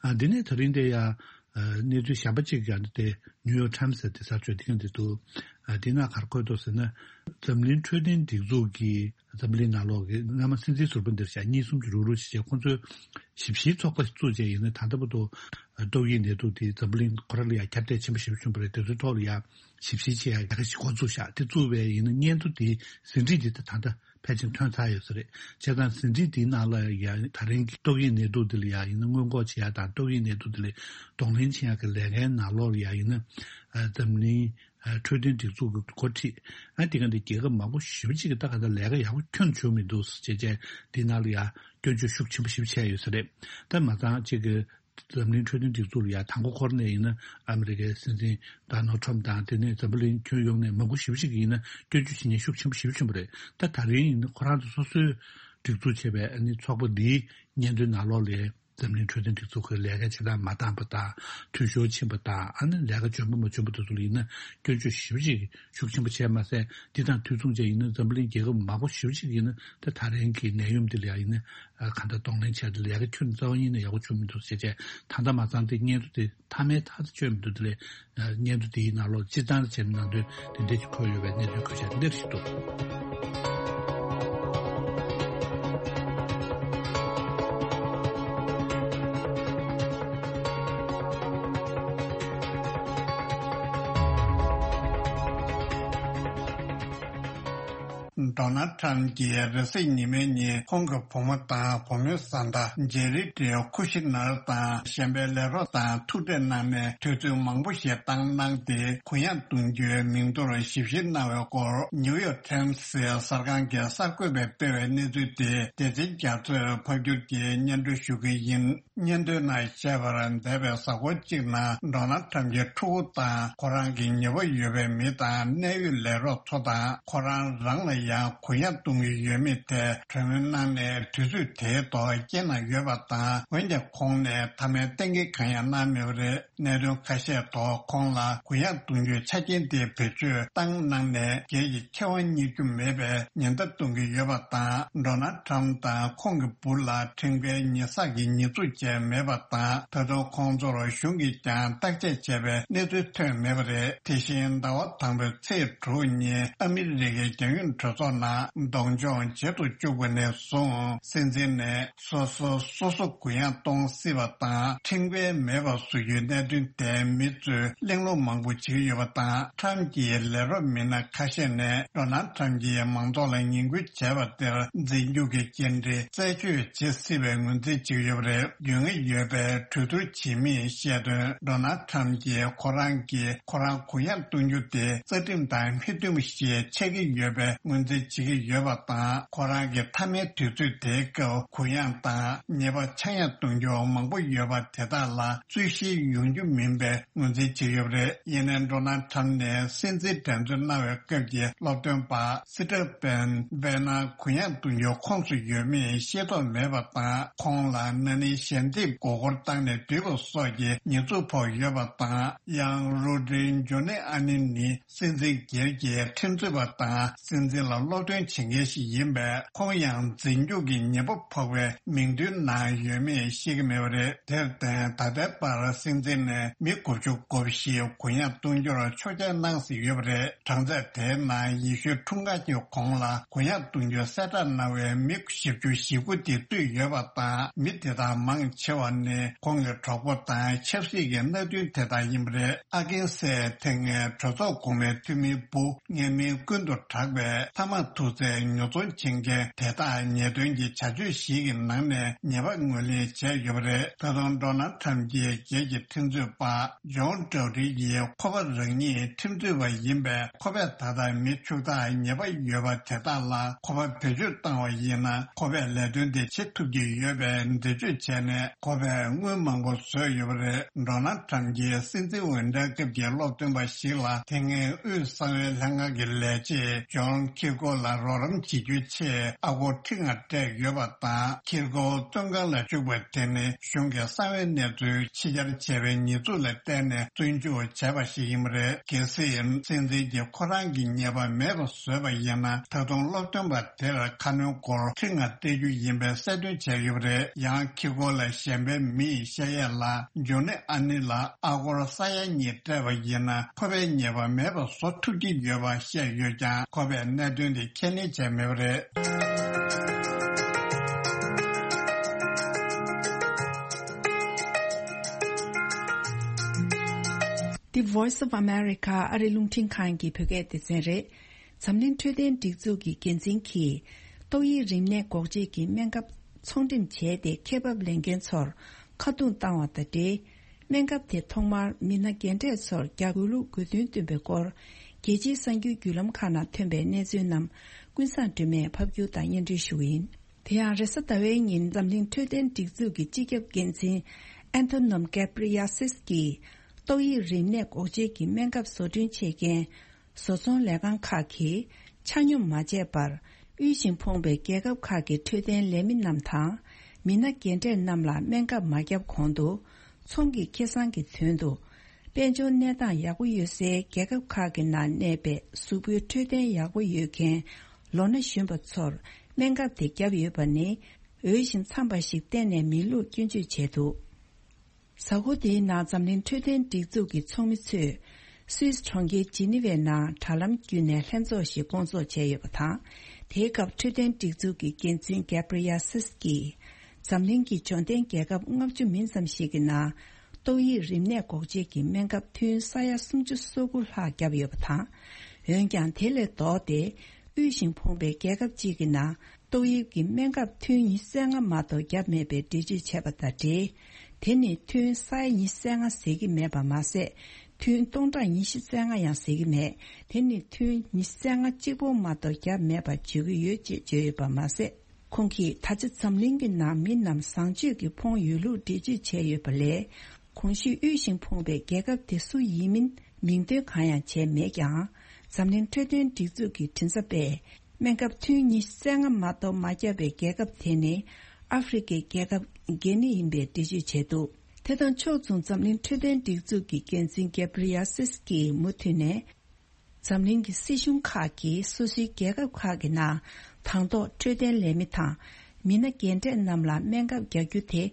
ཨ་འདི་ནས་ད་རིང་འདི་ཡ་ གནས་ཚུལ་གཞན་པ་གཅིག་ཀྱང་དེ་ནིའུ་ཡོག་ཊའིམ་སི་ཟེར་དེ་གསར་བཅོས་དེ་གང་དེ་འདུག་དེ་ན་ག་རེ་འཁོད་འདུག་ཟེར་ན། འཛམ་གླིང་འཕྲོད་བསྟེན་སྒྲིག་འཛུགས་ཀྱི་འཛམ་གླིང་ནང་ལོགས་ཀྱི་སྔ་མ་སྲིད་འཛིན་ཟུར་པ་འདིར་བཞག་གཉིས་གསུམ་གྱི་རུག་རུག་བྱས་བྱས་ཁོང་ཚོས་ཞིབ་བཤེར་ཚོགས་པ་བཙུགས་བྱས་ཡིན་ན། ད་ལྟ་བར་དུ་ཏོག་དབྱིབས་ནད་དུག་དེ་འཛམ་གླིང་ཁོ་རང་ལ་ཡང་ཁྱབ་གདལ་ཆེན་པོ་ཞེ་པོ་བྱུང་བ་རེད། དེ་ཚོའི་ཐོག་ལ་ཡང་ཞིབ་བཤེར་བྱེད་ཡ་ལས་ཀ་ཞིག་འགོ་བཙུགས་བཞག་དེ་བཙུགས་པའི་ཡིན་ན་སྙན་ཐོ་དེའི་ཟིན་བྲིས་དེ་ད་ལྟ་ཕལ་ཆེར་ཐོན་ཚར་ཡོད་ས་རེད། བྱས་ཙང་ཟིན་བྲིས་དེའི་ནང་ལ་ཡང་ད་རིང་གི་ཏོག་དབྱིབས་ནད་དུག་དེ་ལ་ཡང་ཡིན་ན་སྔོན་འགོག་བྱེད་ཡ་དང་ཏོག་དབྱིབས་ནད་དུག་དེ་ལ་གདོང་ལེན་བྱེད་ཡ་གི་ལས་ཀའི་ནང་ལོགས་ལ་ཡང་ཡིན་ན་འཛམ་གླིང་འཕྲོད་བསྟེན་སྒྲིག་འཛུགས་ཀྱི་འགོ་ཁྲིད། ཨ་དེ་ག་འདི་རྒྱལ་ཁབ་མང་པོ་ཞེ་པོ་ཅིག་གིས་ད་ག་ད་ལས་ཀ་ཡག་པོ་ཁྱོན་བྱུང་མི་འདུག་ཟེར་བྱས་བྱས་དེ་ནང་ལ་ཡང་སྐྱོན་བརྗོད་ཤུགས་ཆེན་པོ་ཞེ་པོ་བྱས་ཡོད་ས་རེད། ད་མ་ཚང་ཅིག་གི་འཛམ་གླིང་འཕྲོད་བསྟེན་སྒྲིག་འཛུགས་ལ་ཡང་དང་པོ་འཁོར་ནས་ཡིན་ན་ཨ་མི་རི་ཀའི་སྲིད་འཛིན་ཌོ་ནལ་ཊམ་དང་དེ་ནས་འཛམ་བུ་གླིང་ཁྱོན་ཡོངས་ནས་མང་པོ་ཞེ་པོ་ཅིག་གིས་ཡིན་ན་སྐྱོན་བརྗོད་བྱེད་མཁན་ཤུགས་ཆེན་པོ་ཞེ་པོ་ཆེན་པོ་རེད། ད་ད་རིང་ཡིན་ན་ཁོ་རང་ཚོ་སོ་སོའི་སྒྲིག་འཛུགས་བྱས་པའི་ཨ་ནི་ཚོགས་པ་འདིའི་སྙན་ཐོའི་ནང་ལོགས་ལ་འཛམ་གླིང་འཕྲོད་བསྟེན་སྒྲིག་འཛུགས་ཀྱི་ལས་ཀ་བྱེད་སྟངས་མ་འདང་པ་དང་འཐུས་ཤོར་ཕྱིན་པ་དང་ཨ་ནི་ལས་ཀ་འཇོན་པོ་མ་བྱུང་པ་དེ་ཚོ་ལ་ཡིན་ན་སྐྱོན་བརྗོད་ཞེ་པོ་ཅིག་ཤུགས་ཆེན་པོ་བྱས་མ་ཟད། འདི་དང་དུས་མཚུངས་བཅས་ཡིན་ན་འཛམ་བུ་གླིང་རྒྱལ་ཁབ་མང་པོ་ཞེ་པོ་ཅིག་ཡིན་ན་ད་ད་རིང་གི་ནད་ཡམས་འདི་ལ་ཡང་ཡིན་ན་གང་ལྟར་གདོང་ལེན་བྱས་ཏེ་ལས་ཀ་ཁྱོན་རྩ་བ་ཉིད་ནས་ཡག་པོ་བྱུང་མི་འདུག་ཟེར་བྱས། ད་ལྟ་མ་ཚང་དེ་སྙན་ཐོ་དེ་མཐའ་མའི་མཐའ་དེ་བཅོས་མི་འདུག་དེ་ལས་སྙན་ཐོ་དེའི་ནང་ལོགས་སྤྱིར་བཏང་བྱས་ནས་ནང་དོན་དེ་འདྲས་ཀྱི་འཁོད་ཡོད་པའི་གནད་དོན་གོ་བྱ་འདིར་ཞིག་འདུག་ཌོ་ནལ་ཁྲམ་གྱིས་རེས་གཟའ་ཉི་མའི་ཉིན་ཁོང་གི་བུ་མོ་དང་བུ་མོའི་བཟའ་ཟླ་ཇེ་རི་ཏྲི་ཁུ་ཤི་ནར་དང་གཞན་པའི་ལས་རོགས་དང་ཐུག་འཕྲད་གནང་ནས་དུས་ཚོད་མང་པོ་ཞིག་བཏང་གནང་སྟེ་གུ་ཡངས་གཏོང་རྒྱུའི་མིང་ཐོར་ཞིབ་བཤེར་གནང་བའི་སྐོར་ནིའུ་ཡོག་ཊའིམ་སི་གསར་ཁང་གི་གསར་འགོད་པས་སྤེལ་བའི་གནས་ཚུལ་དེ་སྡེ་ཚན་རྒྱ་མཚོས་ཕབ་བསྒྱུར་གྱིས་སྙན་སྒྲོན་ཞུ་གི་ཡིན། སྙན་ཐོའི་ནང་བཤད་པར་འདས་པའི་གཟའ་འཁོར་གཅིག་ནང་ཌོ་ནལ་ཁྲམ་གྱི་ཕྲུ་གུ་དང་ཁོ་རང་གི་ཉེ་པོ་ཡོད་པའི་མི་དང་གནད་ཡོད་ལས་རོགས་ཚོ་དང་ཁོ་རང་རང་ལ་ཡང་གུ་ཡངས་གཏོང་གི་ཡོད་མེད་ཐད་གྲོས་མོལ་གནང་ནས་དུས་ཚོད་དེའི་ཐོག་རྐྱེན་གནང་ཡོད་པ་དང་། འོན་ཀྱང་ཁོང་ནས་མཐའ་མའི་གཏན་འཁེལ་གང་ཡང་གནང་མེད་པ་རེད། གནད་དོན་ཁ་ཤས་ཐོག་ཁོང་ལ་གུ་ཡངས་གཏོང་རྒྱུའི་ཆ་རྐྱེན་དེ་བེད་སྤྱོད་བཏང་གནང་ནས་སྒེར་གྱི་ཁེ་དབང་རྙེད་རྒྱུ་མེད་པའི་ཉེན་བརྡ་གཏོང་གི་ཡོད་པ་དང་། ཌོ་ནལ་ཁྲམ་དང་ཁོང་གི་བུ་ལ་ཁྲིམས་འགལ་ཉེས་བསགས་ཀྱི་ཉེས་འཛུགས་བཅས་མེད་པ་དང་། ད་དུང་ཁོང་ཚོར་གཞུང་གིས་ཀྱང་བརྟག་དཔྱད་བྱས་པའི་གནས་ཚུལ་ཐོན་མེད་པ་རེད། དེ་བཞིན་ཟླ་བ་དང་པོའི་ཚེས་དྲུག་ཉིན་ཨ་མི་རི་ཀའི་རྒྱལ་ཡོངས་གྲོས་ཚོགས་ནང་གདོང་མཆོང་བྱེད་དུ་བཅུག་པ་ནས་བཟུང་སྲིད་འཛིན་ནས་སོ་སོ་སོ་སོ་གུ་ཡངས་གཏོང་སྲིད་པ་དང་ཁྲིམས་འགལ་མེད་པ་བཟོ་རྒྱུའི་གནད་དོན་དེ་མི་ཚོས་གླེང་སློང་མང་པོ་བྱེད་ཀྱི་ཡོད་པ་དང་། ཁྲམ་གྱི་ལས་རོགས་མི་སྣ་ཁ་ཤས་ནས་ཌོ་ནལ་ཁྲམ་གྱིས་མང་ཚོགས་ལ་ངན་སྐུལ་བྱས་པ་དེར་རྫས་འགྱུར་གྱི་སྐྱེལ་འདྲེན་རྩད་གཅོད་བྱེད་སྲིད་པའི་ངོས་འཛིན་བྱེད་ཀྱི་ཡོད་པ་རེད། རྒྱུས་མངའ་ཡོད་པའི་གྲོས་བསྡུར་བྱེད་མིས་བཤད་དོན། ཌོ་ནལ་ཁྲམ་གྱིས་ཁོ་རང་གིས་ཁོ་རང་གུ་ཡངས་གཏོང་རྒྱུ་དེ་རྩ་ཁྲིམས་དང་མི་མཐུན་པ་ཞིག་ཆགས་ཀྱི་ཡོད་པའི་ངོས་འཛིན་བྱེད་ཀྱི་ཡོད་པ་དང་། ཁོ་རང་གི་མཐའ་མའི་དུས་ཚོད་དེའི་སྐབས་གུ་ཡངས་དང་ཉེས་པ་ཆག་ཡང་གཏོང་རྒྱུ་མང་པོ་ཡོད་པ་དེ་དག་ལ་རྩོད་གཞི་ཡོང་རྒྱུ་མིན་པའི་ངོས་འཛིན་བྱེད་ཡོད་པ་རེད། ཡིན་ནའི་ཌོ་ནལ་ཁྲམ་ནས་སྲིད་འཛིན་འགྲན་རྩོད་གནང་བའི་སྐབས་ཀྱི་སློབ་སྟོན་པ་སི་ཏྲ་པན་བེ་ན་གུ་ཡངས་གཏོང་རྒྱུ་ཁོངས་སུ་ཡོད་མེད་ཤེས་རྟོགས་མེད་པ་དང་། ཁོང་ལ་ན་ནིང་ཞལ་འདེབས་མགོ་སྐོར་བཏང་ནས་བསྡུས་པ་སོགས་ཀྱི་ཉེས་འཛུགས་ཕོག་ཡོད་པ་དང་། ཡང་རུ་ཌི་ཇོ་ནི་ཨ་ནི་ནི་སྲིད་འཛིན་སྒེར་གྱི་ཁྲིམས་རྩོད་པ་དང་སྲིད་འཛིན་ལ་སློབ་སྟོན་བྱེད་མཁན་ཞིག་ཡིན་པས། ཁོང་ཡང་རྫས་འགྱུར་གྱི་ཉེས་པ་ཕོག་པའི་མིང་ཐོའི་ནང་ཡོད་མེད་ཤེས་ཀྱི་མེད་པ་རེད། དེར་བརྟེན་ད་ལྟའི་བར་སྲིད་འཛིན་ནས་མི་དགུ་བཅུ་གོ་བཞི་གུ་ཡངས་གཏོང་རྒྱུར་ཆོག་མཆན་གནང་ཟིན་ཡོད་པ་རེད། གྲངས་ཚད་དེའི་ནང་ཡེ་ཤུའི་འཁྲུངས་སྐར་གྱི་གོང་ལ་གུ་ཡངས་གཏོང་རྒྱུའི་གསལ་བསྒྲགས་གནང་བའི་མི་བཞི་བཅུ་ཞེ་དགུ་དེ་བཏུས་ཡོད་པ་དང་། མི་དེ་དག་མང་ཆེ་བ་ནི་ཁོང་གི་གྲོགས་པོ་དང་ཆབ་སྲིད་ཀྱི་མནའ་མཐུན་དེ་དག་ཡིན་པ་རེད། ཨ་ཀིན་སེ་དེ་སྔའི་གྲོས་ཚོགས་གོང་མའི་འཐུས་མིའི་བུ་ངན་མིང་ཀུན་ཏུ་གྲགས་པའི་ཐ་མག་ཐུག་རྫས་ཉོ་ཚོང་བྱེད་མཁན་དེ་དག་ཉེས་དོན་གྱི་བྱ་སྤྱོད་ཞིག་གི་ནང་ནས་ཉེས་པ་ངོས་ལེན་བྱས་ཡོད་པ་རེད། ད་དུང་ཌོ་ནལ་ཁྲམ་གྱི་སྒེར་གྱི་ཁྲིམས་རྩོད་པ་ཇོན་ཌོ་རི་ཡིས་ཁོ་པ་རང་ཉིད་ཁྲིམས་རྩོད་པ་ཡིན་པས། ཁོ་པས་ད་ལྟ་མི་ཕྱུག་བདག་ཉེས་པ་ཡོད་པ་དེ་དག་ལ་ཁོ་པ་བེད་སྤྱོད་བཏང་བ་ཡིན་ན། ཁོ་པས་ལས་དོན་དེ་བྱེད་ཐུབ་ཀྱི་ཡོད་པའི་འགྲེལ་བརྗོད་བྱས་ནས། ཁོ་པས་དངུལ་མང་པོ་བཟོས་ཡོད་པ་རེད། ཌོ་ནལ་ཁྲམ་གྱིས་སྲིད་འཛིན་འོས་འགྲན་སྐབས་ཀྱི་སློབ་སྟོན་པ་ཞིག་ལ་དེ་སྔའི་དབུས་གསང་བའི་ལྷན་ཁང་གི་ལས་བྱེད་ཇོན་ཁི་ཀོ། སྐོར་ལ་རོགས་རམ་བྱེད་རྒྱུའི་ཆེད་ཨ་སྒོར་ཁྲི་ལྔ་སྤྲད་ཡོད་པ་དང་། འཁྱེར་སྒོ་བཙོན་ཁང་ལ་བཅུག་པ་དེ་ནི་གཞུང་གི་གསང་བའི་གནས་ཚུལ་ཕྱི་གྱར་བྱས་པའི་ཉེས་འཛུགས་ལ་བརྟེན་ནས་བཙོན་འཇུག་བྱས་པ་ཞིག་ཡིན་པ་རེད། གལ་སྲིད་སྲིད་འཛིན་གྱིས་ཁོ་རང་གི་ཉེས་པ་མེད་པ་བཟོས་པ་ཡིན་ན། ད་དུང་སློབ་སྟོན་པ་དེར་ཁ་སྣོན་སྒོར་ཁྲི་ལྔ་སྤྲད་རྒྱུ་ཡིན་པའི་གསལ་སྟོན་བྱས་ཡོད་པ་རེད། ཡང་འཁྱེར་སྒོ་ལ་གཞན་པའི་མི་ཡིས་བཤད་ཡས་ལ། ཇོ་ནི་ཨ་ནི་ལ་ཨ་སྒོར་ས་ཡ་གཉིས་སྤྲད་པ་ཡིན་ན། ཁོ་པའི་ཉེས་པ་མེད་པ་བཟོ་ཐུབ་ཀྱི་ཡོད་པ་བཤད་ཡོད་ཀྱང་། ཁོ་པས་གནད་དོན་དེ་ཁས་ལེན་བྱས་མེད་པ་རེད། འདི་Voice of America ཨ་རི་རླུང་འཕྲིན་ཁང་གི་བོད་སྐད་སྡེ་ཚན་རེད། འཛམ་གླིང་འཕྲོད་བསྟེན་སྒྲིག་འཛུགས་ཀྱི་འགན་འཛིན་གྱིས་ཏོག་དབྱིབས་རིམས་ནད་འགོག་བཅོས་ཀྱི་སྨན་ཁབ་ཚོང་འགྲེམས་བྱས་ཏེ། ཁེ་འབབ་ལེན་མཁན་ཚོར་ཁ་རྡུང་བཏང་བ་དང་འབྲེལ། སྨན་ཁབ་དེ་ཐོག་མར་མི་སྣ་རྒན་གྲས་ཚོར་རྒྱག་དགོས་ལུགས་དགོས་འདུན་བཏོན་པའི་སྐོར། རྒྱལ་སྤྱིའི་གསར་འགྱུར་བརྒྱུད་ལམ་ཁག་ནང་ཐོན་པའི་གནས་ཚུལ་རྣམས་ཀུན་བཟང་སྒྲོལ་མས་ཕབ་སྒྱུར་དང་སྙན་སྒྲོན་ཞུ་གི་ཡིན། དེ་ཡང་རེས་གཟའ་ཟླ་བའི་ཉིན་འཛམ་གླིང་འཕྲོད་བསྟེན་སྒྲིག་འཛུགས་ཀྱི་སྤྱི་ཁྱབ་འགན་འཛིན་ཨན་ཐོ་ནོམ་ཀེབ་རི་ཡ་སིས་ཀྱིས། ཏོག་དབྱིབས་རིམས་ནད་འགོག་བཅོས་ཀྱི་སྨན་ཁབ་བཟོ་སྐྲུན་བྱེད་མཁན་བཟོ་ཚོང་ལས་ཁང་ཁག་གིས་ཆ་སྙོམས་མ་བྱས་པར། དབུལ་ཞིང་ཕོངས་པའི་རྒྱལ་ཁབ་ཁག་གི་འཕྲོད་བསྟེན་ལས་མི་རྣམས་དང་། མི་སྣ་རྒན་གྲས་རྣམས་ལ་སྨན་ཁབ་མ་བརྒྱབ་གོང་དུ། ཚོང་གི་ཁེ་བཟང་གི་དོན་དུ། དཔལ་འབྱོར་གནས་སྟངས་ཡག་པོ་ཡོད་སའི་རྒྱལ་ཁབ་ཁག་གི་ནང་གནས་པའི་གཟུགས་པོའི་འཕྲོད་བསྟེན་ཡག་པོ་ཡོད་མཁན་ལོ་ན་གཞོན་པ་ཚོར་སྨན་ཁབ་དེ་བརྒྱབ་ཡོད་པ་ནི། འོས་ཤིང་འཚམས་པ་ཞིག་གཏན་ནས་མིན་ལུགས་སྐྱོན་བརྗོད་བྱས་འདུག། གཟའ་འཁོར་འདིའི་ནང་འཛམ་གླིང་འཕྲོད་བསྟེན་སྒྲིག་འཛུགས་ཀྱི་ཚོགས་མི་ཚོས་སུད་སི་གྲོང་ཁྱེར་ཇི་ནི་ཝའི་ནང་དྲ་ལམ་བརྒྱུད་ནས་ལྷན་ཚོགས་ཤིག་བསྐོང་ཚོགས་བྱས་ཡོད་པ་དང་། དེའི་སྐབས་འཕྲོད་བསྟེན་སྒྲིག་འཛུགས་ཀྱི་འགན་འཛིན་གེབ་རི་ཡ་སིས་ཀྱིས། འཛམ་གླིང་གི་འབྱོར་ལྡན་རྒྱལ་ཁབ་ལྔ་བཅུ་མིན་ཙམ་ཞིག་གི་ནང་ཏོག་དབྱིབས་རིམས་ནད་འགོག་བཅོས་ཀྱི་སྨན་ཁབ་ཐུན་ས་ཡ་སུམ་ཅུ་སོ་དགུ་ལྷག་བརྒྱབ་ཡོད་པ་དང་། འོན་ཀྱང་དེ་ལས་ལྡོག་སྟེ། དབུལ་ཞིང་ཕོངས་པའི་རྒྱལ་ཁབ་ཅིག་གི་ནང་ཏོག་དབྱིབས་ཀྱི་སྨན་ཁབ་ཐུན་ཉི་ཤུ་རྩ་ལྔ་མ་གཏོགས་བརྒྱབ་མེད་པའི་འགྲེལ་བརྗོད་བྱས་པ་དང་འབྲེལ། དེ་ནི་ཐུན་ས་ཡ་ཉི་ཤུ་རྩ་ལྔ་ཟེར་གྱི་མེད་པ་མ་ཟད། ཐུན་སྟོང་ཕྲག་ཉི་ཤུ་རྩ་ལྔ་ཡང་ཟེར་གྱི་མེད། དེ་ནི་ཐུན་ཉི་ཤུ་རྩ་ལྔ་གཅིག་པོ་མ་གཏོགས་བརྒྱབ་མེད་པ་བརྗོད་ཀྱི་ཡོད་ཅེས་བརྗོད་ཡོད་པ་མ་ཟད། ཁོང་གིས་ད་ཆ་འཛམ་གླིང་གི་ནང་མི་རྣམས་བཟང་སྤྱོད་ཀྱིས་ཕོངས་ཡོད་ལུགས་འགྲེལ་བརྗོད་བྱས་ཡོད་པ་ལས། གོང་ཞུས་དབུལ་ཞིང་ཕོངས་པའི་རྒྱལ་ཁབ་དེ་སུ་ཡིན་མིན་མིང་འདོན་གང་ཡང་བྱས་མེད་ཀྱང་། འཛམ་གླིང་འཕྲོད་བསྟེན་སྒྲིག་འཛུགས་ཀྱི་མགྲིན་ཚབ་པས། སྨན་ཁབ་ཐུན་ཉི་ཤུ་རྩ་ལྔ་མ་གཏོགས་མ་བརྒྱབ་པའི་རྒྱལ་ཁབ་དེ་ནི་ཨ་ཧྥེ་རི་ཁའི་རྒྱལ་ཁབ་གྷི་ནི་ཡིན་པའི་འགྲེལ་བརྗོད་བྱས་འདུག། དེ་དང་ཕྱོགས་མཚུངས་འཛམ་གླིང་འཕྲོད་བསྟེན་སྒྲིག་འཛུགས་ཀྱི་འགན་འཛིན་གེབ་རི་ཡ་སིས་ཀྱིས་མུ་མཐུད་ནས། འཛམ་གླིང་གི་སྲིད་གཞུང་ཁག་གིས་སོ་སོའི་རྒྱལ་ཁབ་ཁག་གི་ནང་དང་ཐོག་འཕྲོད་བསྟེན་ལས་མི་དང་མི་སྣ་རྒན་གྲས་རྣམས་ལ་སྨན་ཁབ་རྒྱག་རྒྱུ་དེ་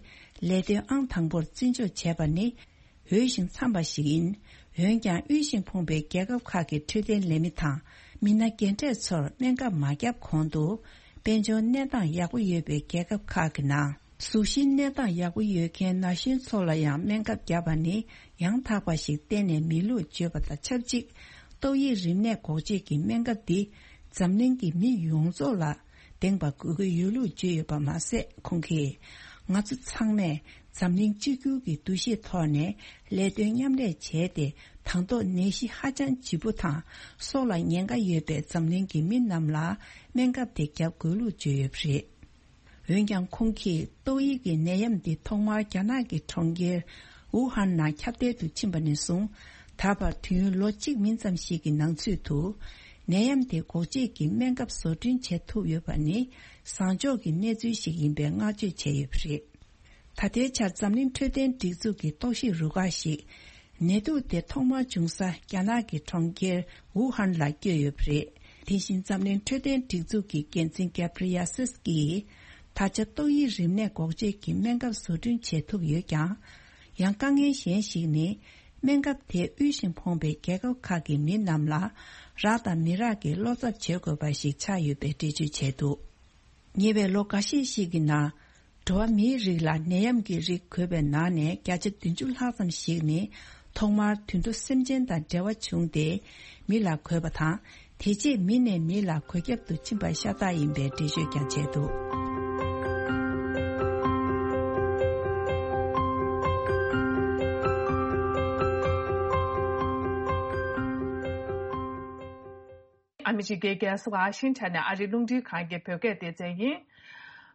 ལས་དོན་ཨང་དང་པོར་བརྩི་འཇོག་བྱས་པ་ནི་འོས་ཤིང་འཚམས་པ་ཞིག་ཡིན། འོན་ཀྱང་དབུལ་ཞིང་ཕོངས་པའི་རྒྱལ་ཁབ་ཁག་གི་འཕྲོད་བསྟེན་ལས་མི་དང་མི་སྣ་རྒན་གྲས་ཚོར་སྨན་ཁབ་མ་བརྒྱབ་གོང་དུ་དཔལ་འབྱོར་གནས་སྟངས་ཡག་པོ་ཡོད་པའི་རྒྱལ་ཁབ་ཁག་གི་ནང་། གཟུགས་གཞིའི་གནས་སྟངས་ཡག་པོ་ཡོད་མཁན་ན་གཞོན་ཚོ་ལ་ཡང་སྨན་ཁབ་བརྒྱབ་པ་ནི་ཡང་དག་པ་ཞིག་གཏན་ནས་མིན་ལུགས་བརྗོད་པ་དང་ཆབས་ཅིག། ཏོག་དབྱིབས་རིམས་ནད་འགོག་བཅོས་ཀྱི་སྨན་ཁབ་འདི་འཛམ་གླིང་གི་མི་ཡོངས་རྫོགས་ལ་ལྡན་པ་དགོས་ཀྱི་ཡོད་ལུགས་བརྗོད་ཡོད་པ་མ་ཟད། ཁོང་གིས། ང་ཚོ་ཚང་མས་འཛམ་གླིང་གཅིག་གྱུར་གྱི་འདུ་ཤེས་ཐོག་ནས་ལས་དོན་མཉམ་ལས་བྱས་ཏེ། དང་ཐོག་ནད་གཞི་ཧ་ཅང་ལྗིད་པོ་དང་སྲོག་ལ་ཉེན་ཁ་ཡོད་པའི་འཛམ་གླིང་གི་མི་རྣམས་ལ་སྨན་ཁབ་དེ་བརྒྱབ་དགོས་ལུགས་བརྗོད་ཡོད་པ་རེད། འོན་ཀྱང་ཁོང་གིས་ཏོག་དབྱིབས་ཀྱི་ནད་ཡམས་འདི་ཐོག་མར་རྒྱ་ནག་གི་གྲོང་ཁྱེར་ཝུ་ཧན་ནང་ཁྱབ་གདལ་དུ་ཕྱིན་པ་ནས་བཟུང་ད་བར་དུས་ཡུན་ལོ་གཅིག་མིན་ཙམ་ཞིག་གི་ནང་ཚུད་དུ་ནད་ཡམས་དེ་འགོག་བཅོས་ཀྱི་སྨན་ཁབ་བཟོ་སྐྲུན་བྱེད་ཐུབ་ཡོད་པ་ནི་བཟང་ཕྱོགས་ཀྱི་གནས་ཚུལ་ཞིག་ཡིན་པའི་བསྔགས་བརྗོད་བྱས་ཡོད་པ་རེད། ད་ལྟའི་ཆར་འཛམ་གླིང་འཕྲོད་བསྟེན་སྒྲིག་འཛུགས་ཀྱི་རྟོག་ཞིབ་རུ་ཁག་ཞིག་ནད་དུག་དེ་ཐོག་མར་བྱུང་ས་རྒྱ་ནག་གི་གྲོང་ཁྱེར་ཝུ་ཧན་ལ་བསྐྱོད་ཡོད་པ་རེད། དེ་བཞིན་འཛམ་གླིང་འཕྲོད་བསྟེན་སྒྲིག་འཛུགས་ཀྱི་འགན་འཛིན་གེབ་རི་ཡ་སིས་ཀྱིས། ད་ཆ་ཏོག་དབྱིབས་རིམས་ནད་འགོག་བཅོས་ཀྱི་སྨན་ཁབ་བཟོ་སྐྲུན་བྱེད་ཐུབ་ཡོད་ཀྱང་། ཡང་དཀའ་ངལ་གཞན་ཞིག་ནི། སྨན་ཁབ་དེ་དབུལ་ཞིང་ཕོངས་པའི་རྒྱལ་ཁབ་ཁག་གི་མི་རྣམས་ལ་རག་དང་མི་རག་གི་བློ་འཚབ་བྱེད་དགོས་པ་ཞིག་ཆགས་ཡོད་པའི་འགྲེལ་བརྗོད་བྱས་འདུག། ཉེ་བའི་ལོ་འགའ་ཤས་ཤིག་གི་ནང་། འགྲོ་བ་མིའི་རིགས་ལ་ནད་ཡམས་ཀྱི་རིགས་འགོས་པའི་ནང་ནས་བརྒྱ་ཆ་བདུན་ཅུ་ལྷག་ཙམ་ཞིག་ནི་ཐོག་མར་དུད་འགྲོ་སེམས་ཅན་དང་འབྲེལ་བ་བྱུང་སྟེ་མི་ལ་འགོས་པ་དང་། དེ་རྗེས་མི་ནས་མི་ལ་འགོས་ཁྱབ་ཏུ་ཕྱིན་པ་ཤ་སྟག་ཡིན་པའི་འགྲེལ་བརྗོད་ཀྱང་བྱས་འདུག། ཨ་མི་རི་ཀའི་རྒྱལ་ས་ཝ་ཤིང་ཊོན་ནས་ཨ་རིའི་རླུང་འཕྲིན་ཁང་གི་བོད་སྐད་སྡེ་ཚན་ཡིན།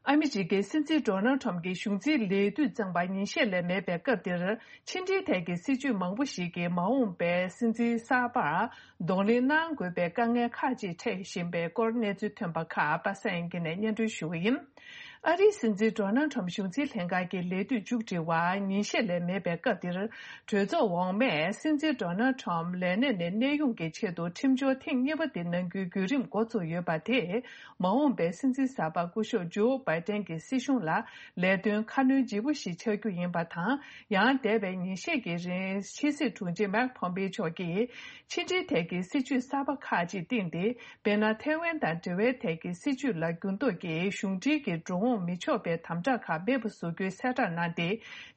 ཨ་མི་རི་ཀའི་སྲིད་འཛིན་ཌོ་ནལ་ཁྲོམ་གྱི་གཞུང་འཛིན་ལས་དུས་གཙང་པ་ཉིན་ཤས་ལས་མེད་པའི་སྐབས་འདིར། ཕྱི་འབྲེལ་ཐད་ཀྱི་སྲིད་ཇུས་མང་པོ་ཞིག་གིས་མ་འོངས་པའི་སྲིད་འཛིན་གསར་པར་གདོང་ལེན་གནང་དགོས་པའི་དཀའ་ངལ་ཁག་ཅིག་འཕྲད་བཞིན་པའི་སྐོར་གནས་ཚུལ་ཐོན་པ་ཁག་པ་སངས་དབྱངས་སྐྱིད་ནས་སྙན་སྒྲོན་ཞུ་གི་ཡིན། ཨ་རིའི་སྲིད་འཛིན་ཌོ་ནལ་ཁྲོམ་གཞུང་འཛིན་ལྷན་ཁང་གི་ལས་དུས་མཇུག་སྒྲིལ་བར་ཉིན་ཤས་ལས་མེད་པའི་སྐབས་འདིར། གྲོས་ཚོགས་འོག་མས་སྲིད་འཛིན་ཌོ་ནལ་ཁྲོམ་ལས་གནས་ནས་གནས་དབྱུང་གི་ཆེད་དུ་ཁྲིམས་སྦྱོར་ཐེངས་གཉིས་པ་དེ་གནང་རྒྱུའི་བརྒྱུད་རིམ་འགོ་ཚུགས་ཡོད་པ་དེས། མ་འོངས་པའི་སྲིད་འཛིན་གསར་པ་སྐུ་ཞབས་ཇོ་བྷའི་ཏན་གྱི་སྲིད་གཞུང་ལ་ལས་དོན་ཁ་སྣོན་ལྗིད་པོ་ཞིག་ཆགས་རྒྱུ་ཡིན་པ་དང་། ཡང་འདས་པའི་ཉིན་ཤས་ཀྱི་རིང་ཕྱི་སྲིད་དྲུང་ཆེ་མེག་ཕོམ་པེ་མཆོག་གིས་ཕྱི་འབྲེལ་ཐད་ཀྱི་སྲིད་ཇུས་གསར་པ་ཁག་ཅིག་བཏིང་སྟེ། དཔེར་ན། ཐའེ་ཝན་དང་འབྲེལ་བའི་ཐད་ཀྱི་སྲིད་ཇུས་ལ་འགྱུར་ལྡོག་གིས་གཞུང་འབྲེལ་གྱི་འགྲོ་འོང་མི་ཆོག་པའི་དམ་དྲག་ཁག་མེད་པ་བཟོ་རྒྱུའི་གསལ་བསྒྲགས་གནང་སྟེ།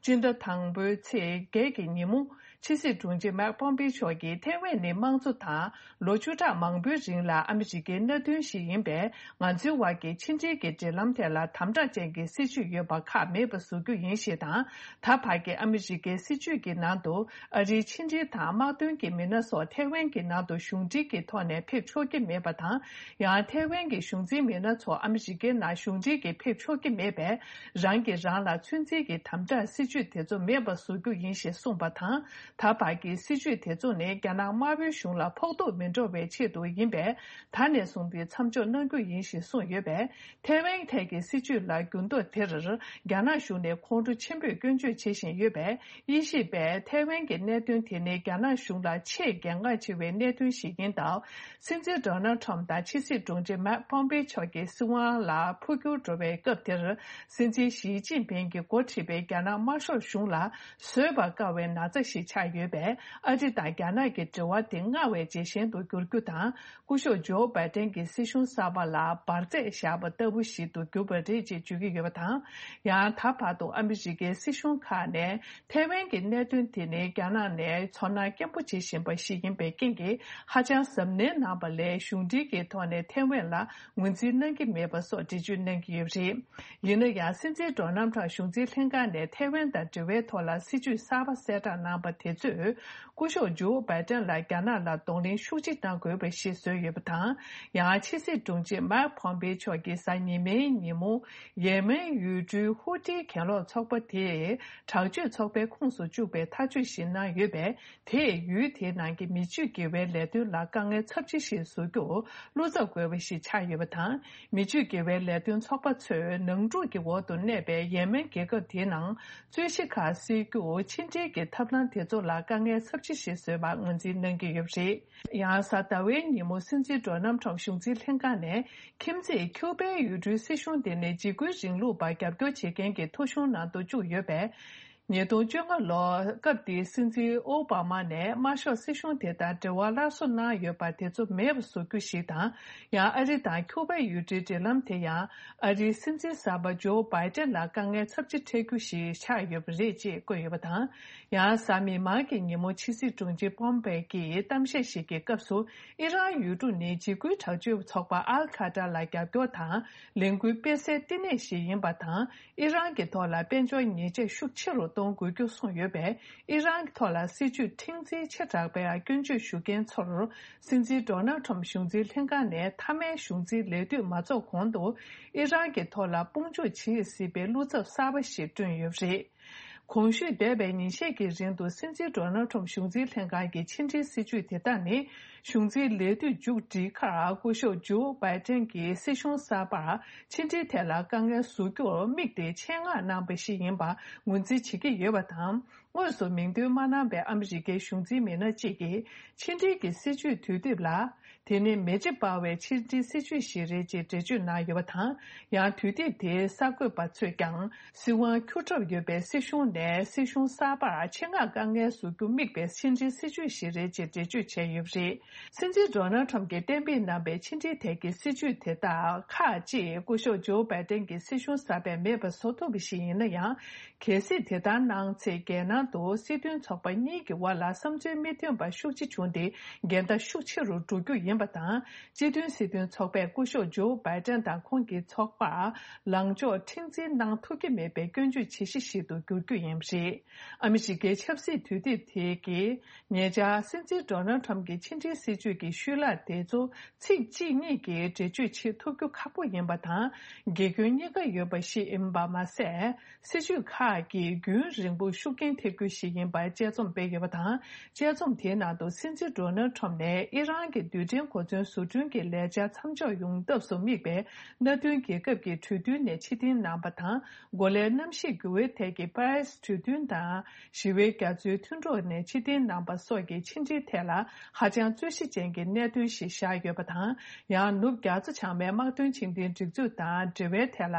སྤྱི་ཟླ་དང་པོའི་ཚེས་བརྒྱད་ཀྱི་ཉིན་མོ། ཕྱི་སྲིད་དྲུང་ཆེ་མེག་ཕོམ་པེ་མཆོག་གིས་ཐའེ་ཝན་ནི་དམངས་གཙོ་དང་། ལོ་བཅུ་ཕྲག་མང་པོའི་རིང་ལ་ཨ་མི་རི་ཀའི་མནའ་མཐུན་ཞིག་ཡིན་པས། ང་ཚོའི་དབར་གྱི་ཕྱི་འབྲེལ་གྱི་འབྲེལ་ལམ་ཐད་ལ་དམ་དྲག་ཅན་གྱི་སྲིད་ཇུས་ཡོད་པ་ཁག་མེད་པ་བཟོ་རྒྱུ་ཡིན་ཞེས་དང་། ད་བར་གྱི་ཨ་མི་རི་ཀའི་སྲིད་ཇུས་ཀྱི་ནང་དུ། ཨ་རིའི་ཕྱི་འབྲེལ་དང་དམག་དོན་གྱི་མི་སྣ་སོགས་ཐའེ་ཝན་གྱི་ནང་དུ་གཞུང་འབྲེལ་གྱི་ཐོག་ནས་ཕེབས་ཆོག་གི་མེད་པ་དང་། ཡང་ཐའེ་ཝན་གྱི་གཞུང་འཛིན་མི་སྣ་ཚོ་ཨ་མི་རི་ཀའི་ནང་གཞུང་འབྲེལ་གྱིས་ཕེབས་ཆོག་གི་མེད་པས། རང་གིས་རང་ལ་ཚོད་འཛིན་གྱི་དམ་དྲག་སྲིད་ཇུས་དེ་ཚོ་མེད་པ་བཟོ་རྒྱུ་ཡིན་ཞེས་གསུངས་པ་དང་། ད་བར་གྱི་སྲིད་ཇུས་དེ་ཚོ་ནི་རྒྱ་ནག་དམར་པོའི་གཞུང་ལ་ཕོག་ཐུག་མི་འགྲོ་བའི་ཆེད་དུ་ཡིན་པས། ད་ནས་བཟུང་སྟེ་མཚམས་འཇོག་གནང་རྒྱུ་ཡིན་ཞེས་གསུངས་ཡོད་པས། ཐའེ་ཝན་ཐད་ཀྱི་སྲིད་ཇུས་ལ་འགྱུར་ལྡོག་དེར། རྒྱ་ནག་གཞུང་ནས་ཁོང་ཁྲོ་ཆེན་པོས་སྐྱོན་བརྗོད་བྱེད་བཞིན་ཡོད་པས། དབྱེ་ཞིབ་པས་ཐའེ་ཝན་གྱི་གནད་དོན་དེ་ནི་རྒྱ་ནག་གཞུང་ལ་ཆེས་གལ་འགངས་ཆེ་བའི་གནད་དོན་ཞིག་ཡིན་སྟབས། སྲིད་འཛིན་ཌོ་ནལ་ཁྲོམ་དང་ཕྱི་སྲིད་དྲུང་ཆེ་མེག་ཕོམ་པེ་མཆོག་གི་སྲིད་དབང་ལ་འཕོ་འགྱུར་འགྲོ་བའི་སྐབས་དེར། སྲིད་འཛིན་ཞི་ཅིན་ཕིང་གིས་འགོ་ཁྲིད་པའི་རྒྱ་ནག་དམར་ཤོག་གཞུང་ལ་བཟོད་པར་དཀའ་བའི་ན་ཚ་ཞིག་ཆགས་ཡོད་པས། ཨ་རི་དང་རྒྱ་ནག་གི་འབྲེལ་བ་དེ་སྔར་བས་ཇེ་ཞན་དུ་འགྱུར་རྒྱུ་དང་། སྐུ་ཞབས་ཇོ་བྷའི་ཏན་གྱི་སྲིད་གཞུང་གསར་པ་ལ་འབར་རྫས་བཞག་པ་ལྟ་བུ་ཞིག་ཏུ་གྱུར་པ་རེད་ཅེས་བརྗོད་ཀྱི་ཡོད་པ་དང་། ཡང་ད་བར་དུ་ཨ་མི་རི་ཀའི་སྲིད་གཞུང་ཁག་ནས་ཐའེ་ཝན་གྱི་གནད་དོན་དེ་ནི་རྒྱ་ནག་ནས་ཚོར་སྣང་སྐྱེན་པོ་བྱེད་བཞིན་པ་ཞིག་ཡིན་པའི་རྐྱེན་གྱིས། ཧ་ཅང་གཟབ་ནན་གནང་པ་ལས་གཞུང་འབྲེལ་གྱི་ཐོག་ནས་ཐའེ་ཝན་ལ་ངོས་འཛིན་གནང་གི་མེད་པ་སོགས་འགྲེལ་བརྗོད་གནང་གི་ཡོད་པ་རེད། ཡིན་ན་ཡང་། སྲིད་འཛིན་ཌོ་ནལ་ཁྲམ་གཞུང་འཛིན་ལྷན་ཁང་ནས་ཐའེ་ཝན་དང་འབྲེལ་བའི་ཐོག་ལ་སྲིད་ཇུས་གསར་པ་གསལ་བསྒྲགས་གནང་པ་དེ་ཚོས། སྐུ་ཞབས་ཇོ་བྷའི་ཏན་ལ་རྒྱ་ནག་ལ་གདོང་ལེན་ཤུགས་ཆེ་གནང་དགོས་པ་ཞིག་བཟོས་ཡོད་པ་དང་། ཡང་ཕྱི་སྲིད་དྲུང་ཆེ་མེག་ཕོམ་པེ་མཆོག་གིས་གཟའ་ཉི་མའི་ཉིན་མོ། ཡེ་མེན་ཡུལ་གྲུའི་ཧུ་ཏིའི་གྱེན་ལོག་ཚོགས་པ་དེས་དྲག་སྤྱོད་ཚོགས་པའི་ཁོངས་སུ་བཅུག་པའི་ཐག་གཅོད་ཞིག་གནང་ཡོད་པས། དེས་ཡུལ་དེའི་ནང་གི་མི་སྤྱོད་དགེ་བའི་ལས་དོན་ལ་དཀའ་ངལ་ཚབས་ཆེ་ཞིག་བཟོ་རྒྱུར་བློ་འཚབ་དགོས་པ་ཞིག་ཆགས་ཡོད་པ་དང་། མི་སྤྱོད་དགེ་བའི་ལས་དོན་ཚོགས་པ་ཚོས་ནང་འཁྲུག་གི་འོག་ཏུ་གནས་པའི་ཡེ་མེན་རྒྱལ་ཁབ་དེའི་ནང་རྩོད་གཞི་ཁག་སེལ་རྒྱུར་ཕྱི་འབྲེལ་གྱི་ཐབས་ལམ་དེ་ཚོ་ལ་དཀའ་ངལ་ཚབས་ཆེ་ཞིག་བཟོས་པར་ངོས་འཛིན་གནང་གི་ཡོད་པ་རེད། ཡང་གཟའ་ཟླ་བའི་ཉིན་མོ་སྲིད་འཛིན་ཌོ་ནལ་ཁྲམ་གཞུང་འཛིན་ལྷན་ཁང་ནས་ཁྱིམ་མཚེས་ཁྱུ་པའི་ཡུལ་གྲུའི་སྲིད་གཞུང་དེ་ནི་འཇིགས་སྐུལ་རིང་ལུགས་པར་རྒྱབ་སྐྱོར་བྱེད་མཁན་གྱི་ཐོ་གཞུང་ནང་དུ་བཅུག་ཡོད་པས། ཉིས་སྟོང་བཅོ་ལྔ་ལོར་སྐབས་དེའི་སྲིད་འཛིན་ཨོ་བྷ་མ་ནས་དམར་ཤོག་སྲིད་གཞུང་དེ་དང་འབྲེལ་བ་སླར་གསོ་གནང་ཡོད་པ་དེ་ཚོ་མེད་པ་བཟོ་རྒྱུ་ཞིག་དང་། ཡང་ཨ་རི་དང་ཁྱུ་པའི་ཡུལ་གྲུའི་འབྲེལ་ལམ་དེ་ཡང་ཨ་རིའི་སྲིད་འཛིན་གསར་པ་ཇོ་བྷའི་ཏན་ལ་དཀའ་ངལ་ཚབས་ཆེ་འཕྲད་རྒྱུ་ཞིག་ཆགས་ཡོད་པ་རེད་ཅེས་བཀོད་ཡོད་པ་དང་། ཡང་གཟའ་མིག་དམར་གྱི་ཉིན་མོ་ཕྱི་སྲིད་དྲུང་ཆེ་ཕོམ་པེ་གྱིས་གཏམ་བཤད་ཞིག་གི་སྐབས་སུ། ཨི་རན་ཡུལ་གྲུ་ནི་འཇིགས་སྐུལ་དྲག་སྤྱོད་ཚོགས་པ་ཨལ་ཁ་ཏྲ་ལ་རྒྱབ་སྐྱོར་དང་ལས་འགུལ་སྤེལ་སའི་བསྟི་གནས་ཤིག་ཡིན་པ་དང་། ཨི་རན་གྱི་ཐོག་ལ་དཔལ་འབྱོར་ཉེས་ཆད་ཤུགས་ཆེ་རུ་གཏོང་དགོས་རྒྱུ་གསུངས་ཡོད་པས། ཨི་རན་གྱི་ཐོག་ལ་སྲིད་ཇུས་ཁྲིམས་འཛིན་ཆེ་དྲགས་པའི་སྐྱོན་བརྗོད་ཞུ་མཁན་ཚོར། སྲིད་འཛིན་ཌོ་ནལ་ཁྲམ་གཞུང་འཛིན་ལྷན་ཁང་ནས་མཐའ་མའི་གཞུང་འཛིན་ལས་དུས་མ་རྫོགས་གོང་དུ། ཨི་རན་གྱི་ཐོག་ལ་དཔུང་འཇུག་བྱེད་སྲིད་པའི་བློ་འཚབ་གསར་པ་ཞིག་བསྐྲུན་ཡོད་པ་རེད། གོང་ཞུས་འདས་པའི་ཉིན་ཤས་ཀྱི་རིང་དུ་སྲིད་འཛིན་ཌོ་ནལ་ཁྲམ་གཞུང་འཛིན་ལྷན་ཁང་གི་ཕྱི་འབྲེལ་སྲིད་ཇུས་དེ་དག་ནི། གཞུང་འཛིན་ལས་དུས་མཇུག་སྒྲིལ་ཁར་སྐུ་ཞབས་ཇོ་བྷའི་ཏན་གྱིས་སྲིད་གཞུང་གསར་པར་ཕྱི་འབྲེལ་ཐད་ལ་དཀའ་ངལ་བཟོ་རྒྱུར་དམིགས་ཏེ་ཆེད་མངགས་གནང་བ་ཞིག་ཡིན་པར་ངོས་འཛིན་བྱེད་ཀྱི་ཡོད་པ་དང་། དངོས་སུ་མིང་འདོན་མ་གནང་བའི་ཨ་མི་རི་ཀའི་གཞུང་འཛིན་མི་སྣ་གཅིག་གིས་ཕྱི་འབྲེལ་གྱི་སྲིད་ཇུས་དུས་དེབ་ལ། དེ་ནི་མེ་ལྕེ་སྤར་བའི་ཕྱི་འབྲེལ་སྲིད་ཇུས་ཤིག་རེད་ཅེས་འགྲེལ་བརྗོད་གནང་ཡོད་པ་དང་། ཡང་དུས་དེབ་དེའི་གསར་འགོད་པ་ཚོས་ཀྱང་། སྲིད་དབང་འཁྱུར་གྲབས་ཡོད་པའི་སྲིད་གཞུང་ནས་སྲིད་གཞུང་གསར་པར་ཆེད་མངགས་དཀའ་ངལ་བཟོ་རྒྱུ་དམིགས་པའི་ཕྱི་འབྲེལ་སྲིད་ཇུས་ཤིག་རེད་ཅེས་འགྲེལ་བརྗོད་བྱས་ཡོད་པ་རེད། སྲིད་འཛིན་ཌོ་ནལ་ཁྲམ་གྱིས་གཏན་འབེབས་གནང་བའི་ཕྱི་འབྲེལ་ཐད་ཀྱི་སྲིད་ཇུས་དེ་དག་ཁག་ཅིག་སྐུ་ཞབས་ཇོ་བྷའི་ཏན་གྱི་སྲིད་གཞུང་གསར་པས་མེད་པ་བཟོ་ཐུབ་པ་ཞིག་ཡིན་ན་ཡང་། གལ་སྲིད་དེ་ལྟར་གནང་ཚེ། རྒྱལ་ནང་དུ་སྲིད་དོན་ཚོགས་པ་གཉིས་ཀྱི་དབར་ལ་བསམ་ཚུལ་མི་མཐུན་པ་ཤུགས་ཆེ་བྱུང་སྟེ། འགལ་ཟླ་ཤུགས་ཆེ་རུ་འགྲོ་རྒྱུ་ཡིན་པ་དང་། སྤྱི་མཐུན་སྲིད་དོན་ཚོགས་པས་སྐུ་ཞབས་ཇོ་བྷའི་ཏན་དང་ཁོང་གི་ཚོགས་པར་ལངས་ཕྱོགས་མཁྲེགས་འཛིན་གནང་ཐུབ་ཀྱི་མེད་པའི་སྐྱོན་བརྗོད་བྱེད་གཞི་ཞིག་ཏུ་འགྱུར་རྒྱུ་ཡིན་པ་རེད། ཨ་མི་རི་ཀའི་ཆབ་སྲིད་དུས་དེབ་དེ་གིས། ཉེ་ཆར་སྲིད་འཛིན་ཌོ་ནལ་ཁྲམ་གྱི་ཕྱི་འབྲེལ་ སྲིད་ཇུས་ཀྱི་ཤུལ་ལྷག་དེ་ཚོ་ཚིག་གཅིག་གཉིས་ཀྱིས་འགྲེལ་བརྗོད་བྱེད་ཐུབ་རྒྱུ་ཁག་པོ་ཡིན་པ་དང་། དགེ་སྐྱོན་གཉིས་ཀ་ཡོད་པ་ཞིག་ཡིན་པ་མ་ཟད། སྲིད་ཇུས་ཁག་གིས་རྒྱུན་རིང་པོ་ཤུགས་རྐྱེན་ཐེབས་རྒྱུ་ཞིག་ཡིན་པར་དཔྱད་རྩོམ་སྤེལ་ཡོད་པ་དང་། དཔྱད་རྩོམ་དེའི་ནང་དུ་སྲིད་འཛིན་ཌོ་ནལ་ཁྲོམ་ནས་ཨི་རན་གྱི་རྡུལ་ཕྲན་གོ་མཚོན་བཟོ་སྐྲུན་གྱི་ལས་འཆར་མཚམས་འཇོག་ཡོང་ཐབས་སུ་དམིགས་པའི་མནའ་མཐུན་རྒྱལ་ཁབ་ཀྱི་གྲོས་མཐུན་ནས་ཕྱིར་འཐེན་གནང་པ་དང་། གོ་ལའི་གནམ་གཤིས་འགྱུར་བའི་ཐད་ཀྱི་པ་རི་སི་གྲོས་མཐུན་དང་། ཞི་བའི་རྒྱ་མཚོའི་མཐུན་གྲོགས་ནས་ཕྱིར་འཐེན་གནང་པ་སོགས་ཀྱི་ཕྱི་འབྲེལ་ཐད་ལ་ཧ་ཅང་རྩོད་གཞི་ཅན་གྱི་གནད་དོན་ཞིག་བཞག་ཡོད་པ་དང་། ཡང་ནུབ་རྒྱ་མཚོ་བྱང་མའི་དམག་དོན་ཆེན་ལྡན་སྒྲིག་འཛུགས་དང་འབྲེལ་བའི་ཐད་ལ།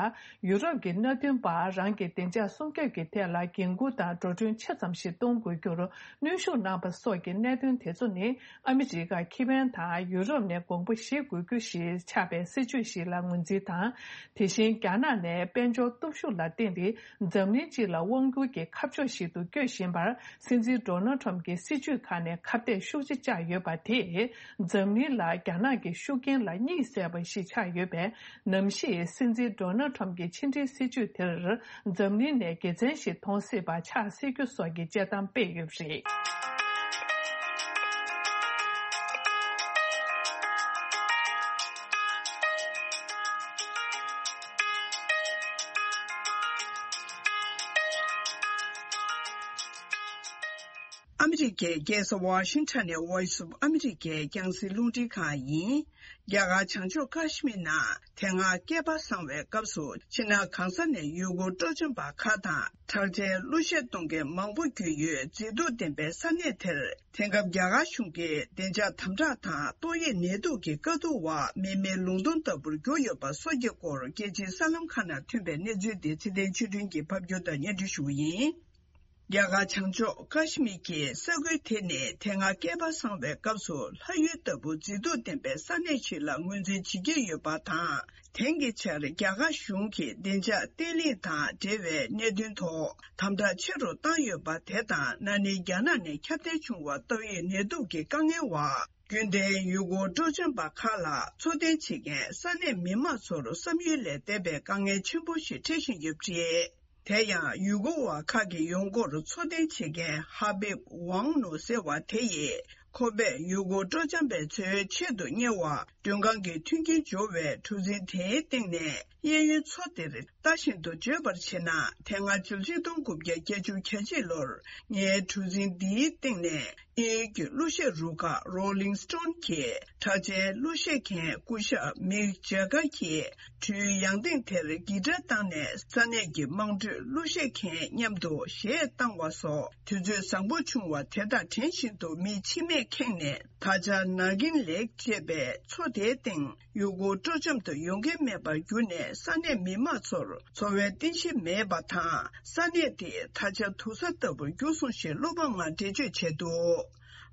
ཡུ་རོབ་ཀྱི་མནའ་མཐུན་པ་རང་གི་བདེ་འཇགས་སྲུང་སྐྱོབ་ཀྱི་ཐད་ལ་འགན་འཁུར་དང་འགྲོ་གྲོན་ཆེ་ཙམ་ཞིག་གཏོང་དགོས་རྒྱུར་གནོན་ཤུགས་གནང་པ་སོགས་ཀྱི་གནད་དོན་དེ་ཚོ་ནི། ཨ་མི་རི་ཀ་ཁེ་ཕན་དང་ཡུ་རོབ་ནས་དགོངས་པ་བཞེས་དགོས་རྒྱུ་ཞིག་ཆགས་པའི་སྲིད་ཇུས་ཤིག་ལ་ངོས་འཛིན་དང་། དེ་བཞིན་རྒྱ་ནག་ནས་དཔལ་འབྱོར་སྟོབས་ཤུགས་ལ་བརྟེན་ཏེ། འཛམ་གླིང་སྤྱི་ལ་དབང་བསྒྱུར་གྱི་ཁ་ཕྱོགས་ཤིག་ཏུ་བསྐྱོད་བཞིན་པར། སྲིད་འཛིན་ཌོ་ནལ་ཁྲམ་གྱི་སྲིད་ཇུས་ཁག་ནས་ཁ་གཏད་ཤུགས་ཆེ་བཅག་ཡོད་པ་དེས། འཛམ་གླིང་ལ་རྒྱ་ནག་གི་ཤུགས་རྐྱེན་ལ་གཉིད་སད་པ་ཞིག་ཆགས་ཡོད་པས། ནམ་ཞིག་སྲིད་འཛིན་ཌོ་ནལ་ཁྲམ་གྱི་ཕྱི་འབྲེལ་སྲིད་ཇུས་དེར། འཛམ་གླིང་ནས་དགེ་མཚན་ཞིག་མཐོང་སྲིད་པ་ཆགས་སྲིད་རྒྱུ་སོགས་ཀྱི་དཔྱད་གཏམ་སྤེལ་ཡོད་པ་རེད། ཨ་མི་རི་ཀའི་རྒྱལ་ས་ཝ་ཤིང་ཊོན་ནས་Voice of America རྒྱང་སྲིང་རླུང་འཕྲིན་ཁང་ཡིན། རྒྱ་གར་བྱང་ཕྱོགས་ཀ་ཤི་མིར་ནང་དེ་སྔ་བསྐལ་པ་བཟང་བའི་སྐབས་སུ་ཕྱི་ནང་གང་ས་ནས་ཡུ་གུར་སྤྲོ་འཆམ་པ་ཁག་དང་ཁྲག་འཇལ་གླུ་གཞས་གཏོང་མཁན་མང་པོ་བརྒྱུད་ཡོད་མཛེས་སྡུག་ལྡན་པའི་ས་གནས་དེར། དེང་སྐབས་རྒྱ་གར་གཞུང་གིས་བདེ་འཇགས་དམ་དྲག་དང་ཏོག་དབྱིབས་ནད་དུག་གི་དཀའ་སྡུག་འོག་མི་མེད་ལུང་སྟོང་ལྟ་བུར་གྱུར་ཡོད་པ་སོགས་ཀྱི་སྐོར་རྒྱལ་སྤྱིའི་གསར་ལམ་ཁག་ནང་ཐོན་པའི་གནས་ཚུལ་དེ་ཚེ་བརྟན་ཆོས་སྒྲོན་གྱིས་ཕབ་སྒྱུར་དང་སྙན་སྒྲོན་ཞུ་གི་ཡིན། རྒྱ་གར་བྱང་ཕྱོགས་ཀ་ཤི་མིར་གྱི་ས་ཁུལ་དེ་ནི་དེ་སྔ་བསྐལ་པ་བཟང་བའི་སྐབས་སུ་ལྷ་ཡུལ་ལྟ་བུ་མཛེས་སྡུག་ལྡན་པའི་ས་གནས་ཤིག་ལ་ངོས་འཛིན་བྱེད་ཀྱི་ཡོད་པ་དང་། དེང་གི་ཆར་རྒྱ་གར་གཞུང་གིས་བདེ་འཇགས་བརྟན་ལྷིང་དང་འབྲེལ་བའི་གནད་དོན་ཐོག་དམ་དྲག་ཆེ་རུ་བཏང་ཡོད་པ་དེ་དང་། ན་ནིང་རྒྱ་ནག་ནས་ཁྱབ་གདལ་བྱུང་བ་ཏོག་དབྱིབས་ནད་དུག་གི་དཀའ་ངལ་འོག་རྒྱུན་ལྡན་ཡུ་གུར་སྤྲོ་འཆམ་པ་ཁག་ལ་འཚོ་རྟེན་བྱེད་མཁན་ས་གནས་མི་མང་ཚོར་བསམ་ཡུལ་ལས་འདས་པའི་དཀའ་ངལ་ཆེན་པོ་ཞིག་འཕྲད་བཞིན་ཡོད་པ་རེད། དེ་ཡང་ཡུ་གུར་བ་ཁག་གི་ཡོང་སྒོར་འཚོ་རྟེན་བྱེད་མཁན་ཧ་བིབ་ཝང་ནུ་ཟེར་བ་དེ་ཡིས། ཁོ་པས་ཡུ་གུར་སྤྲོ་འཆམ་པ་ཚོའི་ཆེད་དུ་གཉེར་བ་མགྲོན་ཁང་གི་མཐུན་རྐྱེན་སྦྱོར་བའི་གྲུ་གཟིངས་དེའི་སྟེང་ནས། གཡས་གཡོན་མཚོ་དེར་ལྟ་བཞིན་དུ་བརྗོད་པར་བྱས་ན། དེ་སྔ་ཕྱི་ལོ་ཆིག་སྟོང་དགུ་བརྒྱ་བརྒྱད་ཅུ་གྱ་གཅིག་ལོར་ངའི་གྲུ་གཟིངས་འདིའི་སྟེང་ནས་དབྱིན་ཡུལ་གྱི་གླུ་གཞས་རུ་ཁག་Rolling Stone གྱི་གྲགས་ཅན་གླུ་གཞས་མཁན་སྐུ་ཞབས་མིག་ཇེ་ཀར་གྱིས་གྲུའི་ཡང་སྟེང་དེར་གི་ཊར་བཏང་ནས་ས་གནས་ཀྱི་དམངས་ཁྲོད་གླུ་གཞས་མཁན་མཉམ་དུ་གཞས་བཏང་བ་སོགས་དུས་ཚོད་བཟང་པོ་བྱུང་བ་དེ་དང་དྲན་བཞིན་དུ་མི་མཆིལ་མས་ཁེངས་ནས། ད་ཆ་ནཱ་གིན་ལེག་ཅེས་པའི་མཚོ་དེའི་སྟེང་ཡུ་གུར་སྤྲོ་འཆམ་དུ་ཡོང་མཁན་མེད་པར་གྱུར་ནས། ས་གནས་མི་མང་ཚོར་འཚོ་བའི་རྟེན་གཞི་མེད་པ་དང་། ས་གནས་དེ་ད་ཆ་དུག་ས་ལྟ་བུར་གྱུར་སོང་ཞེས་བློ་ཕམ་ངང་འགྲེལ་བརྗོད་བྱས་འདུག་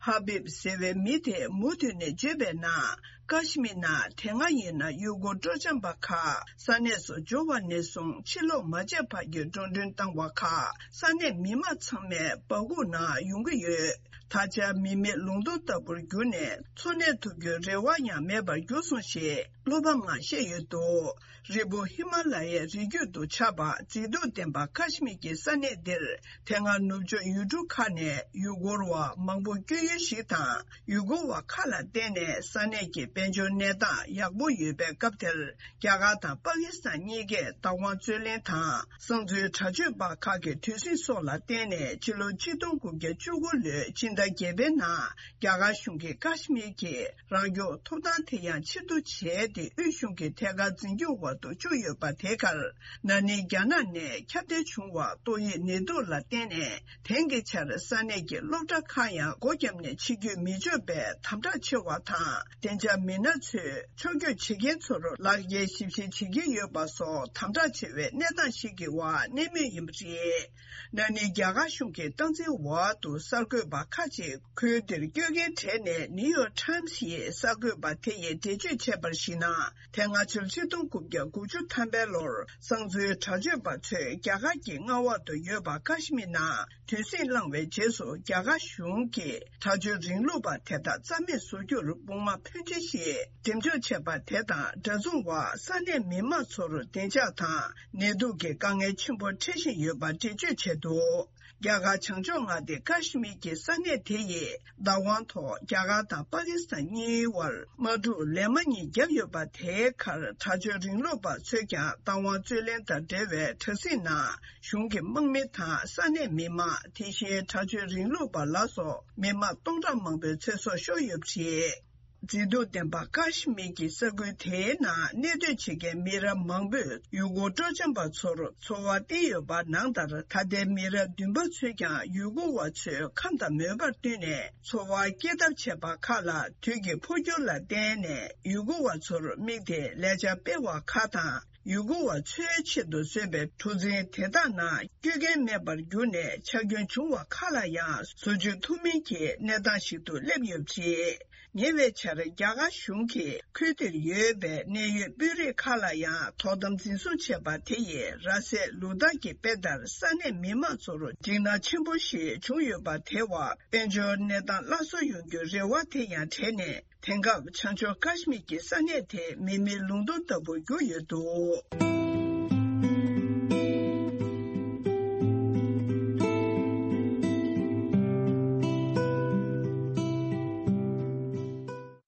ཧ་བིབ་ཟེར་བའི་མི་དེས་མུ་མཐུད་ནས་བརྗོད་པའི་ནང་། ཀ་ཤི་མིར་ནང་དེ་སྔ་ཡིན་ན་ཡུ་གུར་སྤྲོ་འཆམ་པ་ཁག་ས་གནས་སུ་འབྱོར་བ་ནས་བཟུང་ཕྱིར་ལོག་མ་བྱས་བར་གྱི་འགྲོ་གྲོན་བཏང་བ་ཁག་ས་གནས་མི་མང་ཚང་མས་སྦ་ཁུག་ནང་ཡོང་གི་ཡོད། ད་ཆ་མི་མེད་ལུང་སྟོང་ལྟ་བུར་གྱུར་ནས་འཚོ་གནས་ཐུབ་རྒྱུའི་རེ་བ་ཡང་མེད་པར་གྱུར་སོང་ཞེས་བློ་ཕམ་ངང་བཤད་ཡོད་འདུག་རི་བོ་ཧི་མ་ལ་ཡའི་རི་རྒྱུད་དུ་ཆགས་པ་མཛེས་སྡུག་ལྡན་པ་ཀ་ཤི་མིར་གྱི་ས་གནས་འདིར། དེ་སྔ་ནུབ་ཕྱོགས་ཡུལ་གྲུ་ཁག་ནས་ཡུ་གུར་བ་མང་པོ་བསྐྱོད་ཡུལ་ཞིག་དང་། ཡུ་གུར་བ་ཁག་ལ་བརྟེན་ནས་ས་གནས་ཀྱི་དཔལ་འབྱོར་གནས་སྟངས་ཡག་པོ་ཡོད་པའི་སྐབས་དེར། རྒྱ་གར་དང་པ་ཀི་སི་ཐན་གཉིས་ཀས་བདག་དབང་རྩོད་ལེན་དང་། གསང་འཛུལ་དྲག་སྤྱོད་པ་ཁག་གི་དུས་ཟིང་སོགས་ལ་བརྟེན་ནས། ཕྱི་ལོ་ཆིག་སྟོང་དགུ་བརྒྱ་བཅུ་དགུ་ལོའི་སྤྱི་ཟླ་བརྒྱད་པའི་ནང་། རྒྱ་གར་གཞུང་གིས་ཀ་ཤི་མིར་གྱི་རང་སྐྱོང་ཐོབ་ཐང་དེ་ཡང་ཕྱིར་བསྡུ་བྱས་ཏེ། དབུས་གཞུང་གི་ཐད་ཀར་འཛིན་སྐྱོང་འོག་ཏུ་བཅུག་ཡོད་པ་དེ་གར། ན་ནིང་རྒྱ་ནག་ནས་ཁྱབ་གདལ་བྱུང་བ་ཏོག་དབྱིབས་ནད་དུག་ལ་བརྟེན་ནས། དེང་གི་ཆར་ས་གནས་ཀྱི་སློབ་གྲྭ་ཁག་ཡང་སྒོ་བརྒྱབ་ནས་ཕྱི་སྐྱོད་མི་ཆོག་པའི་དམ་དྲག་ཆེ་བ་དང་། བདེ་འཇགས་མི་སྣ་ཚོས་ཕྱོགས་སྐྱོད་བྱེད་མཁན་ཚོར་ལག་འཁྱེར་ཞིབ་བཤེར་བྱེད་ཀྱི་ཡོད་པ་སོགས་དམ་དྲག་ཆེ་བའི་གནས་སྟངས་ཤིག་གི་འོག་གནས་མུས་ཡིན་པ་རེད། ན་ནིང་རྒྱ་གར་གཞུང་གི་སྟངས་འཛིན་འོག་ཏུ་གསར་འགོད་པ་ཁག་ཅིག་ཁུལ་དེར་སྐྱོད་མཁན་གྲས་ནས་ནིའུ་ཡོག་ཊའིམ་སི་ཡིས་གསར་འགོད་པ་དེ་ཡིས་འགྲེལ་བརྗོད་བྱས་པར་གཞིགས་ན། དེ་སྔ་ཕྱི་ལོ་ཆིག་སྟོང་དགུ་བརྒྱ་དགུ་བཅུ་ཐམ་པའི་ལོར་གསང་འཛུལ་དྲག་སྤྱོད་པ་ཚོས་རྒྱ་གར་གྱི་མངའ་འོག་ཏུ་ཡོད་པ་ཀ་ཤི་མིར་ནང་དུས་ཟིང་བསླངས་པའི་རྗེས་སུ། རྒྱ་གར་གཞུང་གིས་དྲག་སྤྱོད་རིང་ལུགས་པ་དེ་དག་རྩ་མེད་བཟོ་རྒྱུར་དཔུང་དམག་ཕོན་ཆེ་ ཞིག་འགྲེམས་འཇོག་བྱས་པ་དེ་དང་འདྲ་མཚུངས་བར་ས་གནས་མི་མང་ཚོར་བདེ་འཇགས་དང་ནད་དུག་གི་དཀའ་ངལ་ཆེན་པོ་འཕྲད་བཞིན་ཡོད་པ་འགྲེལ་བརྗོད་བྱས་འདུག་རྒྱ་གར་བྱང་ཕྱོགས་མངའ་སྡེ་ཀ་ཤི་མིར་གྱི་ས་གནས་དེ་ཡི་བདག་དབང་ཐོག་རྒྱ་གར་དང་པ་ཀི་སི་ཐན་གཉིས་བར་དམག་འཁྲུག་ལན་མ་གཉིས་བརྒྱབ་ཡོད་པ་དེའི་ཁར་དྲག་སྤྱོད་རིང་ལུགས་པ་ཚོས་ཀྱང་བདག་དབང་རྩོད་ལེན་དང་འབྲེལ་བའི་དྲ་ཚིགས་ནང་གཞུང་གི་དམག་མི་དང་ས་གནས་མི་མང་། དེ་བཞིན་དྲག་སྤྱོད་རིང་ལུགས་པ་ལ་སོགས་མི་མང་སྟོང་ཕྲག་མང་པོའི་ཚེ་སྲོག་ཤོར་ཡོད་པ་རེད། མཛེས་སྡུག་ལྡན་པ་ཀ་ཤི་མིར་གྱི་ས་ཁུལ་དེའི་ནང་གནས་སྡོད་བྱེད་མཁན་མི་རབས་མང་པོས་ཡུལ་སྐོར་སྤྲོ་འཆམ་པ་ཚོར་ཚོར་བ་བསྟན་ཡོད་པ་ནང་ལྟར། ད་ལྟའི་མི་རབས་བདུན་པ་ཚོས་ཀྱང་ཡུལ་སྐོར་བ་ཚོའི་ཁམས་དང་མོས་པར་བསྟུན་ནས་འཚོ་བ་སྐྱེལ་ཐབས་བྱས་པ་ཁག་ལ་དུས་ཀྱི་འཕོ་འགྱུར་ལ་བརྟེན་ནས་ཡུལ་སྐོར་བ་ཚོར་དམིགས་ཏེ་ལས་འཆར་སྤེལ་བ་ཁག་དང་། ཡུལ་སྐོར་བ་ཚོའི་ཆེད་དུ་བཟོས་པའི་གྲུ་གཟིངས་དེ་དག་ནང་སྐྱོད་མཁན་མེད་པར་གྱུར་ནས་ཆག་སྐྱོན་བྱུང་བ་ཁག་ལ་ཡང་བཟོ་བཅོས་ཐུབ་མིན་གྱི་གནས་སྟངས་ཤིག་ཏུ་སླེབས་ཡོད་པ་རེད། ཉེ་བའི་ཆར་རྒྱ་གར་གཞུང་གིས་ཁུལ་དེར་ཡོད་པའི་གནད་ཡོད་དཔོན་རིགས་ཁག་ལ་ཡང་དོ་དམ་འཛིན་བཟུང་བྱས་པ་དེ་ཡིས་ར་སའི་ལུང་སྟག་གི་དཔེ་ལྟར་ས་གནས་མི་མང་ཚོར་འཇིགས་སྣང་ཆེན་པོ་ཞིག་བྱུང་ཡོད་པ་དེ་བར་དཔལ་འབྱོར་གནས་སྟངས་སླར་གསོ་ཡོང་རྒྱུའི་རེ་བ་དེ་ཡང་བྲལ་ནས། དེང་སྐབས་བྱང་ཕྱོགས་ཀ་ཤི་མིར་གྱི་ས་གནས་དེ་མི་མེད་ལུང་སྟོང་ལྟ་བུར་གྱུར་ཡོད་འདུག་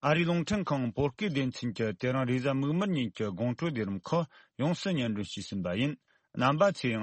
ཨ་རིའི་རླུང་འཕྲིན་ཁང་བོད་སྐད་སྡེ་ཚན་གྱིས་དེ་རིང་རེས་གཟའ་མིག་དམར་ཉིན་གྱི་དགོང་དྲོ་དུས་རིམ་ཁག་ཡོངས་སུ་སྙན་སྒྲོན་ཞུས་ཟིན་པ་ཡིན། རྣམ་པ་ཚོས་ཡང་